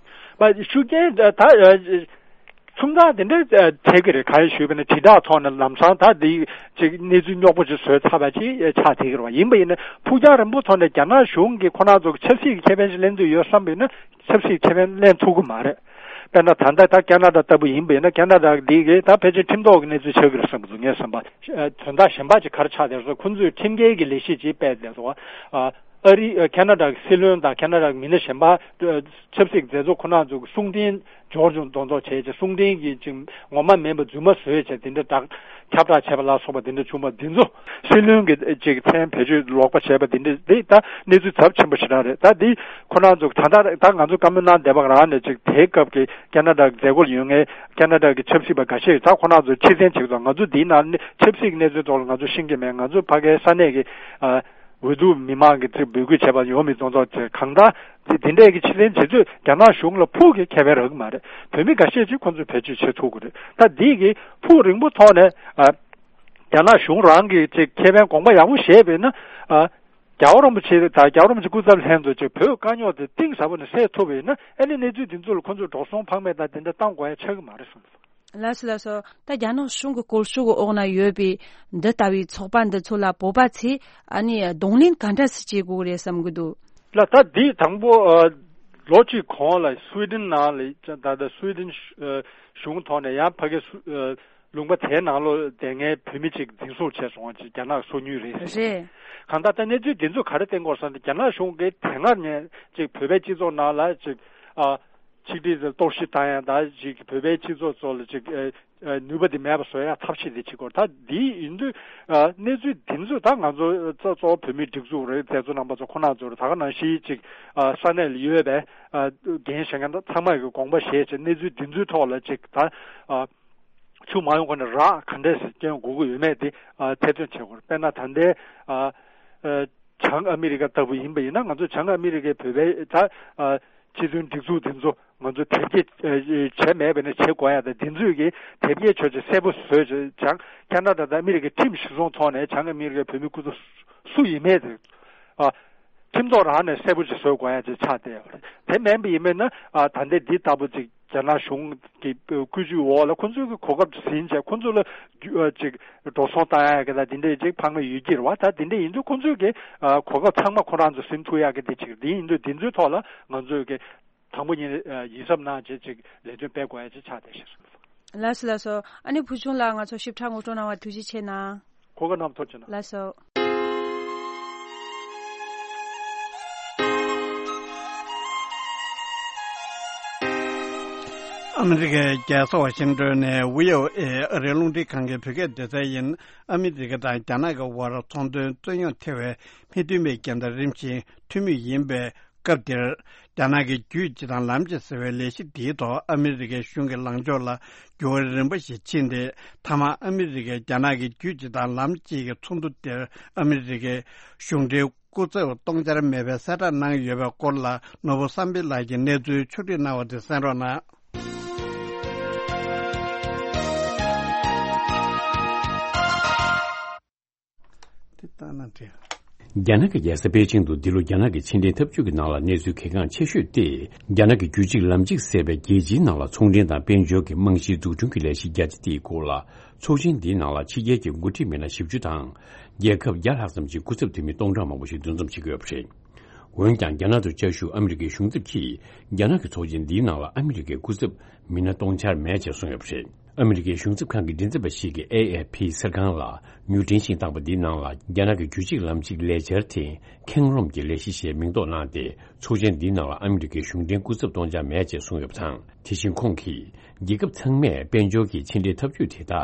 མ་ཤུགས་རྐྱེན་ད་ཚོང་རྟགས་དེ་འདྲ་བྱེད་ཀྱི་རེད། གང་ཡིན་ཞུས་པ་ན་དྲིལ་བསྒྲགས་ཐོག་ནས་ལམ་སང་ད་འདི་ཅིག་གནས་ཚུལ་རྙོག་པོ་ཅིག་བཟོས་ཚར་བ་ཅིག་ཆགས་བསྡད་ཀྱི་རེད་བ། ཡིན་པ་ཡིན་ན་ཕུགས་རྒྱང་རིང་པོ་ཐོག་ནས་རྒྱ་ནག་གཞུང་གིས་ཁོ་རང་ཚོ་ཆབ་སྲིད་ཀྱི་ཁེ་ཕན་ཞིག་ལེན་འདོད་ཡོད་བསམ་པ་ཡིན་ན་ཆབ་སྲིད་ཁེ་ཕན་ལེན་ཐུབ་ཀྱི་མ་རེད། དཔེར་ན་ད་ལྟ་ད་ཁེ་ན་ཌ་ལྟ་བུ་ཡིན་པ་ཡིན་ན་ཁེ་ན་ཌ་འདི་གིས་ད་ཕལ་ཆེར་ཁྲིམས་ཐོག་གི་གནས་ཚུལ་ཆགས་ཀྱི་རེད་བསམ་གྱི་འདུག་ངས་བསམ་པ། དོན་དག་གཞན་པ་ཅིག་ག་རེ་ཆགས་བསྡད་རེད་ཟེར་ཁོ་ཚོས་ཁྲིམས་འགལ་གྱི་ལས་གཞི་ཅིག་སྤེལ་བསྡད་འདུག་ཨ་རི་ཁེ་ན་ཌ་གི་སྲིད་བློན་དང་ཁེ་ན་ཌ་གི་མི་སྣ་གཞན་པ་ཆབ་སྲིད་མཛད་གཙོ་ཁོ་རང་ཚོ་གི་གསུང་རྟེན་འབྱོར་བྱུང་མདོག་མདོག་བྱས་ཀྱི་གསུང་རྟེན་གྱི་ཅིག་ངོ་མ་མིན་པ་རྫུན་མ་བཟོས་བྱས་དེ་འདྲ་བསྒྲགས་ཁྱབ་བསྒྲགས་བྱས་པ་ལ་སོགས་པ་དེ་འདྲ་བྱུང་བ་འདི་ཚོ་སྲིད་བློན་གྱི་ཅིག་མཚན་བེད་སྤྱོད་ལོག་པ་བྱས་པ་དེ་འདྲ་དེ་ད་གནས་ཚུལ་ཚབས་ཆེན་པོ་ཞེ་དྲག་རེད། ད་འདི་ཁོ་རང་ཚོ་ད་ལྟ་ད་ང་ཚོ་བཀའ་མོལ་གནང་བསྡད་པ་རང་ནས་ཅིག་དེའི་སྐབས་ཀྱི་ཁེ་ན་ཌ་གི་མཛད་སྒོར་ཡོད་མཁན་ཁེ་ན་ཌ་གི་ཆབ་སྲིད་པ་འགའ་ཤས་ད་ཁོ་རང་ཚོ་ཕྱིར་འཐེན་བྱེད་དགོས། ང་ཚོ་འདིའི་ནང་ནས་ཆབ་སྲིད་ཀྱི་གནས་ཚུལ་ཐོག་ལ་ང་ཚོ་ཤེས་ཀྱི་མེད། ང་ཚོ་ཕ་གའི་ས་གནས་ཀྱི་ཨ་འོས་བསྡུ་མི་མང་གི་ཚིག་འབོད་སྐུལ་བྱས་པ་ཡོང་མི་གཏོང་ཚོགས་བྱས་གང་ལྟར་དེ་དེ་འདྲས་ཀྱི་ཕྱིར་འཐེན་བྱེད་ཚུལ་རྒྱ་ནག་གཞུང་ལ་ཕུགས་ཀྱི་ཁེ་ཕན་རག་གི་མ་རེད། བོད་མི་འགའ་ཤས་ཅིག་ཁོ་ཚོས་བེད་སྤྱོད་བྱེད་ཐུབ་ཀྱི་རེད། ད་འདི་གི་ཕུགས་རིང་པོ་ཐོག་ནས་ཨ་རྒྱ་ནག་གཞུང་རང་གི་ཅིག་ཁེ་ཕན་དགོངས་པ་ཡག་པོ་བཞེས་པས་ན་ཨ་རྒྱལ་བ་རིན་པོ་ཆེ་དང་རྒྱལ་བ་རིན་པོ་ཆེ་སྐུ་ཚབ་ལྷན་དུ་ཅིག་བོད་དཀའ་རྙོག་དེ་གཏིང་ཟབ་པོ་ནས་སེལ་ཐུབ་པས་ན་ཨ་ནི་གནས་ཚུལ་འདི་ཚོ་ལ་ཁོ་ཚོས་འགྲོ་སོང་ཕངས་མེད་དང་དེ་འདྲ་བཏང་དགོས་ཡ་ཆགས་ཀྱི་མ་རེད་གསུངས་འདུག་ལགས་སོ་ལགས་སོ། ད་རྒྱ་ནག་གཞུང་གི་བཀོལ་སྤྱོད་ཀྱི་འོག་ན་ཡོད་པའི་འདི་ལྟ་བུའི་ཚོགས་པ་འདི་ཚོ་ལ་བོད་པ་ཚོས་ཨ་ནི་གདོང་ལེན་ག་འདྲ་སེ་བྱེད་དགོས་རེད་བསམ་གྱི་འདུག་ལ་ད་འདི་དང་པོ་ཨ་ལོ་གཅིག་གོང་ལ་སུའེ་ཌེན་ནང་ལ་ད་ལྟ་སུའེ་ཌེན་ཨ་གཞུང་ཐོག་ནས་ཡང་ཕ་གི་སུ་ཨ་ལུང་པ་དེའི་ནང་ལོ་དེ་སྔའི་བོད་མི་གཅིག་འཛིན་བཟུང་བྱས་སོང་བ་ཅིག་རྒྱ་ནག་སོ་ཉུལ་རེད་ཟེར། རེད། གང་ལྟར་ད་གནས་ཚུལ་འདི་ཚོ་ག་རེ་བསྟན་དགོས་ཟེར་ན་རྒྱ་ནག་གཞུང་གིས་དེ་སྔར་ནས་ཅིག་བོད་པའི་སྤྱི་ཚོགས་ནང་ལ་ཅིག་ཨ། ཆིག་སྒྲིལ་དང་གཏོར་བཤིག་བཏང་ཡ་ད་ཅིག་བོད་པའི་སྤྱི་ཚོགས་ཚོ་ལ་ཅིག་ཨ་ཨ་ནུས་པ་དེ་མེད་པ་བཟོ་ཡ་ཐབས་ཤེས་དེ་བྱེད་དགོས། ད་འདི་ཡིན་དུས་ཨ་གནས་ཚུལ་འདི་ཚོ་ད་ང་ཚོ་གཙོ་གཙོ་བོ་བོད་མིའི་སྒྲིག་འཛུགས་རེད། མཛད་གཙོ་རྣམ་པ་ཚོ་ཁོ་ན་ཚོ་རེད། ད་ག་ནང་བཞིན་ཅིག་ཨ་ས་གནས་ལ་ཡོད་པའི་ཨ་འགན་བཞེས་མཁན་ད་ཚང་མ་གི་དགོངས་པ་བཞེས་བྱས་གནས་ཚུལ་འདི་ཚོའི་ཐོག་ལ་ཅིག་ད་ཨ་ཆུ་མ་ཡོང་གོང་ནས་རགས་ག་འདྲས་སེ་སྐྱོན་དགོས་ཀྱི་ཡོད་མེད་དེ་ཨ་ཐེར་འདོན་བྱེད་དགོས་རེད། དཔེར་ན་ད་ལྟའི་ཨ་ཨ། བྱང་ཨ་མི་རི་ཀ་ལྟ་བུ་ཡིན་པ་ཡིན་ན་ང་ཚོ་བྱང་ཨ་མི་རི་ཀའི་བོད་པའི་ད་ཨ་སྤྱི་མཐུན་སྒྲིག་འཛུགས་དེ་ཚོ་ང་ཚོ་དེབ་སྐྱེལ་ཨ་བྱས་མེད་པ་ནས་བྱེད་དགོས་ཡ་དང་དེ་ཚོས་ཀྱི་དེབ་སྐྱེལ་ཆོག་ཆོག་གསལ་པོ་བཟོས་བྱས་བྱང་ཁ་ན་ཌ་དང་ཨ་མི་རི་ཀའི་ཁྲིམས་གཞི་བཟུང་ཐོག་ནས་བྱང་ཨ་མི་རི་ཀའི་བོད་མི་སྐུ་ཚབ་སུ་ཡིན་མེད་དེ་ཨ་ཁྲིམས་ཐོག་རང་ནས་གསལ་པོ་ཅིག་བཟོ་དགོས་ཡ་ཅིག་ཆགས་བསྡད་ཡོད་རེད། དེ་མིན་པ་ཡིན་མིན་ན་ཨ་ད་ལྟའི་འདི་ལྟ་བུ་ཅིག་རྒྱ་ནག་གཞུང་གི་བཀོད་ཇུས་འོག་ལ་ཁོ་ཚོའི་གི་གོ་སྐབས་ཟིན་བྱས་ཁོ་ཚོ་ལ་རྒྱུ་ཨ་ཅིག་འགྲོ་སོང་བཏང་ཡག་གི་ད་དེ་འདྲས་ཅིག་ཕངས་མེད་ཡོད་ཀྱི་རེད་བ། ད་དེ་འདྲས་ཡིན་དུས་ཁོ་ཚོའི་གི་ཨ་གོ་སྐབས་ཚང་མ་ཁོ་རང་ཚོ་ཟིན་ཐུབ་ཡག་གི་དེ་ཅིག་དེ་ཡིན་དུས་དེ་ཚོའི་ཐོག་ལ་ང་ཚོའི་གི་དང་པོ་ཉིད་ཨ་ཡིད་གཟབ་གནང་བྱས་ཅིག་ལས་དོན་སྤེལ་དགོས་ཡག་ཅིག་ཆགས་བསྡད་ཤག་ལགས་སོ་ལགས་སོ། ཨ་ནི་བུ་ཆུང་ལགས་ང་ཚོ་ཞིབ་ཕྲ་ངོ་སྤྲོད་གནང་བ་ཐུགས་རྗེ་ཆེ་གནང་། གོ་སྐབས་གནང་བ་ཐུགས་རྗེ་གནང་། ལགས་སོ། ཨ་མི་རི་ཀའི་རྒྱལ་ས་ཝ་ཤིང་ཏོན་ནས་བྷི་ཨོ་ཨེ་ཨ་རིའི་རླུང་འཕྲིན་ཁང་གི་བོད་སྐད་སྡེ་ཚན་ཡིན། ཨ་མི་རི་ཀ་དང་རྒྱ་ནག་གི་དབར་ཚོང་དོན་རྩོད་རྙོག་ཐེ་བའི་མི་མཐུན་པའི་རྐྱེན་དང་རིམ་བཞིན་མཐུན་མོང་ཡིན་པའི་ སྐབས་དེར། རྒྱ་ནག་གི་རྒྱུད་སྤྱི་དང་ལམ་གཅིག་ཟེར་བའི་ལས་གཞི་འདིའི་ཐོག་ཨ་མི་རི་ཀའི་གཞུང་གི་ལངས་ཕྱོགས་ལ་འགྱུར་བ་རིམ་པ་ཞིག་ཕྱིན་ཏེ། མཐའ་མར་ཨ་མི་རི་ཀས་རྒྱ་ནག་གི་རྒྱུད་སྤྱི་དང་ལམ་གཅིག་གི་ཚོགས་འདུ་དེར་ཨ་མི་རི་ཀའི་གཞུང་འབྲེལ་སྐུ་ཚབ་སྟོང་འཆར་མེད་པའི་གསལ་བསྒྲགས་གནང་ཡོད་པའི་སྐོར་ལ། ནོར་བུ་བསམ་འཕེལ་ལགས་ཀྱིས་གནས་ཚུལ་ཕྱོགས་སྒྲིག་གནང་བ་དེ་གསན་རོགས་གནང་། དེ་ལྟ་ན་འགྲིག་རྒྱ་ནག་གི་རྒྱལ་ས་པེ་ཅིང་དུ་འདི་ལོ་རྒྱ་ནག་གི་ཕྱི་འབྲེལ་འཐབ་ཇུས་ཀྱི་ནང་ལ་གནས་ཚུལ་གལ་འགངས་ཆེ་ཤོས་ཏེ། རྒྱ་ནག་གི་རྒྱུད་གཅིག་ལམ་གཅིག་ཟེར་བའི་རྒྱལ་སྤྱིའི་ནང་ལ་ཚོང་འབྲེལ་དང་དཔལ་འབྱོར་གྱི་རྨང་གཞིའི་འཛུགས་སྐྲུན་གྱི་ལས་གཞི་རྒྱ་ཆེ་དེའི་སྐོར་ལ། ཚོགས་ཆེན་འདིའི་ནང་ལ་ཕྱི་རྒྱལ་གྱི་འགོ་ཁྲིད་མི་སྣ་བཞི་བཅུ་དང་། རྒྱལ་ཁབ་བརྒྱ་ལྷག་ཙམ་གྱི་སྐུ་ཚབ་འཐུས་མི་སྟོང་ཕྲག་མང་པོ་ཞིག་འདུ་འཛོམས་བྱེད་ཀྱི་ཡོད་པ་རེད། འོན་ཀྱང་། རྒྱ་ནག་ཏུ་བཅའ་བཞུགས་ཨ་མི་རི་ཀའི་གཞུང་ཚབ་ཀྱིས། རྒྱ་ནག་གི་ཚོགས་ཆེན་འདིའི་ནང་ལ་ཨ་མི་རི་ཀའི་སྐུ་ཚབ་མི་སྣ་སྟོང་ཆར་མེད་ཅེས་གསུངས་ཡོད་པ་རེད། ཨ་མི་རི་ཀའི་གཞུང་ཚབ་ཁང་གི་མགྲིན་ཚབ་པ་ཞིག་གིས་ཨེ་ཨེ་ཕི་གསར་ཁང་ལ་མྱུར་འཕྲིན་ཞིག་བཏང་པ་འདིའི་ནང་ལ། རྒྱ་ནག་གི་རྒྱུད་གཅིག་ལམ་གཅིག་ལས་འཆར་དེ་ཁེངས་རུམ་གྱི་ལས་གཞི་ཞེས་མིང་འདོགས་གནང་སྟེ། ཚོགས་ཆེན་འདིའི་ནང་ལ་ཨ་མི་རི་ཀའི་གཞུང་འབྲེལ་སྐུ་ཚབ་སྟོང་ཆར་མེད་ཅེས་གསུངས་ཡོད་པ་དང་། དེ་བཞིན་ཁོང་གིས། རྒྱལ་ཁབ་ཚང་མས་དཔལ་འབྱོར་གྱི་ཕྱི་འབྲེལ་འཐབ་ཇུས་དེ་དག་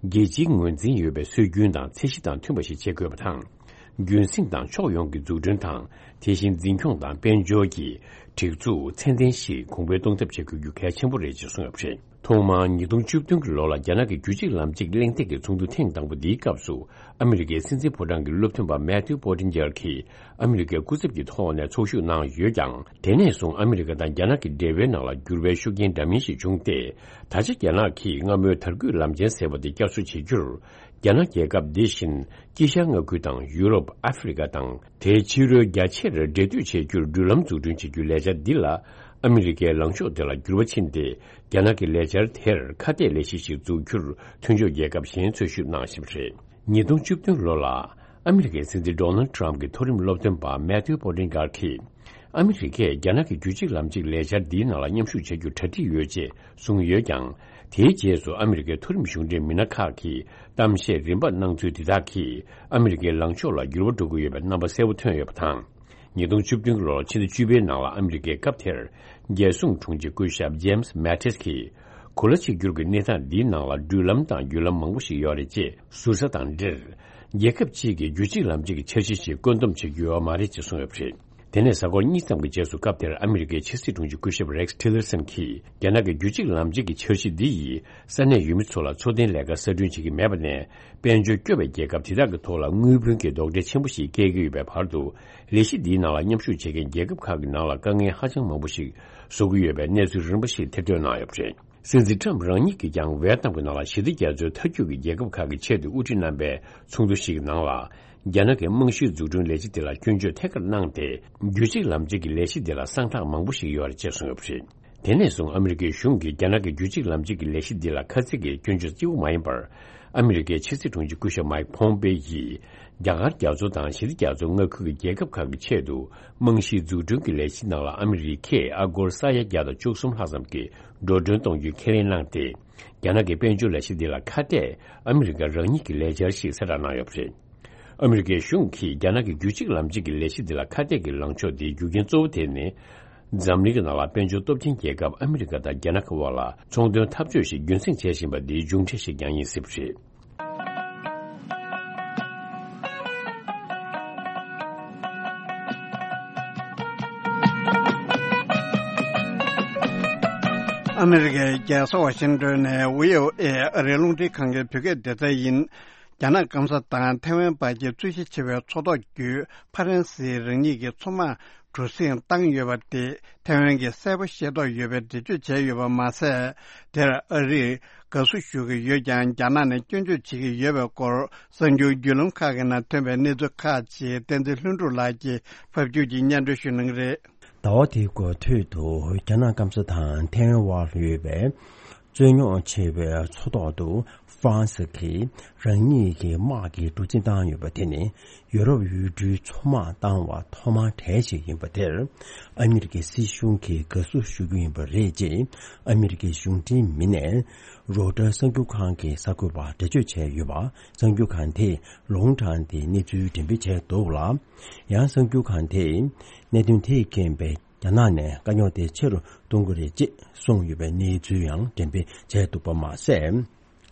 རྒྱལ་སྤྱིའི་ངོས་འཛིན་ཡོད་པའི་སྲོལ་རྒྱུན་དང་ཚད་གཞི་དང་མཐུན་པ་ཞིག་བྱེད་དགོས་པ་དང་། རྒྱུན་སྲིང་དང་ཕྱོགས་ཡོངས་ཀྱི་འཛུགས་སྐྲུན་དང་། དེ་བཞིན་འཛིན་སྐྱོང་དང་དཔལ་འབྱོར་གྱི་སྒྲིག་འཛུགས་ཚད་ལྡན་ཞིག་གོང་འཕེལ་གཏོང་ཐབས་བྱེད་དགོས་རྒྱུ་གལ་ཆེན་པོ་རེད་ཅེས་གསུངས་ཡོད་པ་རེད། ཐོག་མར་ཉིས་སྟོང་བཅུ་བདུན་གྱི་ལོ་ལ་རྒྱ་ནག་གི་རྒྱུད་གཅིག་ལམ་གཅིག་གླེང་སྟེགས་ཀྱི་ཚོགས་འདུ་ཐེངས་དང་པོ་འདིའི་སྐབས་སུ། ཨ་མི་རི་ཀའི་སྲིད་འཛིན་ཕོ་བྲང་གི་སློབ་སྟོན་པ་མེ་ཐིའུ་པོ་ཏིན་ཇར་གྱིས་ཨ་མི་རི་ཀའི་སྐུ་ཚབ་ཀྱི་ཐོག་ནས་ཚོགས་ཞུགས་གནང་ཡོད་ཀྱང་། དེ་ནས་བཟུང་ཨ་མི་རི་ཀ་དང་རྒྱ་ནག་གི་འབྲེལ་བའི་ནང་ལ་འགྱུར་བའི་ཤུགས་རྐྱེན་འདྲ་མིན་ཞིག་བྱུང་སྟེ། ད་ཆ་རྒྱ་ནག་གིས་སྔ་མོའི་དར་རྒུད་ལམ་ཆེན་ཟེར་བ་དེ་བསྐྱར་གསོ་བྱེད་རྒྱུར། རྒྱ་ནག་རྒྱལ་ཁབ་འདི་བཞིན་དཀྱིལ་ཤར་མངའ་ཁུལ་དང་ཡུ་རོབ། ཨ་ཧྥེ་རི་ཀ་དང་། དེའི་ཕྱི་རོལ་རྒྱ་ཆེར་འབྲེལ་མཐུད་བྱེད་རྒྱུར་འགྲུལ་ལམ་འཛུགས་སྐྲུན་བྱེད་རྒྱུའི་ལས་འཆར་འདི་ལ། ཨ་མི་རི་ཀའི་ལངས་ཕྱོགས་དེ་ལ་འགྱུར་བ་ཕྱིན་ཏེ། རྒྱ་ནག་གི་ལས་འཆར་དེར་ཁ་གཏད་ལས་གཞི་ཞིག་འཛུགས་རྒྱུར་མཐུན་ཕྱོགས་རྒྱལ་ཁབ་གཞན་འཚོལ་ཞིབ་གནང་བཞིན་པ་རེད། ཉིས་སྟོང་བཅུ་བདུན་ལོ་ལ། ཨ་མི་རི་ཀའི་སྲིད་འཛིན་ཌོ་ནལ་ཌི་ཊརམ་ཕི་གྱི་མཐོ་རིམ་སློབ་སྟོན་པ་མེ་ཐིའུ་པོ་ཏིན་ཇར་གྱིས། ཨ་མི་རི་ཀས་རྒྱ་ནག་གི་རྒྱུད་གཅིག་ལམ་གཅིག་ལས་འཆར་འདིའི་ནང་ལ་མཉམ་ཞུགས་བྱ་རྒྱུར་གྲ་སྒྲིག་ཡོད་ཅེས་གསུངས་ཡོད་ཀྱང་། དེའི་རྗེས་སུ་ཨ་མི་རི་ཀའི་མཐོ་རིམ་གཞུང་འབྲེལ་མི་སྣ་ཁག་གིས་གཏམ་བཤད་རིམ་པ་གནང་ཚུལ་འདི་དག་གིས་ཨ་མི་རི་ཀའི་ལངས་ཕྱོགས་ལ་འགྱུར་བ་འགྲོ་གི་ཡོད་པའི་རྣམ་པ་གསལ་པོ་ཐོན་ཡོད་པ་དང་། ཉིས་སྟོང་བཅུ་བདུན་ལོར་ཕྱི་ཟླ་བཅུ་པའི་ནང་ལ་ཨ་མི་རི་ཀའི་སྐབས་དེར་རྒྱལ་སྲུང་དྲུང་ཆེ་སྐུ་ཞབས་ཇེམ་སི་མེ་ཏིས་ཀྱིས། གོ་ལ་གཅིག་གྱུར་གྱི་གནས་སྟངས་འདིའི་ནང་ལ་འགྲུལ་ལམ་དང་བརྒྱུད་ལམ་མང་པོ་ཞིག་ཡོད་རེད་ཅེས་ཟུར་ཟ་དང་འབྲེལ། རྒྱལ་ཁབ་གཅིག་གིས་རྒྱུད་གཅིག་ལམ་གཅིག་གི་འཆར་གཞི་ཞིག་བཀོད་འདོམས་བྱེད་རྒྱུ་ཡོད་མ་རེད་ཅེས་གསུངས་ཡོད་པ་རེད། དེ་ནས་གཟའ་འཁོར་གཉིས་ཙམ་གྱི་རྗེས་སུ་སྐབས་དེར་ཨ་མི་རི་ཀའི་ཕྱི་སྲིད་དྲུང་ཆེ་སྐུ་ཞབས་རེག་སི་ཊི་ལར་སན་གྱིས། རྒྱ་ནག་གི་རྒྱུད་གཅིག་ལམ་གཅིག་གི་འཆར་གཞི་འདི་ཡིས་ས་གནས་ཡུལ་མི་ཚོ་ལ་འཚོ་རྟེན་ལས་ཀ་གསར་སྐྲུན་བྱེད་ཀྱི་མེད་པ་ནས། དཔལ་འབྱོར་སྐྱོ་བའི་རྒྱལ་ཁབ་དེ་དག་གི་ཐོག་ལ་དངུལ་བུན་གྱི་རྡོག་ཁྲེས་ཆེན་པོ་ཞིག་བཀལ་གྱི་ཡོད་པའི་བར་དུ། ལས་གཞི་འདིའི་ནང་ལ་མཉམ་ཞུགས་བྱེད་མཁན་རྒྱལ་ཁབ་ཁག་གི་ནང་ལ་དཀའ་ངལ་ཧ་ཅང་མང་པོ་ཞིག་བཟོ་གི་ཡོད་པའི་གནས་ཚུལ་རིམ་པ་ཞིག་ཐེར་འདོན་གནང་ཡོད་པ་རེད། སྲིད་འཛིན་ཊརམ་ཕི་རང་ཉིད་ཀྱིས་ཀྱང་ཝེ་ཏམ་གྱི་ནང་ལ་ཞི་བདེ་རྒྱ་མཚོའི་མཐའ་རྒྱུད་ཀྱི་རྒྱལ་ཁབ་ཁག་གི་ཆེད་དུ་དབུ་ཁྲིད་རྣམ་པའི་ཚོགས་འདུ་ཞིག་གི་ནང་ལ། རྒྱ་ནག་གི་རྨང་གཞིའི་འཛུགས་སྐྲུན་ལས་གཞི་དེ་ལ་སྐྱོན་བརྗོད་ཐད་ཀར་གནང་སྟེ། རྒྱུད་གཅིག་ལམ་གཅིག་གི་ལས་གཞི་དེ་ལ་གསང་རྟགས་མང་པོ་ཞིག་ཡོད་རེད་ཅེས་གསུངས་ཡོད་པ་རེད། དེ་ནས་བཟུང་ཨ་མི་རི་ཀའི་གཞུང་གིས་རྒྱ་ནག་གི་རྒྱུད་གཅིག་ལམ་གཅིག་གི་ལས་གཞི་འདི་ལ་ཁ་ཚིག་གིས་སྐྱོན་བརྗོད་གཅིག་པུ་མ་ཡིན་པར། ཨ་མི་རི་ཀའི་ཕྱི་སྲིད་དྲུང་ཆེ་སྐུ་ཞབས་མའིག་ཕོམ་པེ་ཡིས། རྒྱ་གར་རྒྱ་མཚོ་དང་ཞི་བདེ་རྒྱ་མཚོ་མངའ་ཁུལ་གྱི་རྒྱལ་ཁབ་ཁག་གི་ཆེད་དུ། རྨང་གཞིའི་འཛུགས་སྐྲུན་གྱི་ལས་གཞི་ནང་ལ་ཨ་མི་རི་ཀས་ཨ་སྒོར་ས་ཡ་བརྒྱ་དང་བཅུ་གསུམ་ལྷག་ཙམ་གྱི་འགྲོ་གྲོན་གཏོང་རྒྱུའི་ཁས་ལེན་གནང་སྟེ། རྒྱ་ནག་གི་དཔལ་འབྱོར་ལས་གཞི་འདི་ལ་ཁ་གཏད་ཨ་མི་རི་ཀ་རང་ཉིད་ཀྱི་ལས་འཆར་ཞིག་གསལ་བསྒྲགས་གནང་ཡོད་པ་རེད། ཨ་མི་རི་ཀའི་གཞུང་གིས་རྒྱ་ནག་གི་རྒྱུད་གཅིག་ལམ་གཅིག་གི་ལས་གཞི་འདི་ལ་ཁ་གཏད་ཀྱི་ལངས་ཕྱོགས་དེའི་རྒྱུ་རྐྱེན་གཙོ་བོ་དེ་ནི། འཛམ་གླིང་གི་ནང་ལ་དཔལ་འབྱོར་སྟོབས་ཆེན་རྒྱལ་ཁབ་ཨ་མི་རི་ཀ་དང་རྒྱ་ནག་གི་དབར་ལ་ཚོང་དོན་འཐབ་ཕྱོགས་ཤིག་རྒྱུན་སྲིང་བྱེད་བཞིན་པ་འདིའི་མཇུག་འབྲས་ཤིག་ཀྱང་ཡིན་སྲིད་པ་རེད། ཨ་མི་རི་ཀའི་རྒྱལ་ས་ཝ་ཤིང་ཏོན་ནས་ཝི་ཨོ་ཨེ་ཨ་རིའི་རླུང་འཕྲིན་ཁང་གི་བོད་སྐད་སྡེ་ཚན་ཡིན། རྒྱ་ནག་སྐམ་ས་དང་ཐའེ་ཝན་བར་གྱི་རྩོད་གཞི་ཆེ་བའི་མཚོ་ཐོག་བརྒྱུད་ཕ་རན་སིའི་རང་ཉིད་ཀྱི་མཚོ་དམག་གྲུ་གཟིངས་བཏང་ཡོད་པ་དེ་ཐའེ་ཝན་གྱིས་གསལ་པོ་ཤེས་རྟོགས་ཡོད་པའི་འགྲེལ་བརྗོད་བྱས་ཡོད་པ་མ་ཟད། དེར་ཨ་རིས་དགའ་བསུ་ཞུ་གི་ཡོད་ཀྱང་རྒྱ་ནག་ནས་སྐྱོན་བརྗོད་བྱེད་ཀྱི་ཡོད་པའི་སྐོར་གསར་འགྱུར་བརྒྱུད་ལམ་ཁག་གི་ནང་ཐོན་པའི་གནས་ཚུལ་ཁག་ཅིག་བསྟན་འཛིན་ལྷུན་གྲུབ་ལགས་ཀྱིས་ཕབ་སྒྱུར་གྱིས་སྙན་སྒྲོན་ཞུ་གནང་གི་རེད། ཟླ་བ་དེའི་འགོ་སྟོད་དུ་རྒྱ་ནག་སྐམ་ས་དང་ཐའེ་ཝན་དབར་ཡོད་པའི་རྩོད་རྙོག་ཆེ་བའི་མཚོ་ཐོག་ཏུ་ཧྥ་རན་སི་གིས་རང་ཉིད་ཀྱི་དམག་གི་གྲུ་གཟིངས་བཏང་ཡོད་པ་དེ་ནི་ཡུ་རོབ་ཡུལ་གྲུའི་མཚོ་དམག་བཏང་བ་ཐོག་མ་གྲས་ཤིག་ཡིན་པ་དེར། ཨ་མི་རི་ཀའི་སྲིད་གཞུང་གིས་དགའ་བསུ་ཞུ་རྒྱུ་ཡིན་པ་རེད་ཅེས་ཨ་མི་རི་ཀའི་གཞུང་འབྲེལ་མི་སྣས་རོའི་ཊར་གསར་འགྱུར་ཁང་གི་གསར་འགོད་པར་འགྲེལ་བརྗོད་བྱས་ཡོད་པ། གསར་འགྱུར་ཁང་དེས་ལུང་དྲངས་ཏེ་གནས་ཚུལ་འགྲེམས་སྤེལ་བྱས་འདུག་ལ། ཡང་གསར་འགྱུར་ཁང་དེས་གནད་དོན་དེས་རྐྱེན་པས། རྒྱ་ནག་ནས་དཀའ་རྙོག་དེ་ཆེ་རུ་གཏོང་གི་རེད་ཅེས་གསུངས་ཡོད་པའི་གནས་ཚུལ་ཡང་འགྲེམས་སྤེལ་བྱས་འདུག་པ་མ་ཟད།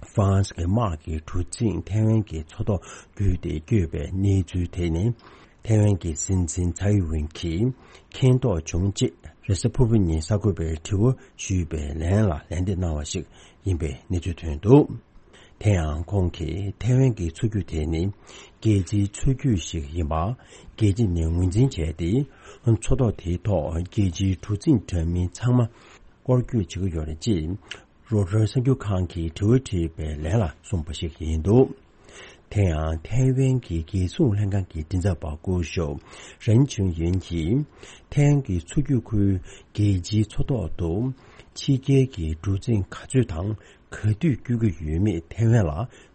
ཧྥ་རན་སི་གི་དམག་གི་གྲུ་གཟིངས་ཐའེ་ཝན་གྱི་མཚོ་ཐོག་བརྒྱུད་དེ་བསྐྱོད་པའི་གནས་ཚུལ་དེ་ནི། ཐའེ་ཝན་གྱི་སྲིད་འཛིན་ཚའེ་ཝེན་གྱིས་མཁྱེན་རྟོགས་བྱུང་རྗེས་རེས་གཟའ་ཕུར་བུ་ཉིན་གསར་འགོད་པའི་དྲི་བ་ཞུས་པའི་ལན་ལ་ལན་འདེབས་གནང་བ་ཞིག་ཡིན་པའི་གནས་ཚུལ་ཐོན་འདུག་དེ་ཡང་ཁོང་གིས་ཐའེ་ཝན་གྱི་མཚོ་རྒྱུད་དེ་ནི་རྒྱལ་སྤྱིའི་མཚོ་རྒྱུད་ཞིག་ཡིན་པ་རྒྱལ་སྤྱི་ནས་ངོས་འཛིན་བྱས་ཏེ། མཚོ་ཐོག་དེའི་ཐོག་རྒྱལ་སྤྱིའི་གྲུ་གཟིངས་འདྲ་མིན་ཚང་མ་སྐོར་སྐྱོད་བྱེད་ཀྱི་ཡོད་རེད་ཅེས་རོའི་ཊར་གསར་འགྱུར་ཁང་གིས་དྲི་བ་དྲིས་པའི་ལན་ལ་གསུངས་པ་ཞིག་ཡིན་འདུག་དེ་ཡང་ཐའེ་ཝན་གྱི་རྒྱལ་སྲུང་ལྷན་ཁང་གི་མགྲིན་ཚབ་པ་སྐུ་ཞབས་རན་ཆུན་ཡུན་གྱིས་ཐའེ་ཝན་གྱི་མཚོ་རྒྱུད་ཁུལ་རྒྱལ་སྤྱིའི་མཚོ་ཐོག་ཏུ་ཕྱི་རྒྱལ་གྱི་གྲུ་གཟིངས་ག་ཚོད་དང་ག་དུས་བསྐྱོད་ཀྱི་ཡོད་མེད་ཐའེ་ཝན་ལ་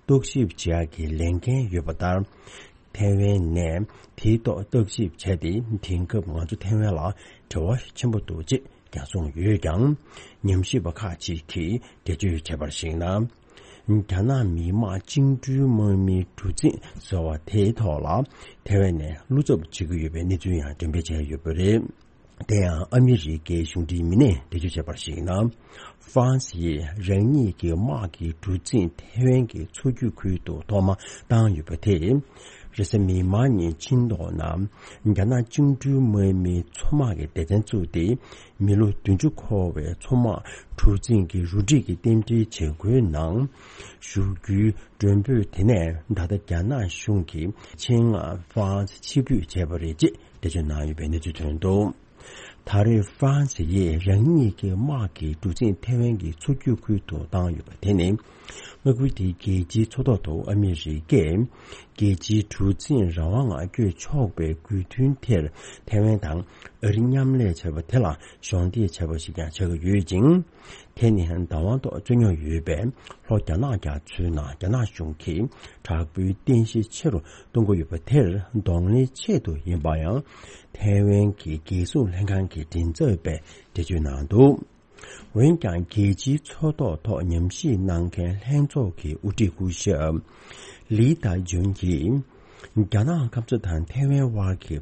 བརྟག་ཞིབ་བྱེད་ཡག་གི་ལས་འགན་ཡོད་པ་ལྟར། ཐའེ་ཝན་ནས་དེའི་ཐོག་བརྟག་ཞིབ་བྱས་ཏེ་དེང་སྐབས་ང་ཚོ་ཐའེ་ཝན་ལ་འབྲེལ་བ་ཆེན་པོ་འདུག་ཅེས་ཀྱང་གསུངས་ཡོད་ཀྱང་། ཉམས་ཞིབ་པ་ཁག་ཅིག་གིས་འགྲེལ་བརྗོད་བྱས་པར་གཞིགས་ན། རྒྱ་ནག་མི་དམངས་བཅིངས་འགྲོལ་དམག་མིའི་གྲུ་གཟིངས་ཟེར་བ་དེའི་ཐོག་ལ་ཐའེ་ཝན་ནས་བློ་འཚབ་བྱེད་ཀྱི་ཡོད་པའི་གནས་ཚུལ་ཡང་འགྲེམས་སྤེལ་བྱས་ཡོད་པ་རེད། དེ་ཡང་ཨ་མི་རི་ཀའི་གཞུང་འབྲེལ་མི་སྣས་འགྲེལ་བརྗོད་བྱས་པར་གཞིགས་ན། ཧྥ་རན་སི་ཡིས་རང་ཉིད་ཀྱི་དམག་གི་གྲུ་གཟིངས་ཐའེ་ཝན་གྱི་མཚོ་རྒྱུད་ཁུལ་དུ་ཐོག་མ་བཏང་ཡོད་པ་དེ། རེས་གཟའ་མིག་དམར་ཉིན་ཆིང་ཏོག་ནང་རྒྱ་ནག་བཅིངས་འགྲོལ་དམག་མིའི་མཚོ་དམག་གི་སྡེ་ཚན་བཙུགས་ཏེ་མི་ལོ་བདུན་ཅུ་འཁོར་བའི་མཚོ་དམག་གྲུ་གཟིངས་ཀྱི་རུ་སྒྲིག་གི་རྟེན་འབྲེལ་བྱེད་སྒོའི་ནང་ཞུགས་རྒྱུའི་མགྲོན་འབོད་དེ་ནས་ད་ལྟ་རྒྱ་ནག་གཞུང་གིས་ཆེད་མངགས་ཧྥ་རན་སི་ཕྱིར་འབུད་བྱས་པ་རེད་ཅེས་འགྲེལ་བརྗོད་གནང་ཡོད་པའི་གནས་ཚུལ་ཐོན་འདུག་ད་རེས་ཧྥ་རན་སི་ཡིས་རང་ཉིད་ཀྱི་དམག་གི་གྲུ་གཟིངས་ཐའེ་ཝན་གྱི་མཚོ་རྒྱུད་ཁུལ་དུ་བཏང་ཡོད་པ་དེ་ནི། མངའ་ཁུལ་དེའི་རྒྱལ་སྤྱིའི་མཚོ་ཐོག་ཏུ་ཨ་མི་རི་ཀས་རྒྱལ་སྤྱིའི་གྲུ་གཟིངས་རང་དབང་ངང་བསྐྱོད་ཆོག་པའི་དགོས་འདུན་དེར་ཐའེ་ཝན་དང་ཨ་རི་མཉམ་ལས་བྱས་པ་དེ་ལ་གཞོགས་འདེགས་བྱས་པ་ཞིག་ཀྱང་ཆགས་ཀྱི་ཡོད་ཅིང་། དེ་ནི་བདག་དབང་ཐོག་རྩོད་རྙོག་ཡོད་པའི་ལྷོ་རྒྱ་ནག་རྒྱ་མཚོའི་ནང་རྒྱ་ནག་གཞུང་གིས་དྲག་པོའི་རྟེན་གཞི་ཆེ་རུ་གཏོང་གི་ཡོད་པ་དེར་གདོང་ལེན་ཆེད་དུ་ཡིན་པ་ཡང་ཐའེ་ཝན་གྱི་རྒྱལ་སྲུང་ལྷན་ཁང་གི་མགྲིན་ཚབ་པས་འགྲེལ་བརྗོད་གནང་འདུག་འོན་ཀྱང་རྒྱལ་སྤྱིའི་མཚོ་ཐོག་ཐོག་ཉམས་ཞིབ་གནང་མཁན་ལྷན་ཚོགས་ཀྱི་དབུ་ཁྲིད་སྐུ་ཞབས་ལི་ཏཱ་ཇུན་གྱིས། རྒྱ་ནག་ཁམས་གསུམ་དང་ཐའེ་ཝན་དབར་གྱི་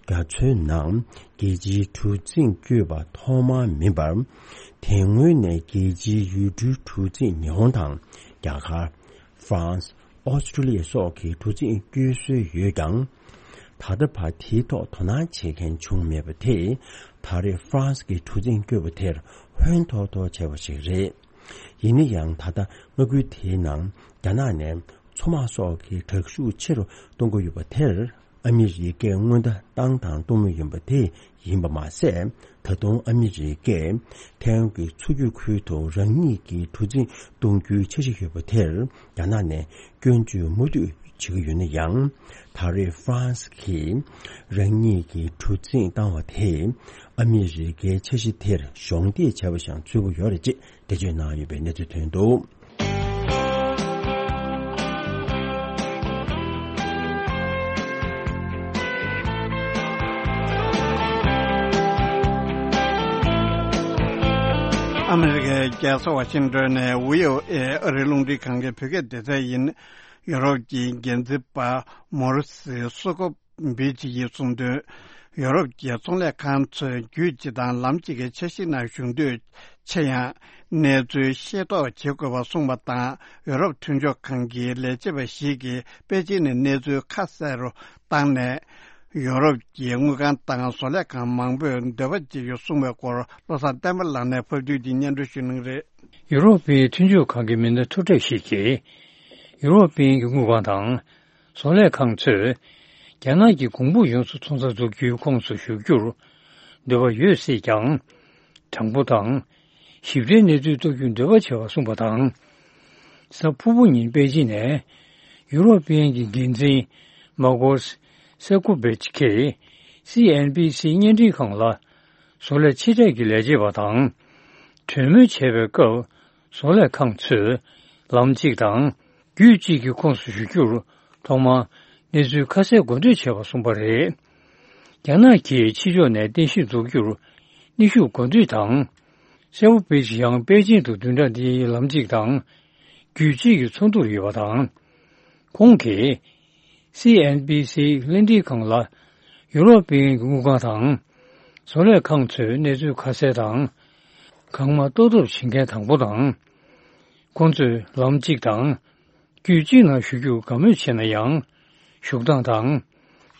རྒྱ་མཚོའི་ནང་རྒྱལ་སྤྱིའི་གྲུ་གཟིངས་བསྐྱོད་པ་ཐོག་མ་མིན་པར། དེ་སྔོན་ནས་རྒྱལ་སྤྱིའི་ཡུལ་གྲུའི་གྲུ་གཟིངས་ཉི་ཧོང་དང་རྒྱ་གར། ཧྥ་རན་སི། ཨོ་སི་ཀྲུ་ལི་ཡ་སོགས་ཀྱི་གྲུ་གཟིངས་བསྐྱོད་སྲོལ་ཡོད་ཀྱང་། ད་ལྟ་བར་དེའི་ཐོག་དོ་སྣང་བྱེད་མཁན་བྱུང་མེད་པ་དེས་ད་རེས་ཧྥ་རན་སི་གི་གྲུ་གཟིངས་བསྐྱོད་པ་དེར་ཧོན་ཐོར་ཐོར་བྱས་པ་ཞིག་རེད། ཡིན་ན་ཡང་ད་ལྟ་མངའ་ཁུལ་དེའི་ནང་རྒྱ་ནག་ནས་མཚོ་དམག་སོགས་ཀྱི་དྲག་ཤུགས་ཆེ་རུ་གཏོང་གི་ཡོད་པ་དེར་ཨ་མི་རི་ཀས་སྔོན་བརྡ་བཏང་དང་གཏོང་མུས་ཡིན་པ་དེ་ཡིན་པ་མ་ཟད། ད་དུང་ཨ་མི་རི་ཀས་ཐའེ་ཝན་གྱི་མཚོ་རྒྱུད་ཁུལ་དུ་རང་ཉིད་ཀྱི་གྲུ་གཟིངས་གཏོང་རྒྱུའི་འཆར་གཞི་ཡོད་པ་དེར་རྒྱ་ནག་ནས་སྐྱོན་བརྗོད་མུ་མཐུད་བྱེད་ཀྱི་ཡོད་ན་ཡང་། ད་རེས་ཧྥ་རན་སི་གིས་རང་ཉིད་ཀྱི་གྲུ་གཟིངས་བཏང་བ་དེས་ཨ་མི་རི་ཀའི་འཆར་གཞི་དེར་གཞོགས་འདེགས་བྱས་པ་ཞིག་འཚོལ་གྱི་ཡོད་རེད་ཅེས་འགྲེལ་བརྗོད་གནང་ཡོད་པའི་གནས་ཚུལ་ཐོན་འདུག་ཨ་མི་རི་ཀའི་རྒྱལ་ས་ཝ་ཤིང་ཏོན་ནས་བྷི་ཨོ་ཨེ་ཨ་རིའི་རླུང་འཕྲིན་ཁང་གི་བོད་སྐད་སྡེ་ཚན་ཡིན། ཡུ་རོབ་ཀྱི་འགན་འཛིན་པ་མོ་རི་སི་སོ་ཀོ་བིཆ་ཡིས་གསུངས་དོན། ཡུ་རོབ་ཀྱི་ཚོང་ལས་ཁང་ཚོས་རྒྱུད་གཅིག་དང་ལམ་གཅིག་གི་འཆར་གཞིའི་ནང་ཞུགས་འདོད་ཆེ་ཡང་། གནས་ཚུལ་ཤེས་རྟོགས་བྱེད་དགོས་པ་གསུངས་པ་དང་། ཡུ་རོབ་མཐུན་ཕྱོགས་ཁང་གི་ལས་བྱེད་པ་ཞིག་གིས་པེ་ཅིན་ནས་གནས་ཚུལ་ཁ་གསལ་རུ་བཏང་ནས། ཡུ་རོབ་ཀྱི་དངུལ་ཁང་དང་བཟོ་ལས་ཁང་མང་པོས་འདོད་པ་བྱེད་རྒྱུ་གསུངས་པའི་སྐོར་བློ་བཟང་བསྟན་པ་ལགས་ནས་ཕབ་བསྒྱུར་གྱིས་སྙན་སྒྲོན་ཞུ་གནང་གི་རེད། ཡུ་རོབ་པའི་མཐུན་ཕྱོགས་ཁང་གི་མི་སྣ་ཐུབ་གྲས་ཤིག་གིས། ཡུ་རོབ་པའི་དངུལ་ཁང་དང་། བཟོ་ལས་ཁང་ཚོས་རྒྱ་ནག་གི་གོང་བུ་ཡོངས་སུ་ཚོང་རྩ་འཛུགས་རྒྱུའི་ཁོངས་སུ་ཞུགས་རྒྱུར་འདོད་པ་ཡོད་སྲིད་ཀྱང་། གྲངས་འབོར་དང་། ཞིབ་ཕྲའི་གནས་ཚུལ་རྟོགས་རྒྱུར་འདོད་པ་བྱེད་པ་གསུངས་པ་དང་། གཟའ་ཕུར་བུ་ཉིན་པེ་ཅིན་ནས་ཡུ་རོབ་པའི་གི་འགན་འཛིན་མཱ་ཀོ་སི་ཀུ་བེ་ཆི་ཁས་སི་ཨེན་བི་སི་བརྙན་འཕྲིན་ཁང་ལ། བཟོ་ལས་ཕྱི་དྲགས་ཀྱི་ལས་བྱེད་པ་དང་། གྲོས་མོལ་བྱེད་པའི་སྐབས། བཟོ་ལས་ཁང་ཚོས་ལམ་གཅིག་དང་རྒྱུད་གཅིག་གི་ཁོངས་སུ་ཞུགས་རྒྱུར་ཐོག་མར་གནས་ཚུལ་ཁ་གསལ་འགོ་འཛུགས་བྱས་པ་གསུངས་པ་རེད། རྒྱ་ནག་གིས་ཕྱི་ཕྱོགས་ནས་རྟེན་གཞི་འཛུགས་རྒྱུར་གནོན་ཤུགས་འགོ་འཛུགས་དང་། སེ་བོ་པེ་ཅི་ཡང་པེ་ཅིན་དུ་བདུན་ཕྲག་འདིའི་ལམ་གཅིག་དང་རྒྱུད་གཅིག་གི་ཚོགས་འདུར་ཡོད་པ་དང་། ཁོང་གིས། སི་ཨེན་བི་སི་བརྙན་འཕྲིན་ཁང་ལ་ཡུ་རོབ་པའི་དངུལ་ཁང་དང་བཟོ་ལས་ཁང་ཚོས་གནས་ཚུལ་ཁ་གསལ་དང་གང་མང་ཏོག་ཏོག་བྱེད་མཁན་དང་པོ་དང་། ཁོང་ཚོས་ལམ་གཅིག་དང་རྒྱུད་གཅིག་ནང་ཞུགས་རྒྱུར་དགའ་མོས་བྱས་ན་ཡང་བཞུགས་སྟངས་དང་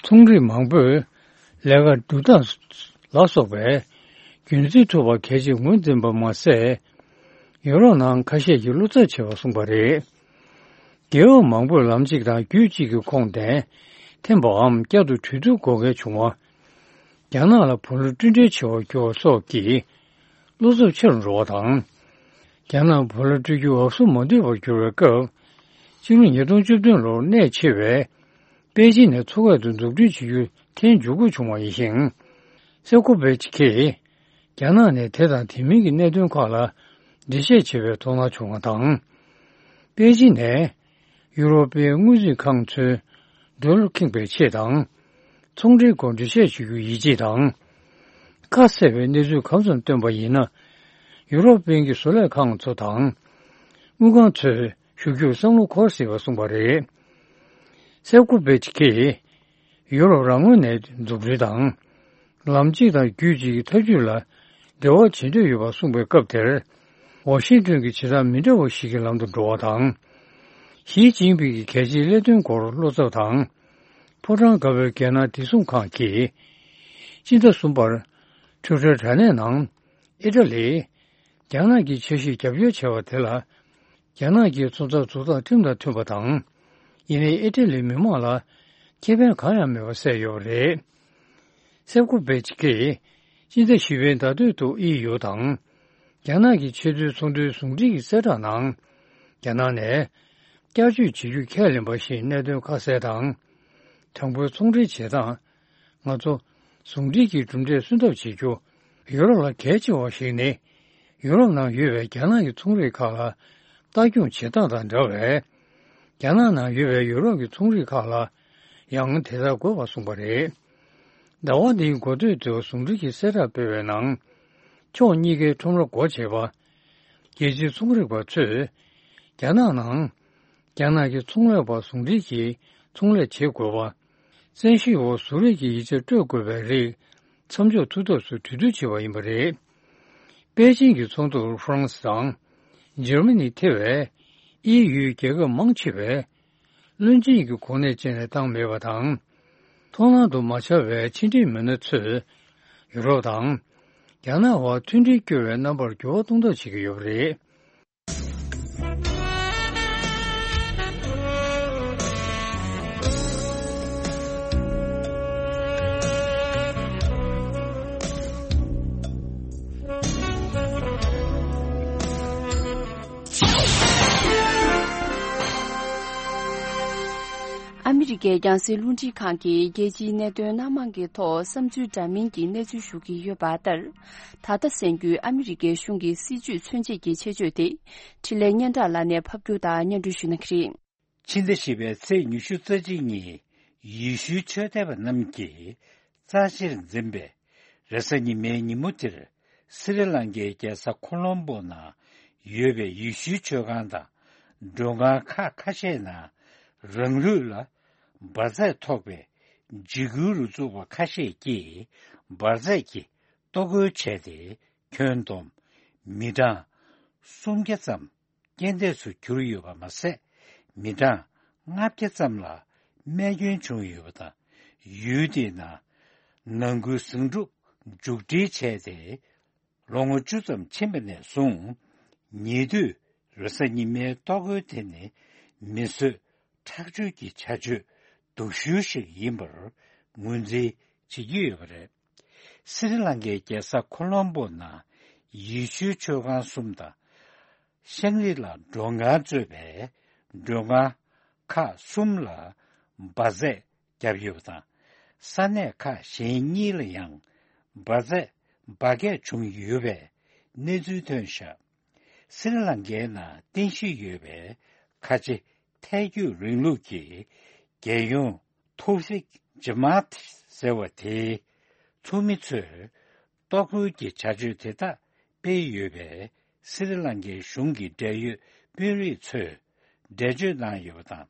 ཚོང་རིགས་མང་པོས་ལས་ཀ་སྒྲུབ་སྟངས་ལ་སོགས་པའི་རྒྱུན་འཛིན་ཐུབ་པ་གལ་ཆེར་ངོས་འཛིན་པ་མ་ཟད། ཡོ་རོབ་ནང་ཁ་ཤས་ཀྱིས་བློ་འཚབ་བྱེད་པ་གསུངས་པ་རེད། རྒེད་འོག་མང་པོས་ལམ་གཅིག་དང་རྒྱུད་གཅིག་གི་ཁོངས་གཏན་འཐེན་པའམ་བསྐྱར་དུ་གྲོས་བསྡུར་དགོས་གལ་བྱུང་བ། རྒྱ་ནག་ལ་བུ་ལོན་སྤྲོད་འབྲེལ་བྱེད་པར་གྱུར་བ་སོགས་ཀྱིས་བློ་འཚབ་ཆེ་རུ་འགྲོ་བ་དང་། རྒྱ་ནག་བུ་ལོན་སྤྲོད་རྒྱུ་འུབ་སུ་མ་འདུས་པར་གྱུར་བའི་སྐབས། སྤྱི་ལོ་ཉིས་སྟོང་བཅུ་བདུན་ལོར་གནད་ཆེ་བའི་པེ་ཅིན་ནས་མཚོ་ཁ་ཏུ་འཛུགས་སྐྲུན་བྱེད་རྒྱུ་འཐེན་འཇུག་དགོས་བྱུང་བ་ཡིན་ཞིང་། སེ་ཀོ་བེ་ཅི་ཁེས་རྒྱ་ནག་ནས་དེ་དང་དེ་མིན་གྱི་གནད་དོན་ཁག་ལ་འགྲེལ་བཤད་བྱེད་པའི་དོ་སྣང་བྱུང་བ་དང་། པེ་ཅིན་ནས་ཡུ་རོབ་པའི་དངུལ་རྩིས་ཁང་ཚོའི་འགྲོ་ལུགས་ཁེངས་པའི་ཆེད་དང་། ཚོང་འབྲེལ་སྐོར་འགྲེལ་བཤད་བྱེད་རྒྱུ་ཡིད་ཆེས་དང་། ཁ་གསལ་བའི་གནས་ཚུལ་གང་འཚམ་བཏོན་པ་ཡིན་ན། ཡུ་རོབ་དཔོན་གྱི་བཟོ་ལས་ཁང་ཚོ་དང་། དངུལ་ཁང་ཚོས་ཞུ་རྒྱུར་བསམ་བློ་འཁོར་སྲིད་པ་གསུངས་པ་རེད། སེ་ཀོ་བེ་ཅི་ཁེས་ཡུ་རོབ་རང་ངོས་ནས་འཛུགས་སྐྲུན་དང་། ལམ་གཅིག་དང་རྒྱུད་གཅིག་གི་ཐབས་ཇུས་ལ་འབྲེལ་བ་བྱེད་འདོད་ཡོད་པ་གསུངས་པའི་སྐབས་དེར། ཝ་ཤིང་ཏོན་གྱི་བྱེད་སྟངས་མི་འདྲ་བ་ཞིག་གི་ལམ་དུ་འགྲོ་བ་དང་། ཞི་ཅིན་ཕིང་གི་གལ་ཆེའི་ཀླད་དོན་སྐོར་བློ་འཚབ་དང་། ཕོ་བྲང་དཀར་པོའི་རྒྱལ་ནང་བདེ་སྲུང་ཁང་གིས། སྤྱི་ཟླ་གསུམ་པར་ཁྲུའུ་ཁྲའི་དྲ་གནས་ནང་། ཨི་ཊ་ལི། རྒྱ་ནག་གི་འཆར་གཞིར་རྒྱབ་སྐྱོར་བྱས་པ་དེ་ལ། རྒྱ་ནག་གིས་ཚོང་རྩ་འཛུགས་སྟངས་ཁྲིམས་དང་མཐུན་པ་དང་། ཡིན་ནའི་ཨི་ཊ་ལིའི་མི་མང་ལ་ཁེ་ཕན་གང་ཡང་མེད་པ་གསལ་ཡོད་པ་རེད། སེ་ཀོ་བེ་ཅི་ཁེས་སྤྱི་ཟླ་བཞི་པའི་ཟླ་སྟོད་དུ་ཨི་ཡུ་དང་། རྒྱ་ནག་གི་ཆེས་མཐོའི་ཚོང་དོན་ཟུང་འབྲེལ་གྱི་གསལ་བསྒྲགས་ནང་། རྒྱ་ནག་ནས་བསྐྱར་བཅོས་བྱེད་རྒྱུ་ཁས་ལེན་པ་བཞིན་གནད་དོན་ཁ་གསལ་དང་། དང་པོའི་ཚོང་འབྲེལ་བྱེད་སྟངས། ང་ཚོ་ཟུང་འབྲེལ་གྱི་གྲུབ་འབྲས་སོན་ཐབས་བྱེད་རྒྱུ་ཡུ་རོབ་ལ་གལ་ཆེ་བ་ཞིག་ནི། ཡུ་རོབ་ནང་ཡོད་པའི་རྒྱ་ནག་གི་ཚོང་རིགས་ཁག་ལ་ལྟ་སྐྱོང་བྱེད་སྟངས་དང་འདྲ་བས། རྒྱ་ནག་ནང་ཡོད་པའི་ཡུ་རོབ་ཀྱི་ཚོང་རིགས་ཁག་ལ་ཡང་དེ་ལྟར་དགོས་པ་གསུངས་པ་རེད། ཟླ་བ་འདིའི་འགོ་སྟོད་དུ་ཟུང་འབྲེལ་གྱི་གསལ་བསྒྲགས་སྤེལ་བའི་ནང་། ཕྱོགས་གཉིས་ཀའི་ཁྲོམ་ར་སྒོ་འབྱེད་པ། རྒྱལ་སྤྱིའི་ཚོང་རིག་པ་ཚོས། རྒྱ་ནག་ནང་། རྒྱ་ནག་གི་ཚོང་ལས་པ་ཟུང་འབྲེལ་གྱིས་ཚོང་ལས་བྱེད་དགོས་པ། བཙན་ཤེད་འོག་བཟོ་རིག་གི་ཡིག་ཆ་སྤྲོད་དགོས་པའི་རིགས་མཚམས་འཇོག་ཐུབ་ཐབས་སུ་གྲོས་བསྡུར་བྱས་པ་ཡིན་པ་རེད། པེ་ཅིང་གི་ཚོགས་འདུར་ཧྥ་རན་སི་དང་། འཇར་མ་ནི་ཐེ་བའི་ཨི་ཡུའི་རྒྱལ་ཁབ་མང་ཆེ་བས་བློན་ཆེན་གྱི་གོ་གནས་སྤྱན་ནས་བཏང་མེད་པ་དང་། མཐོང་སྣང་དུ་མ་འཆར་བའི་ཕྱི་འབྲེལ་མི་སྣ་ཚོས་ཡུ་རོབ་དང་རྒྱ་ནག་བར་མཐུན་སྒྲིལ་སྐྱོ་བའི་རྣམ་པར་འགྱུར་བ་གཏོང་ཐབས་བྱེད་ཀྱི་ཡོད་པ་རེད། ཨ་མི་རི་ཀའི་རྒྱང་སྲིང་རླུང་འཕྲིན་ཁང་གིས་རྒྱལ་སྤྱིའི་གནད་དོན་སྣ་མང་གི་ཐོག་བསམ་ཚུལ་འདྲ་མིན་གྱི་གནས་ཚུལ་ཞུ་གི་ཡོད་པ་ལྟར། ད་ལྟ་གསན་རྒྱུའི་ཨ་མི་རི་ཀའི་གཞུང་གི་སྲིད་བྱུས་མཚོན་བྱེད་ཀྱི་ཆེད་བརྗོད་དེ། འཕྲིན་ལས་སྙན་གྲགས་ལགས་ནས་ཕབ་སྒྱུར་དང་སྙན་སྒྲོན་ཞུ་གནང་གི་རེད། ཕྱི་ཟླ་བཞི་པའི་ཚེས་ཉི་ཤུ་རྩ་གཅིག་ཉིན་ཡེ་ཤུའི་ཆོས་དད་པ་རྣམས་ཀྱིས་རྩ་ཆེར་འཛིན་པའི་རེས་གཟའ་ཉི་མའི་ཉིན་མོ་དེར། སི་རི་ལང་ཀའི་རྒྱལ་ས་ཁོ་ལོམ་པོ་ནང་ཡོད་པའི་ཡེ་ཤུའི་ཆོས་ཁང་དང་མགྲོན་ཁང་ཁག་ཁ་ཤས་ནང་རང་ལུས་ལ་འབར་རྫས་ཐོགས་པའི་འཇིགས་སྐུལ་རུ་ཚོགས་པ་ཁ་ཤས་ཀྱིས་འབར་རྫས་ཀྱི་གཏོར་རྒོལ་བྱས་ཏེ། ཁྱོན་བསྡོམས་མི་གྲངས་སུམ་བརྒྱ་ཙམ་རྐྱེན་འདས་སུ་གྱུར་ཡོད་པ་མ་ཟད། མི་གྲངས་ལྔ་བརྒྱ་ཙམ་ལ་རྨས་སྐྱོན་བྱུང་ཡོད་པ་དང་། ཡུལ་དེའི་ནང་ནང་ཁུལ་ཟིང་འཁྲུག་མཇུག་སྒྲིལ་བྱས་ཏེ། ལོ་ངོ་བཅུ་ཙམ་ཕྱིན་པ་ནས་བཟུང་། ཉེ་དུས་རེས་གཟའ་ཉི་མའི་གཏོར་རྒོལ་དེ་ནི་མི་གསོད་ཁྲག་སྦྱོར་གྱི་བྱ་སྤྱོད་སྡུག་ཤོས་ཤིག་ཡིན་པར་ངོས་འཛིན་བྱེད་ཀྱི་ཡོད་པ་རེད། སི་རི་ལང་ཀའི་རྒྱལ་ས་ཁོ་ལོམ་པོ་ནང་ཡེ་ཤུའི་ཆོས་ཁང་གསུམ་དང་། ཤང་རི་ལ་མགྲོན་ཁང་གཙོས་པའི་མགྲོན་ཁང་ཁག་གསུམ་ལ་འབར་རྫས་བརྒྱབ་ཡོད་པ་དང་། ས་གནས་ཁག་གཞན་གཉིས་ལ་ཡང་འབར་རྫས་འབར་གས་བྱུང་ཡོད་པའི་གནས་ཚུལ་ཐོན་བཞག་སི་རི་ལང་ཀའི་ནང་རྟེན་གཞི་ཡོད་པའི་ཁ་ཆེ་ཐལ་འགྱུར་རིང་ལུགས་ཀྱི་རྒྱལ་ཡོངས་ཐོ་ཧྥིག་ཇི་མཱད་ཟེར་བ་དེའི་ཚོགས་མི་ཚོས་གཏོར་རྒོལ་གྱི་བྱ་སྤྱོད་དེ་དག་སྤེལ་ཡོད་པས། སི་རི་ལང་ཀའི་གཞུང་གི་འབྲེལ་ཡོད་དཔོན་རིགས་ཚོས་འགྲེལ་བརྗོད་གནང་ཡོད་པ་དང་།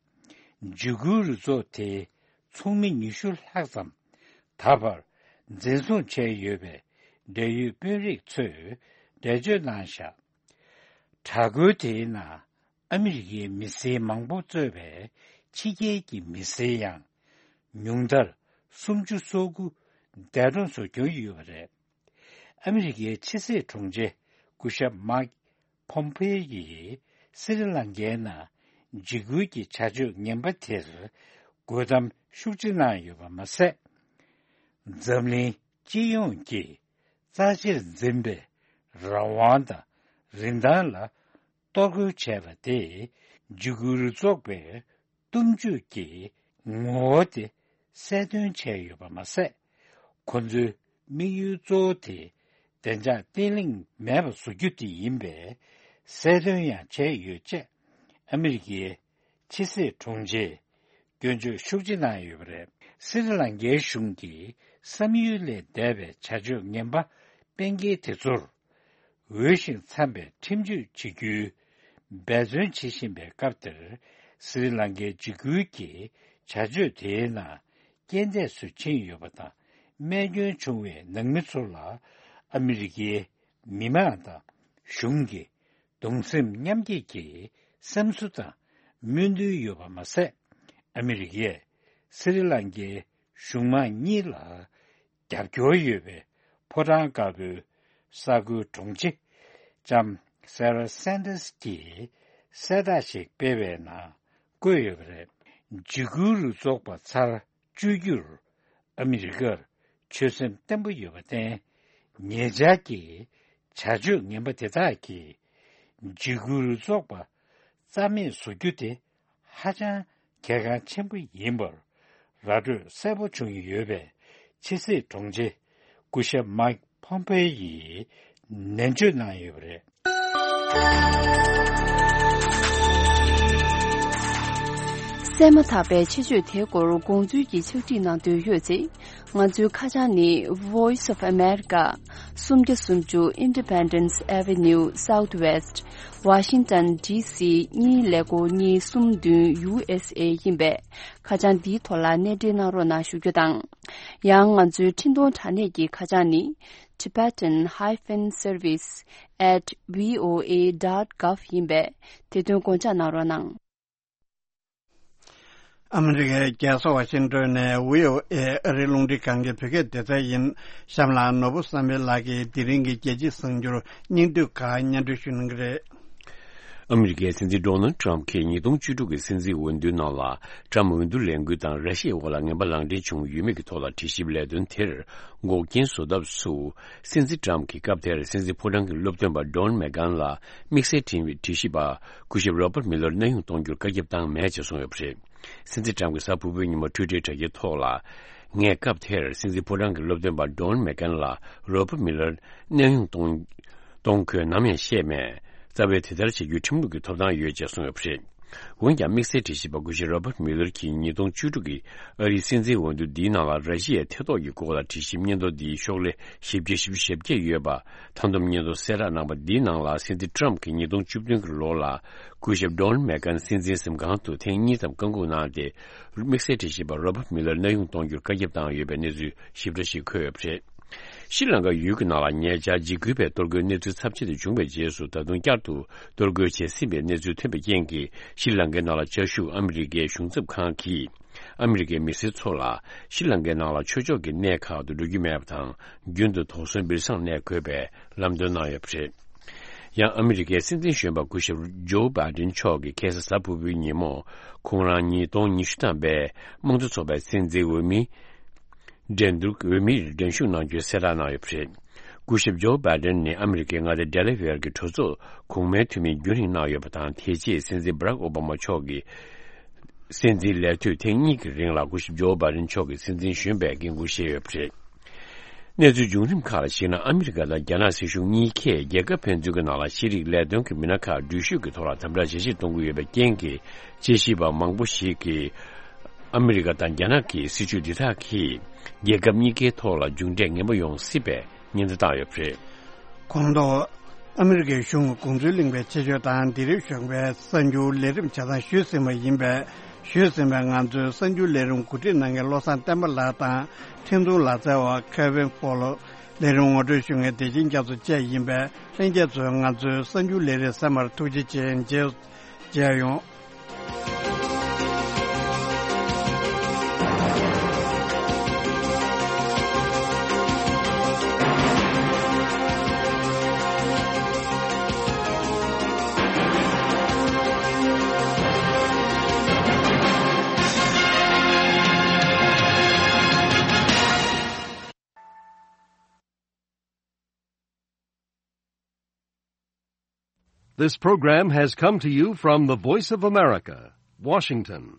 འཇིགས་སྐུལ་རུ་ཚོགས་དེའི་ཚོགས་མི་ཉི་ཤུ་ལྷག་ཙམ་ད་བར་འཛིན་བཟུང་བྱས་ཡོད་པའི་འབྲེལ་ཡོད་དཔོན་རིགས་ཚོས་འགྲེལ་བརྗོད་གནང་བཞག་དྲག་རྒོལ་དེའི་ནང་ཨ་མི་རི་ཀའི་མི་སེར་མང་པོ་གཙོས་པའི་ཕྱི་རྒྱལ་གྱི་མི་སེར་ཡང་ཉུང་མཐར་ སུམ་ཅུ་སོ་དགུ་འདས་གྲོངས་སུ་གྱུར་ཡོད་པ་རེད། ཨ་མི་རི་ཀའི་ཕྱི་སྲིད་དྲུང་ཆེ་སྐུ་ཞབས་མཱིག་ཕོམ་ཕེ་ཡིས་སི་རི་ལང་ཀའི་ནང་འཇིགས་སྐུལ་གྱི་བྱ་སྤྱོད་ངན་པ་དེར་རྒོལ་གཏམ་ཤུགས་ཆེ་གནང་ཡོད་པ་མ་ཟད། འཛམ་གླིང་སྤྱི་ཡོངས་ཀྱིས་རྩ་ཆེར་འཛིན་པའི་རང་དབང་དང་རིན་ཐང་ལ་གཏོར་རྒོལ་བྱས་པ་དེས་འཇིགས་སྐུལ་རུ་ཚོགས་པའི་གཏུམ་སྤྱོད་ཀྱི་ངོ་བོ་དེ་གསལ་སྟོན་བྱས་ཡོད་པ་མ་ཟད། ཁོ་ཚོའི་དམིགས་ཡུལ་གཙོ་བོ་དེ་བདེ་འཇགས་བརྟན་ལྷིང་མེད་པར་བཟོ་རྒྱུ་དེ་ཡིན་པའི་གསལ་སྟོན་ཡང་བྱས་ཡོད་ཅེས་ཨ་མི་རི་ཀའི་ཕྱི་སྲིད་དྲུང་ཆེས་སྐྱོན་བརྗོད་ཤུགས་ཆེ་གནང་ཡོད་པ་རེད། སི་རི་ལང་ཀའི་གཞུང་གིས་བསམ་ཡུལ་ལས་འདས་པའི་བྱ་སྤྱོད་ངན་པ་སྤེལ་མཁན་དེ་ཚོར་འོས་ཤིང་འཚམ་པའི་ཁྲིམས་གཅོད་བྱེད་རྒྱུའི་འབད་བརྩོན་བྱེད་བཞིན་པའི་སྐབས་དེར། སི་རི་ལང་ཀའི་འཇིགས་སྐུལ་གྱི་བྱ་སྤྱོད་དེའི་ནང་རྐྱེན་འདས་སུ་ཕྱིན་ཡོད་པ་དང་། རྨས་སྐྱོན་བྱུང་བའི་ནང་མི་ཚོ་ལ་ཨ་མི་རི་ཀའི་མི་མང་དང་གཞུང་གིས་གདུང་སེམས་མཉམ་སྐྱེད་ཀྱི་བསམ་ཚུལ་དང་སྨོན་འདུན་ཡོད་པ་མ་ཟད། ཨ་མི་རི་ཀས་སི་རི་ལང་ཀའི་གཞུང་མང་གཉིས་ལ་རྒྱབ་སྐྱོར་ཡོད་པའི་ཕོ་བྲང་དཀར་པོའི་གསར་འགོད་དྲུང་ཆེ་ལྕམ་སེ་ར་སན་ཏཱས་ཀྱིས་གསལ་བསྒྲགས་ཤིག་སྤེལ་བའི་ནང་བཀོད་ཡོད་པ་རེད། འཇིགས་སྐུལ་རུ་ཚོགས་པ་ཚར་གཅོད་རྒྱུར་ཨ་མི་རི་ཀར་ཆོད་སེམས་བརྟན་པོ་ཡོད་པར་བརྟེན། ཉེ་ཆར་གྱི་བྱ་སྤྱོད་ངན་པ་དེ་དག་གིས་འཇིགས་སྐུལ་རུ་ཚོགས་པ་རྩ་མེད་བཟོ་རྒྱུ་དེ་ཧ་ཅང་གལ་འགངས་ཆེན་པོ་ཡིན་པར་ར་སྤྲོད་གསལ་པོ་བྱུང་ཡོད་པས། ཕྱི་སྲིད་དྲུང་ཆེ་སྐུ་ཞབས་མཱིག་ཕོམ་ཕེ་ཡིས་ནན་བརྗོད་གནང་ཡོད་པ་རེད། གསན་མ་ཐག་པའི་ཆེད་བརྗོད་དེའི་སྐོར་དགོངས་ཚུལ་གྱི་ཕྱག་བྲིས་གནང་འདོད་ཡོད་ཚེ། ང་ཚོའི་ཁ་བྱང་ནི། Voice of America། སུམ་བརྒྱ་སུམ་ཅུ་Independence Avenue Southwest། Washington D C གཉིས་ཀླད་ཀོར་གཉིས་གསུམ་བདུན་U S A ཡིན་པས། ཁ་བྱང་འདིའི་ཐོག་ལ་གནས་འབྲེལ་གནང་རོགས་གནང་ཞུ་རྒྱུ་དང་། ཡང་ང་ཚོའི་འཕྲིན་གཏོང་དྲ་གནས་ཀྱི་ཁ་བྱང་ནི། Tibetan hyphen service at V O A dot gov ཡིན་པས། དེ་དོན་དགོངས་འཇགས་གནང་རོགས་གནང་། ཨ་མི་རི་ཀའི་རྒྱལ་ས་ཝ་ཤིང་ཏོན་ནས་བྷི་ཨོ་ཨེ་ཨ་རིའི་རླུང་འཕྲིན་ཁང་གི་བོད་སྐད་སྡེ་ཚན་ཡིན། གཤམ་ལ་ནོར་བུ་བསམ་འཕེལ་ལགས་ཀྱིས་དེ་རིང་གི་རྒྱལ་སྤྱིའི་གསར་འགྱུར་སྙིང་བསྡུས་ཁག་སྙན་སྒྲོན་ཞུ་གནང་གི་རེད། ཨ་མི་རི་ཀའི་སྲིད་འཛིན་ཌོ་ནལ་ཊམ་གྱིས་ཉིས་སྟོང་བཅུ་དྲུག་གི་སྲིད་འཛིན་འོས་བསྡུའི་ནང་ལ་ཊམ་འོས་བསྡུ་ལས་འགུལ་དང་ར་ཤི་ཡའི་འོག་ལ་ངན་པ་ལག་འབྲེལ་བྱུང་ཡོད་མེད་ཀྱི་ཐོག་ལ་དྲི་ཞིབ་ལས་དོན་དེར་འགོག་རྐྱེན་བཟོ་ཐབས་སུ། སྲིད་འཛིན་ཊམ་གྱིས་སྐབས་དེར་སྲིད་འཛིན་ཕོ་བྲང་གི་སློབ་སྟོན་པ་ཌོན་མེག་གྷན་ལ་དམིགས་བསལ་དྲི་བའི་དྲི་ཞིབ་པ་སྐུ་ཞབས་རོ་པར་མི་ལར་གནས་དབྱུང་གཏོང་རྒྱུར་བཀའ་ཁྱབ་བཏང་མེད་ཅེས་གསུངས་ཡོད་པ་རེད། སྲིད་འཛིན་ཊམ་གྱིས་གཟའ་ཕུར་བུའི་ཉིན་མོ་ཊུའི་ཊར་དྲ་རྒྱའི་ཐོག་ལ། ངས་སྐབས་དེར་སྲིད་འཛིན་ཕོ་བྲང་གི་སློབ་སྟོན་པ་ཌོན་མེག་གྷན་ལ་རོ་པར་མི་ལར་གནས་དབྱུང་གཏོང་། གཏོང་དགོས་ནམ་ཡང་བཤད་མེད། རྩ་བའི་དེ་ལྟར་བྱེད་རྒྱུའི་ཁྲིམས་ལུགས་ཀྱི་ཐོབ་ཐང་ཡོད་ཅེས་གསུངས་ཡོད་པ་རེད། འོན་ཀྱང་དམིགས་བསལ་དྲི་ཞིབ་པ་སྐུ་ཞབས་རོ་པར་མི་ལར་གྱིས་ཉིས་སྟོང་བཅུ་དྲུག་གི་ཨ་རིའི་སྲིད་འཛིན་འོས་བསྡུ་འདིའི་ནང་ལ་ར་ཤི་ཡའི་ཐེ་གཏོགས་ཀྱི་སྐོར་ལ་དྲི་ཞིབ་སྙན་ཐོ་འདིའི་ཤོག་ལྷེ་བཞི་བརྒྱ་བཞི་བཅུ་ཞེ་བརྒྱད་ཡོད་པ། མཐའ་སྡོམ་སྙན་ཐོ་གསལ་བསྒྲགས་གནང་བ་འདིའི་ནང་ལ་སྲིད་འཛིན་ཊམ་གྱིས་ཉིས་སྟོང་བཅུ་བདུན་གྱི་ལོ་ལ་སྐུ་ཞབས་ཌོན་མེག་གྷན་སྲིད་འཛིན་གཟིམ་ཁང་དུ་ཐེངས་གཉིས་ཙམ་བཀའ་འགུག་གནང་སྟེ། དམིགས་བསལ་དྲི་ཞིབ་པ་རོ་པར་མི་ལར་གནས་དབྱུང་གཏོང་རྒྱུར་བཀའ་ཁྱབ་བཏང་ཡོད་པའི་གནས་ཚུལ་ཞིབ་ཕྲ་ཞིག་འཁོད་ཡོད་པ་རེད། ཤྲི་ལང་ཀ་ཡུལ་གྱི་ནང་ལ་ཉེ་ཆར་འཇིགས་སྐུལ་བའི་གཏོར་རྒོལ་གནས་ཚུལ་ཚབས་ཆེ་དུ་བྱུང་བའི་རྗེས་སུ། ད་དུང་བསྐྱར་དུ་གཏོར་རྒོལ་བྱེད་སྲིད་པའི་གནས་ཚུལ་ཐོན་པའི་རྐྱེན་གྱིས། ཤྲི་ལང་ཀའི་ནང་ལ་བཅའ་བཞུགས་ཨ་མི་རི་ཀའི་གཞུང་ཚབ་ཁང་གིས། ཨ་མི་རི་ཀའི་མི་སེར་ཚོ་ལ་ཤྲི་ལང་ཀའི་ནང་ལ་ཆོས་ཕྱོགས་ཀྱི་གནས་ཁག་ཏུ་འགྲོ་རྒྱུ་མེད་པ་དང་། རྒྱུན་དུ་དོགས་ཟོན་སྦིར་སང་གནས་དགོས་པའི་ལམ་སྟོན་གནང་ཡོད་པ་རེད། ཡང་ཨ་མི་རི་ཀའི་སྲིད་འཛིན་གཞོན་པ་སྐུ་ཞབས་ཇོ་བྷའི་ཌེན་མཆོག་གིས་ཁ་སང་གཟའ་ཕུར་བུའི་ཉིན་མོ། ཁོང་རང་ཉིས་སྟོང་ཉི་ཤུ་ཐམ་པའི་དམངས་གཙོ་ཚོགས་པའི་སྲིད་འཛིན་འོས་མི། འགྲན་བསྡུར་འོས་མིར་འགྲན་ཞུགས་གནང་རྒྱུའི་གསལ་བསྒྲགས་གནང་ཡོད་པ་རེད། སྐུ་ཞབས་ཇོ་བྷའི་ཌེན་ནི་ཨ་མི་རི་ཀའི་མངའ་སྡེ་ཌེ་ལ་ཝེར་གྱི་གྲོས་ཚོགས་གོང་མའི་འཐུས་མི་རྒྱུན་རིང་གནང་ཡོད་པ་དང་། དེ་རྗེས་སྲིད་འཛིན་བྷ་རག་ཨོ་བྷ་མ་མཆོག་གི་སྲིད་འཛིན་ལས་དུས་ཐེངས་གཉིས་ཀྱི་རིང་ལ་སྐུ་ཞབས་ཇོ་བྷའི་ཌེན་མཆོག་གི་སྲིད་འཛིན་གཞོན་པའི་འགན་འཁུར་བཞེས་ཡོད་པ་རེད། གནས་ཚུལ་བྱུང་རིམ་ཁག་ལ་གཞིགས་ན། ཨ་མི་རི་ཀ་དང་རྒྱ་ནག་སྲིད་གཞུང་གཉིས་ཀས་རྒྱལ་ཁབ་ཕན་ཚུན་གྱི་ནང་ལ་ཤེས་རིག་ལས་དོན་གྱི་མི་སྣ་ཁག་འགྲུལ་བཞུད་ཀྱི་ཐོག་ལ་དམ་དྲག་ཇེ་ཆེར་གཏོང་གི་ཡོད་པའི་རྐྱེན་གྱིས། དཔྱད་ཞིབ་པ་མང་པོ་ཞིག་གིས། ཨ་མི་རི་ཀ་དང་རྒྱ་ནག་གི་སྲིད་བྱུས་འདི་དག་གིས་རྒྱལ་ཁབ་གཉིས་ཀའི་ཐོག་ལ་མཇུག་འབྲས་ངན་པ་ཡོང་སྲིད་པའི་ཉེན་བརྡ་བཏང་ཡོད་པ་རེད། གོང་དུ་ཨ་མི་རི་ཀའི་གཞུང་གི་དགོངས་ཚུལ་གླེང་བའི་ཆེད་བརྗོད་དང་། འདི་རིང་གཞུང་པའི་གསར་འགྱུར་ལས་རིམ་ཆ་ཚང་ཞུས་ཟིན་པ་ཡིན་པས། ཞུས་ཟིན་པའི་ང་ཚོའི་གསར་འགྱུར་ལས་རིམ་གོ་སྒྲིག་གནང་མཁན་བློ་བཟང་བསྟན་པ་ལགས་དང་། འཕྲིན་ཐུང་ལག་རྩལ་བ་Kevin Fowler། ལས་རིམ་ངོ་སྤྲོད་ཞུ་མཁན་བདེ་ཆེན་རྒྱ་མཚོ་བཅས་ཡིན་པས། ལྷན་རྒྱས་ཚོས་ང་ཚོའི་གསར་འགྱུར་ལས་རིམ་གསན་པར་ཐུགས་རྗེ་ཆེ། མཇལ། མཇལ་ཡོང་། This program has come to you from the Voice of America, Washington.